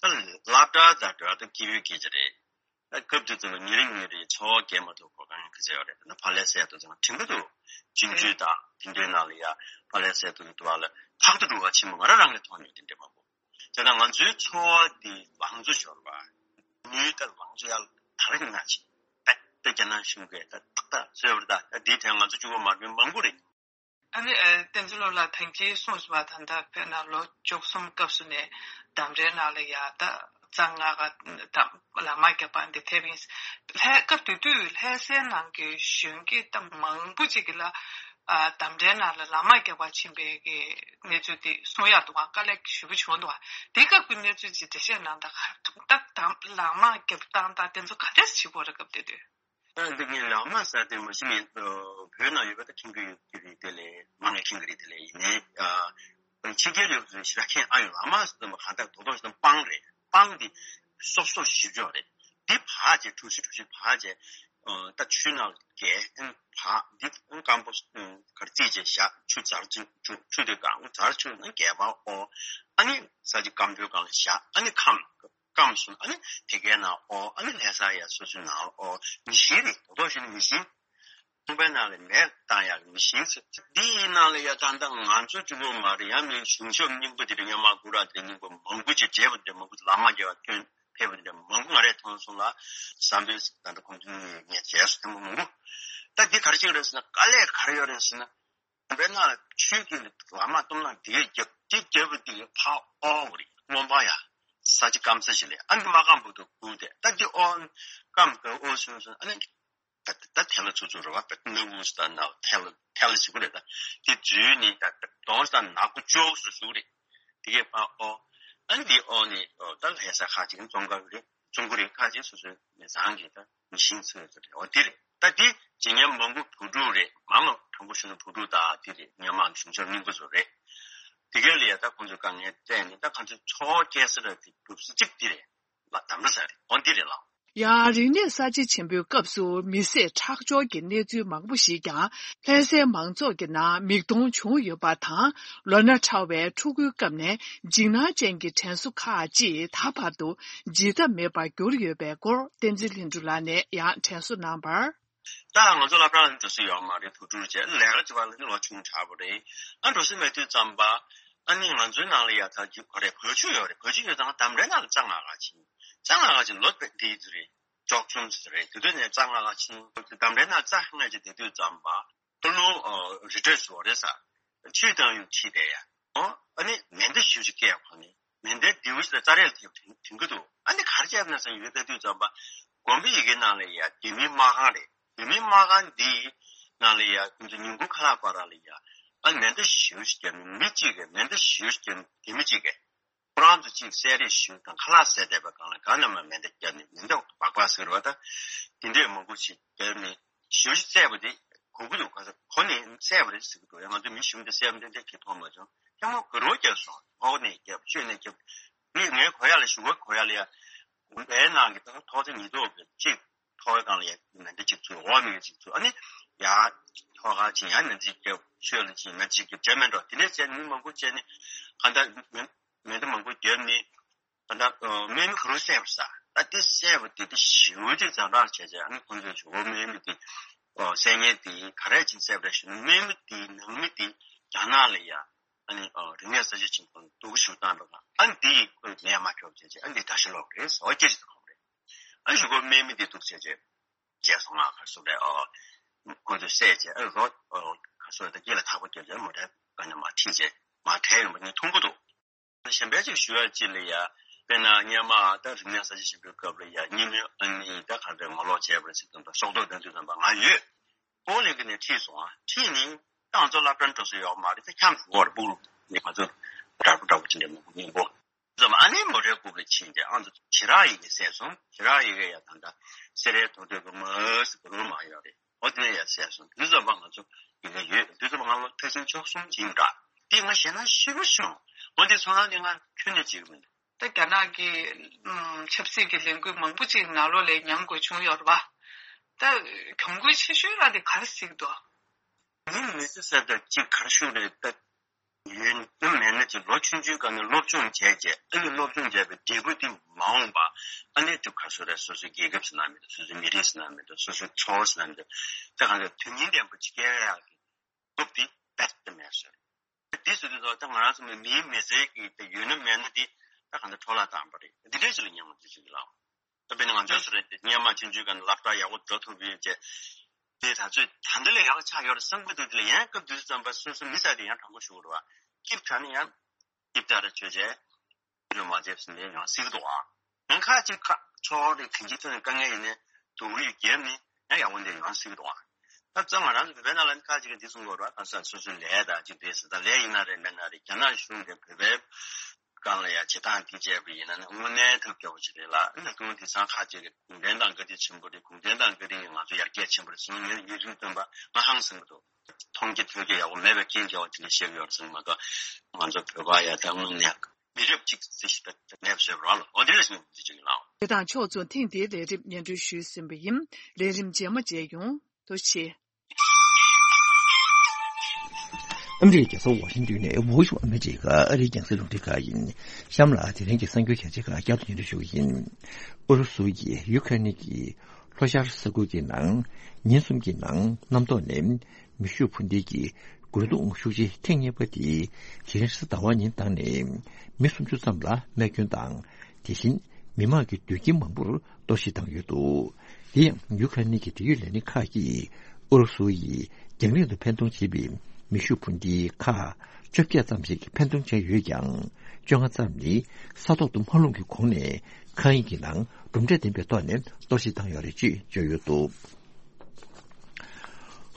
བ། ད་སློབ་གྲྭ་དང་འབྲེལ་བ་ད་སྐྱིད་པོའི་སྐད་ཆ་རེད། ད་སྐབས་དེ་ཚོ་ལ་ཉིན་རེ་ཉིན་རེ་འཚོ་བ་སྐྱེལ་མ་ཐུབ་གོ་གང་ཡང་ག་ཚོད་ཡོད་རེད། ད་ནི་ཕ་ལེ་སེ་དུ་ཚང་དྲན་གི་འདུག་སྤྱི་འཐུས་དང་དེ་འདྲའི་ནང་ལ་ཡ་ཕ་ལེ་སེ་དུ་ཡི་དུ་བ་ལ་ཕག་ཏུ་འགྲོ་བ་ཆེན་པོ་ང་རང་རང་གི་མཐོང་མྱོང་དེ་འདྲ་མང་པོ། དེ་ན་ང་ཚོའི་འཚོ་བ་འདི་ལང་ཚོ་ཤོར་བ། ཉུལ་ད་ལང་ཚོ་ཡར་དར་གྱི་ན་ཆེ། ད་ད་རྒྱ་ནག་གཞུང་གིས་ད་ཏག་ཏག་བཟོས་པ་རེད། ད་ད་འདིའི་ཐད་ང་ཚོ་གཅིག་པོ་མ་རེད། མང་པོ་རེད། ཨ་ནི་ཨ་བསྟན་འཛིན་བློ་ལགས་ཐེངས་གཅིག་གསུངས་སོང་བ། ད་ལྟ་དཔེར་ན་ལོ་བཅུ་གསུམ་སྐབས་སུ་ནས་འདམ་རའི་ནང་ལ་ཡ་ད་རྩྭ་ལྔ་ཀ་དང་ལག་དམར་རྒྱག་པ་འདི་ཐེབས་ཡིན། ལྷ་སྐབས་དེ་དུས་ལྷ་སའི་ནང་གི་གཞོན་སྐྱེས་ད་མང་པོ་ཅིག་གི་ལ་ཨ་འདམ་རའི་ནང་ལ་ལག་དམར་རྒྱག་པ་ཕྱིན་པའི་གི་གནས་ཚུལ་དེ་གསུང་ཡག་འདུག་ག་དཀའ་ལས་ཞེ་པོ་བྱུང་འདུག་ག་དེ་སྐབས་ཀྱི་གནས་ཚུལ་ཅིག་འགྲེལ་བཤད་གནང་དང་། ད་ལག་དམར་རྒྱབ་སྟངས་དང་དེ་ཚོ་ག་འདྲས་བྱེད་དགོས་རེད་སྐབས་དེ་དུས། ཨ་འདི་ངས་ལག་དམར་ཟེར་དེ་མ་གཞི་ངས་བོད་ནང་ཡོད་པ་ད་མཁྱེན་གྱི་ཡོད་ཀྱི་རེད། དེ་ལས་མང་ང་མཁྱེན་གྱི་རེད། དེ་ལས་ཡིན་ནའི་ཕྱི་རྒྱལ་ཡོད་ཚོས་ཞེ་དྲག་མཁྱེན་ཨ་ཡོད། ལག་དམར་ཟེར་དེ་མ་གང་ལྟར་རྡོག་རྡོག་ཞིག་དང་སྤང་རེད། སྤང་འདི་སོབ་སོབ་ཞིབ་ཆོག་རེད། འདི་བག་བྱས་གྲུ་བཞི་གྲུ་བཞི་བག་བྱས་ད་ཆུའི་ནང་ལ་བརྒལ་ཨ་བག་འདི་སྐམ་པོ་གར་རྩིས་བྱས་བཞག་ཆུ་ཛར་ཆུ་ཆུ་དེ་གང་ཛར་ཆུ་ནང་བརྒལ་བ་ཨོ། ཨ་ནི་ས་ཆ་སྐམ་པོའི་སྒང་ལ་བཞག་ཨ་ནི་ཁམས། སྐམ་སོང་། ཨ་ནི་དེ་གའི་ནང་ཨོ། ཨ་ནི་ལྷ་ས་ཡ་སོ་སོའི་ནང་ཨོ། མི་ཤིང་རེད། རྡོག་རྡོག་ཞིག་ནི་མི་ཤིང་། ཁང་པའི་ནང་ལ་མེ་བཏང་ཡག་མི་ཤིང་ཚོ་འདི་ཡི་ནང་ལ་ཡ་ད་ལྟ་ང་ཚོ་གཅིག་པོ་མ་རེད། ཡང་མིན་གཞུང་ཞབས་རྙིང་པ་དེ་འདྲ་སྔོན་མ་གུ་ར་དེ་འདྲ་རྙིང་པ་མང་པོ་ཅིག་བྱས་པ་དེ་འདྲ་མང་པོ་ལག་དམར་རྒྱབ་པ་ཐོན་ཕེབས་པ་དེ་འདྲ་མང་པོ་ང་རས་མཐོང་སོང་ལ། བསམ་པའི་ད་ལྟ་ཁོང་ཚོ་ངས་བྱས་སོང་ཐེངས་མང་པོ། ད་འདི་ག་རེ་བྱེད་ཀྱི་རེད་ཟེར་ན། དཀའ་ལས་ག་རེ་ཡོད་རེད་ཟེར་ན། དཔེར་ན་ཆུའི་དཀྱིལ་ལ་ལག་དམར་གཏུམ་ན་འདི་གས་རྒྱབ། འདི་རྒྱབ་པ་འདི་གས་ཕར་ཨོ་བ་རེད། རྔོན་པ་ཡ་ས་ཆ་སྐམ་ས་ཞིག་ལས་ཨ་ནི་མ་སྐམ་པོ་དུ་སྒུག་སྟེ་ད་འདི་ཨོ་སྐམ་ག་ཨོ་སོང་སོང་ཨ་ནི་ད་ད་ཐལ་ལ་ཚུགས་ཚུགས་རེད་བ། ད་ནག་པོ་ཞིག་དང་ནག་ཐལ་ལ་ཐལ་ལ་ཞིག་རེད། ད་འདི་འཛུལ་ནས་ད་གདོང་ཞིག་དང་ནག་པོ་ཅོག་སུ་ཞུགས་རེད། འདི་གས་ཕར་ཨོ། ཨ་ནི་འདི་ཨོ་ནི་ད་ལྷ་ས་ཁ་ཅིག་ཙོང་ཁ་རེད། ཙོང་ཁུ་རེད། ཁ་ཅིག་སོ་སོའི་མི་ཚང་གི་ད་མི་ཤིང་ཚོས་ཚོ་རེད། འོ་འདི་རེད། ད་འདི་ཇི་སྙམ་མང་པོ་བུ་ཕྲུག་རེད། མ་མ་དྲང་པོ་ཞུ་ན་བུ་ཕྲུག་ད་འདི་རེད། སྔོན་མ་གཞུང་ཞབས་རྙིང་པ་ཚོ་རེད། དེ་གས་ལ་ཡ་ད་ཁོང་ཚོའི་དཀའ་ངལ་བལྟས་ནས་ད་ཁོང་ཚོའི་འཚོ་བ་སྐྱེལ་ས་ར་དེ་སྒྲུབ་ས་གཅིག་འདི་རེད་ལ། འདམ་ར་ས་རེད། འོ་འདི་རེད་ལགས། ཡང་རིག་གནས་གསར་བརྗེ་ཆེན་པོའི་སྐབས་སུ་མི་བསད་ཁྲག་སྦྱོར་གྱི་གནས་ཚུལ་མང་པོ་ཞིག་ཀྱང་ལྷ་སའི་མང་ཚོགས་ཀྱི་ནང་མིག་མཐོང་བྱུང་ཡོད་པ་དང་། ལོ་ན་ཕྲ་བའི་ཕྲུ་གུའི་སྐབས་ནས་འཇིགས་སྣང་ཅན་གྱི་དྲན་གསོ་ཁག་ཅིག་ད་བར་དུ་བརྗེད་ཐབས་མེད་པར་གྱུར་ཡོད་པའི་སྐོར་བསྟན་འཛིན་ལྷུན་གྲུབ་ལགས་ནས་ཡང་དྲན་གསོ་གནང་བར། ད་ང་ཚོ་སློབ་གྲྭ་ལ་འདུག་སེ་ཡོད་མ་རེད། བུ་ཕྲུག་བྱས་ལས་ཀ་བྱེད་པ་ལ་ནི་ལོ་ཆུང་དྲགས་པ་རེད། ཨ་འགྲོ་སེ་མེད་དུས་ཙམ་པ་ཨ་ནི་ང་ཚོའི་ནང་ལ་ཡ་ད་ཅིག་ག་རེ་བོད་ཆུ་ཡོད་རེད། བོད་ཆུ་ཡོད་ཙང་འདམ་རའི་ནང་ལ་རྩྭ་ང་ག་ཕྱིན། རྩྭ་ང་ག་ཕྱིན་ལོ་དཔེ་འདི་ཚོ་རེད། བཅུ་གསུམ་ཙམ་རེད། དེ་དུས་ནས་རྩྭ་ང་ག་ཕྱིན། འདམ་རའི་ནང་རྩྭ་ང་ཅིག་བསྡད་དུས་ཙམ་པ་ད་ལོ་རི་ཁྲོད་སུ་རེད་ས། ཆུ་བཏང་ཡོང་ཕྱིན་བསྡད་ཡ། ཨོ། ཨ་ནི་མེ་མདའ་ཞེ་པོ་ཅིག་བཀལ་ཡོད་ཁོ་ནི། མེ་མདའི་མདེའུ་ཞིག་ལ་རྩྭ་རས་ཐེབས་ཐོན་གྱི་འདུག་ཨ་ནི་ག་རེ་བྱས་ན་བསམ་ཡོད་ལྟ་དུས་ཙམ་པ། དགོན་པའི་ཡ་གི་ནང་ལ་ཡ་རྒྱ་མིའི་མ་ཁང་རེད། རྒྱ་མིའི་མ་ཁང་འདིའི་ནང་ལ་ཡ་ཁོང་ཚོ་ཉིན་གུང་ཁ་ལག་བར་ལ་ཡ། ཨ་མེ་མདའ་ཞེ་པོ་ཞིག་བརྒྱབ་ནས་མི་གཅིག་གིས་མེ་མདའ་ཞེ་པོ་ཞིག་བརྒྱབ་ནས་རྒྱ་མི་གཅིག་གིས། ཁོ་རང་ཚོ་གཅིག་བསད་རེས་ཞུས་དང་ཁ་ལག་བཟས་བསྡད་པ་སྒང་ལ་གང་ན་མ་མེ་མདའ་བརྒྱབ་ནས་མེ་མདའ་སྦག་སྦག་ཟེར་བ་ད། དེ་འདྲས་མང་པོ་ཞིག་བརྒྱབ་ནས་ཞེ་པོ་ཞིག་བསད་པ་དེ་གོ་གི་འདུག་ག་ས་གོ་ནས་བསད་པ་རེད་ཟེར་གི་འདུག་ཡང་ང་ཚོ་མི་གཞུང་དེ་བསད་པ་འདྲ་འདྲ་གི་མཐོང་མ་བྱུང་། ཐལ་མོ་སྒུར་རོགས་བརྒྱབ་སོང་། འོག་ནས་བརྒྱབ་ཤོད་ནས་བརྒྱབ། ངས་ངའི་གོ་ཡག་ལ་གཞུག་གུ་གོ་ཡག་ལ་ཡ། དགོན་པའི་ནང་གི་ཐོག་ཐོག་ཚད་ཉིས་ཐོག་གི་གཅིག་ཐོག་སྒང་ལ་ཡ་མེ་མདའ་གཅིག་ཚུད། འོག་མི་གཅིག་ཚུད། ཨ་ནི་ཡ་ཐོག་ཁ་ཕྱིན་ཡ་མེ་མདའ་གཅིག་བརྒྱབ། ཤོད་ལ་ཕྱིན་མེ་མདའ་གཅིག་བརྒྱབ། བྱས་མེད་འགྲོ་དེ་འདྲས་བྱས་ནས་མི་མང་པོ་བྱས་ནས་གང་ལྟར་མེ་མེ་མདའ་མང་པོ་བརྒྱབ་ནས། ད་ལྟ་ཨ་སྨན་མི་ག་རུ་བསད་པ་རེད་ས། ད་དེ་བསད་པ་དེ་དེ་ཞེ་པོ་ཅིག་ཛ་དྲག་བྱས་བྱས། ཨ་ནི་ཁོང་ཚོས་ཇོ་བོ་དམན་མི་དེ་ཨོ་བསད་མཁན་དེ་ག་རེ་བྱས་བསད་པ་རེད་ཞུ་ན། དམན་མི་དེའི་ནང་མི་དེ་རྒྱ་ནག་ལ་ཡ་ཨ་ནི་ཨོ་རིག་གནས་གསར་བརྗེ་ཆེན་པོ་འདུག་ཞུ་སྟངས་འདྲ་བ། ཨ་ནི་དེ་ཡི་ཁོས་ལན་མ་ཁྱོག་བྱས་བྱས། ཨ་ནི་དེ་དགྲ་ཤ་ལོག་རེད་ཟེར་བ་སྐད་ཆ་དེ་གོ་རེད། ཨ་ནི་ཇོ་བོ་དམན་མི་དེ་འདུག་བྱས་བྱས། བྱས་སོང་ང་ག་སུ་རེད། ཨོ། ཁོ་ཚོས་བསད་བྱས། ཨ་རོ། ཨོ། ག་སུ་རེད། ད་སྐེ་ལ་ཐག་པ་བརྒྱབ་བྱས་མོ་ཊའི་སྒང་ནས་མར་ཁྲིད་བྱས་མར་བྲོས་ཡོང་པ་ངས་མཐོང་གི་འདུག་གཞན་པ་ཅིག་ཞུ་ཡ་ཅིག་ལ་ཡ། དཔེར་ན་སྔོན་མ་ད་རིག་གནས་གསར་བརྗེ་ཆེན་པོའི་སྐབས་ལ་ཡ། སྔོན་མའི་ཨ་ནི་ད་ག་རེ་ངོ་ལོག་བྱས་པ་རེད་ཟེར་དུས་ད་སྲོག་ཐོག་བཏོན་དུས་ཙམ་པ་ང་ཡོད། ཨོ་ལེ་གི་ནས་ཁྲིད་སོང་ཨ། ཁྲིད་ནི་ད་ང་ཚོ་སློབ་གྲྭར་འགྲོ་ས་ཡོད་མ་རེད། ད་འཁྱམས་བཞུགས་པ་རེད། སྤུ་གུ་ནི་ང་ཚོ་དྲག་པོ་དྲག་པོ་ཅིག་འདྲ་མང་པོ་སྙིང་པོ། ཙམ་ཨ་ནི་མོ་ཊའི་རྐུབ་ལ་ཕྱིན་ཏེ་ཨ་ཚོ་ཇི་རག་ཡི་གེ་བསད་སོང་། ཇི་རག་ཡི་གེ་ཡ་ད་ལྟ་སེ་རའི་ཐོ་ཐོས་པ་མ་ཟི་ག་རུ་མ་ཡོད་རེད། ཨོ་དེ་ནས་ཡ་བསད་སོང་། དུས་ཙམ་པ་ང་ཚོ་ཡི་གེ་ཡོད། དུས་ཙམ་པ་ང་ལོ་ཕལ་ཆེར་བཅུ་གསུམ་ཅིག་ཡིན་འདྲ། དེ་ང་ཞེད་སྣང་ཞེ་པོ་བྱུང་། ཨོ་དེ་ཚོ་ནང་དེ་ང་ཁྱོན་ནས་བྱེད་ཀྱི་མི་འདུག་ད་རྒྱ་ནག་གི་ཨམ་ཆབ་སྲིད་ཀྱི་ལས་འགུལ་མང་པོ་ཅིག་ནང་ལོགས་ལ་མཉམ་དགོས་བྱུང་ཡོད་རེད་པ། ད་གྱོང་གུན་ཆེ་ཤོས་རང་དེ་ག་རེ་གཟིགས་འདུག་མི་མི་ཚེ་ཟེར་ད་ཅིག་ག་རེ་ཞུ་རེད། ད་ཡོད་ན་མེད་ན་ཅིག་ལོ་ཆུང་ཆུང་སྒང་ནས་སློབ་སྦྱོང་བྱས་རྗེས། ཨ་ནི་སློབ་སྦྱོང་བྱས་པའི་འབྲས་བུ་དེ་མ་འོངས་པ་ཨ་ནི་ཅིག་ག་རེ་ཟེར་རེད། སོ་སོའི་རྒྱལ་ཁབ་ཟེར་ན་མི་འདུག་སོ་སོའི་མི་རིགས་ཟེར་ན་མི་འདུག་སོ་སོའི་ཚོ་བ་ཟེར་ན་མི་འདུག་ད་གང་ལྟར་དོན་སྙིང་ལྡན་པོ་ཅིག་སྐྱེལ་ཡག་གི་སྟོབས་དེ་རྦད་དེ་མེད་ཟེར། དེ་ཟེར་དུས་ད་ང་རང་ཚོ་མི་མིའི་མི་ཚེ་གི་དེ་ཡོད་ན་མེད་ན་དེ་ད་གང་ལྟར་འཕྲོ་བརླག་བཏང་པ་རེད། འདི་འདྲའི་ཞིག་ལ་སྙམ་པ་དེ་ཞིག་ལ། ད་དཔེར་ན་ང་ཚོའི་སུ་རེད། དེ་སྔོན་མ་ཆུང་ཆུང་སྒང་ནས་སློབ་གྲྭ་ཡག་པོ་འགྲོ་ཐུབ་ཡོད་ཅེས། དེ་ད་ཚོད་ད་འདི་ལས་ཡག་ཆགས་ཡོད་རེད་བསམ་གི་འདུག་དེ་ལ་ཡང་སྐབས་དུས་ཙམ་པ་སོ་སོ་མི་ས་དེ་ཡང་དྲང་པོ་ཞུ་དགོས་རེད་བ། སྐྱིད་དྲགས་ནི་ཡང་སྐྱིད་དྲགས་རེད་བྱོས་བྱས། ཡོད་མ་བྱས་ཟིན་ནས་ཡང་སྲིད་འདུག་ཨ། ཡང་ཁ་ཅིག་ཁ་ཕྱོགས་རེ་གང་ཅིའི་ཐོག་ནས་དཀའ་ངལ་ཡིན་ནས་སྡུག་རུས་བརྒྱབ་ནས་ཡང་ཡག་པོ་འདི་ཡང་སྲིད་འདུག་ཨ། ད་ཙང་ང་རང་ཚོ་བོད་པའི་ནང་ལ་ནི་ཁ་ཅིག་གིས་འདི་གསུང་གི་ཡོད་རེད་བ། ཁ་སང་སོ་སོའི་ལས་དང་ཅིག་རེད་ཟེར། ད་ལས་ཡིན་ན་རེད་མེད་ན་རེད། རྒྱ་ནག་གཞུང་གིས་བོད་པའི་སྒང་ལ་ཡ་བྱེད་སྟངས་འདི་བྱས་པ་ཡིན་ན་ནི་དངོས་གནས་ཐབས་སྐྱོ་པོ་ཅིག་རེད་ལ། ཨ་ནི་སྐུ་ངོ་དེང་སང་ཁ་ཅིག་གིས་གུང་ཁྲན་ཏང་བཀའ་དྲིན་ཆེན་པོ་རེད། གུང་ཁྲན་ཏང་བཀའ་དྲིན་གྱིས་ང་ཚོ་ཡར་རྒྱས་ཕྱིན་པ་རེད་ཟེར་ནས་ངས་ཡུན་རིང་བཏོན་པ་ང་ཧང་སང་གི་འདུག་མཐོང་རྒྱ་ཐོས་རྒྱ་ཡག་པོ་མེད་པའི་རྐྱེན་གྱིས་བ་དེ་འདྲ་བཤད་ཀྱི་ཡོད་རེད་ཟེར་ནས་མ་གཏོགས། ང་ཚོ་བོད་པ་ཡ་ད་དངོས་གནས་མི་རབས་གཅིག་ཙམ་ཞིག་ད་མེད་པ་བཟོས་པ་རང་ལ། འོ་དེ་འདྲ་ཞིག་ནས་འདི་བྱེད་ཀྱི་ལགས། དེ་དང་ཕྱོགས་མཚུངས་ཐེངས་འདིའི་ལས་རིམ་སྙན་སྒྲོན་ཞུས་ཟིན་པ་ཡིན། ལས་རིམ་རྗེས་མ་མཇལ་ཡོང་། ཐུགས་རྗེ་ཆེ། ཨ་མི་རི་ཀའི་རྒྱལ་ས་ཝ་ཤིང་ཏོན་ནས་Voice of America ཨ་རིའི་རྒྱང་སྲིང་རླུང་འཕྲིན་ཁང་ཡིན། གཤམ་ལ་དེ་རིང་གི་གསར་འགྱུར་གལ་ཆེ་ཁག་བསྐྱར་དུ་སྙན་སྒྲོན་ཞུ་གི་ཡིན། ཨུ་རུ་སུ་ཡིས་ཡུ་ཁ་རེན་གྱི་ལྷོ་ཤར་ས་ཁུལ་གྱི་ནང་ཉིན་གསུམ་གྱི་ནང་གནམ་ཐོག་ནས་མེ་ཤུགས་འཕུར་མདེལ་གྱི་རྒོལ་རྡུང་ཤུགས་ཆེ་ཐེངས་གཉིས་པ་དེ་དེ་རིང་རེས་གཟའ་ཟླ་བ་ཉིན་བཏང་ནས་མི་སུམ་ཅུ་ཙམ་ལ་རྨས་སྐྱོན་དང་། དེ་བཞིན་མི་མང་གི་སྡོད་ཁྱིམ་མང་པོར་གཏོར་བཤིག་བཏང་ཡོད་འདུག་དེ་ཡང་ཡུ་ཁ་རེན་གྱི་འབྲེལ་ཡོད་ལས་སྣེ་ཁག་གིས་ཨུ་རུ་སུ་ཡིས་རྒྱང་རིང་དུ་འཕེན་གཏོང་བྱེད་པའི་མེ་ཤུགས་འཕུར་མདེལ་ཁག་བཅོ་བརྒྱད་ཙམ་ཞིག་འཕེན་གཏོང་བྱས་ཡོད་ཀྱང་། བཅོ་ལྔ་ཙམ་ནི་ས་ཐོག་ཏུ་མ་ལྷུང་གི་གོང་ནས་མཁའ་དབྱིངས་ཀྱི་ནང་གྲུབ་འབྲས་ལྡན་པའི་ཐོག་ནས་གཏོར་བཤིག་བཏང་ཡོད་རེད་ཅེས་བརྗོད་ཡོད་འདུག་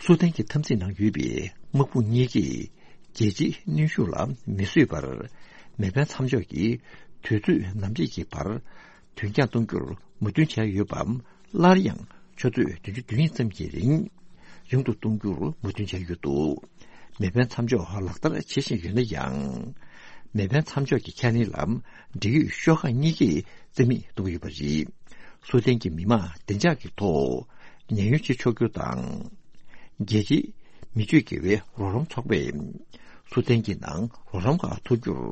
སུ་དན་གྱི་འཐབ་འཛིང་ནང་ཡོད་པའི་དམག་དཔུང་གཉིས་ཀས་རྒྱལ་སྤྱིའི་གནོན་ཤུགས་ལ་མི་བཟོད་པར་མེ་འཕེན་མཚམས་འཇོག་གི་དུས་ཚོད་ནམ་དཔྱད་ཀྱི་བར་དོན་འཁྱོངས་གཏོང་རྒྱུར་མོས་མཐུན་བྱས་ཡོད་པའམ། སླར་ཡང་ཆུ་ཚོད་བདུན་ཅུ་དོན་གཉིས་ཙམ་གྱི་རིང་རིང་དུ་གཏོང་རྒྱུར་མོས་མཐུན་བྱས་ཡོད་འདུག་མེ་འཕེན་མཚམས་འཇོག་ལག་བསྟར་བྱེད་བཞིན་ཡོད་ན་ཡང་། མེ་འཕེན་མཚམས་འཇོག་གི་ཁས་ལེན་ལ་འབྲེལ་ཡོད་ཤོག་ཁག་གཉིས་ཀས་རྩིས་མེད་གཏོང་གི་ཡོད་པ་རེད། སུ་དན་གྱི་མི་མང་བདེ་འཇགས་ཀྱི་ཐོག་ཉེན་གཡོལ་བྱེད་ཆོག་རྒྱུ་དང་། རྒྱལ་སྤྱིའི་མི་སྤྱོད་དགེ་བའི་རོགས་རམ་ཚོགས་པས་སུ་དན་གྱི་ནང་རོགས་རམ་ཁག་ཐོབ་རྒྱུར་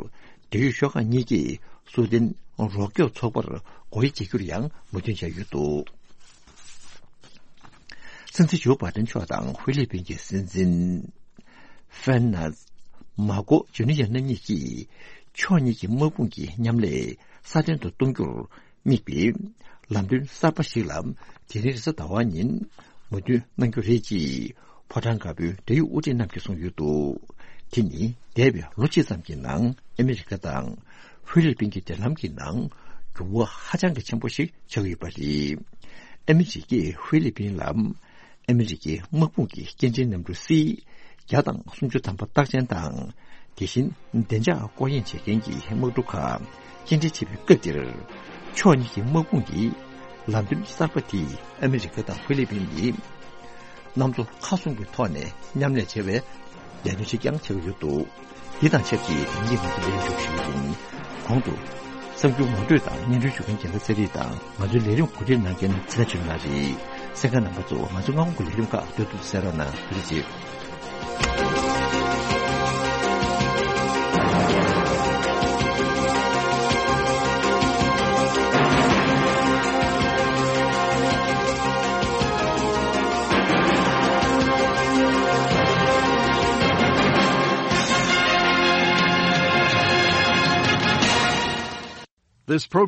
འབྲེལ་ཡོད་ཤོག་ཁག་གཉིས་ཀས་སུ་དན་རོགས་སྐྱོབ་ཚོགས་པར་སྒོ་དབྱེ་འབྱེད་རྒྱུར་ཡང་མོས་མཐུན་བྱས་ཡོད་འདུག་སྲིད་འཛིན་ཇོ་བྷའི་ཏན་མཆོག་དང་ཧྥི་ལི་པིན་གྱི་སྲིད་འཛིན་ཧྥན་ནཱས་མཱ་ཀོ་ཇུ་ནི་ཡ་རྣམ་གཉིས་ཀྱིས་ཕྱོགས་གཉིས་ཀྱི་དམག་དཔུང་གི་མཉམ་ལས་སྲ་བརྟན་དུ་གཏོང་རྒྱུར་དམིགས་པའི་ལམ་སྟོན་གསར་པ་ཞིག་ལ་དེ་རིང་རེས་གཟའ་ཟླ་བ་ཉིན་མོས་མཐུན་གནང་རྒྱུ་རེད་ཅེས་ཕོ་བྲང་དཀར་པོའི་འབྲེལ་ཡོད་དབུ་ཁྲིད་རྣམས་ཀྱིས་གསུངས་ཡོད་འདུག་དེ་ནི་འདས་པའི་ལོ་གཅིག་ཙམ་གྱི་ནང་ཨ་མི་རི་ཀ་དང་ཧྥི་ལི་པིན་གྱི་འབྲེལ་ལམ་གྱི་ནང་འགྱུར་བ་ཧ་ཅང་གི་ཆེན་པོ་ཞིག་ཆགས་ཡོད་པ་རེད། ཨ་མི་རི་ཀས་ཧྥི་ལི་པིན་ལ་ཨ་མི་རི་ཀའི་དམག་དཔུང་གི་སྐྱེལ་འདྲེན་གནམ་གྲུ་སི་བརྒྱ་དང་སུམ་ཅུ་ཐམ་པ་རྟགས་ཅན་དང་། དེ་བཞིན་བདེ་འཇགས་སྐོར་གཡེང་བྱེད་མཁན་གྱི་དམག་གྲུ་ཁག་སྐྱེལ་འདྲེན་བྱེད་པའི་སྐབས་འདིར། ཕྱོགས་གཉིས་ཀྱི་དམག་དཔུང་གི་ལམ་སྟོན་གསར་པ་དེས་ཨ་མི་རི་ཀ་དང་ཧྥི་ལི་པིན་ནི་གནམ་མཚོ་མཁའ་ཟུང་གི་ཐོག་ནས་མཉམ་ལས་བྱེད་པའི་ལས་དོན་ཞིག་ཀྱང་ཆགས་ཀྱི་ཡོད་འདུག་འདི་དང་ཆབས་ཅིག་དེང་གི་ང་ཚོ་ལས་མཇུག་ཞུ་རྒྱུ་ཡིན། གོང་དུ་གསར་འགྱུར་ངོ་སྤྲོད་དང་སྙན་སྒྲོན་ཞུ་མཁན་རྒྱལ་མཚན་ཚེ་རིང་དང་། ང་ཚོའི་ལས་རིམ་གོ་སྒྲིག་གནང་མཁན་ཚེ་རིང་ཆོས་ལགས་རེད། གསན་མཁན་རྣམ་པ་ཚོ་ང་ཚོའི་སྔ་དགོང་གི་ལས་རིམ་ཁག་སྡོད་ཐུབ་ཐུབ་གསན་རོགས་གནང་། ཐུགས་རྗེ་ཆེ། This program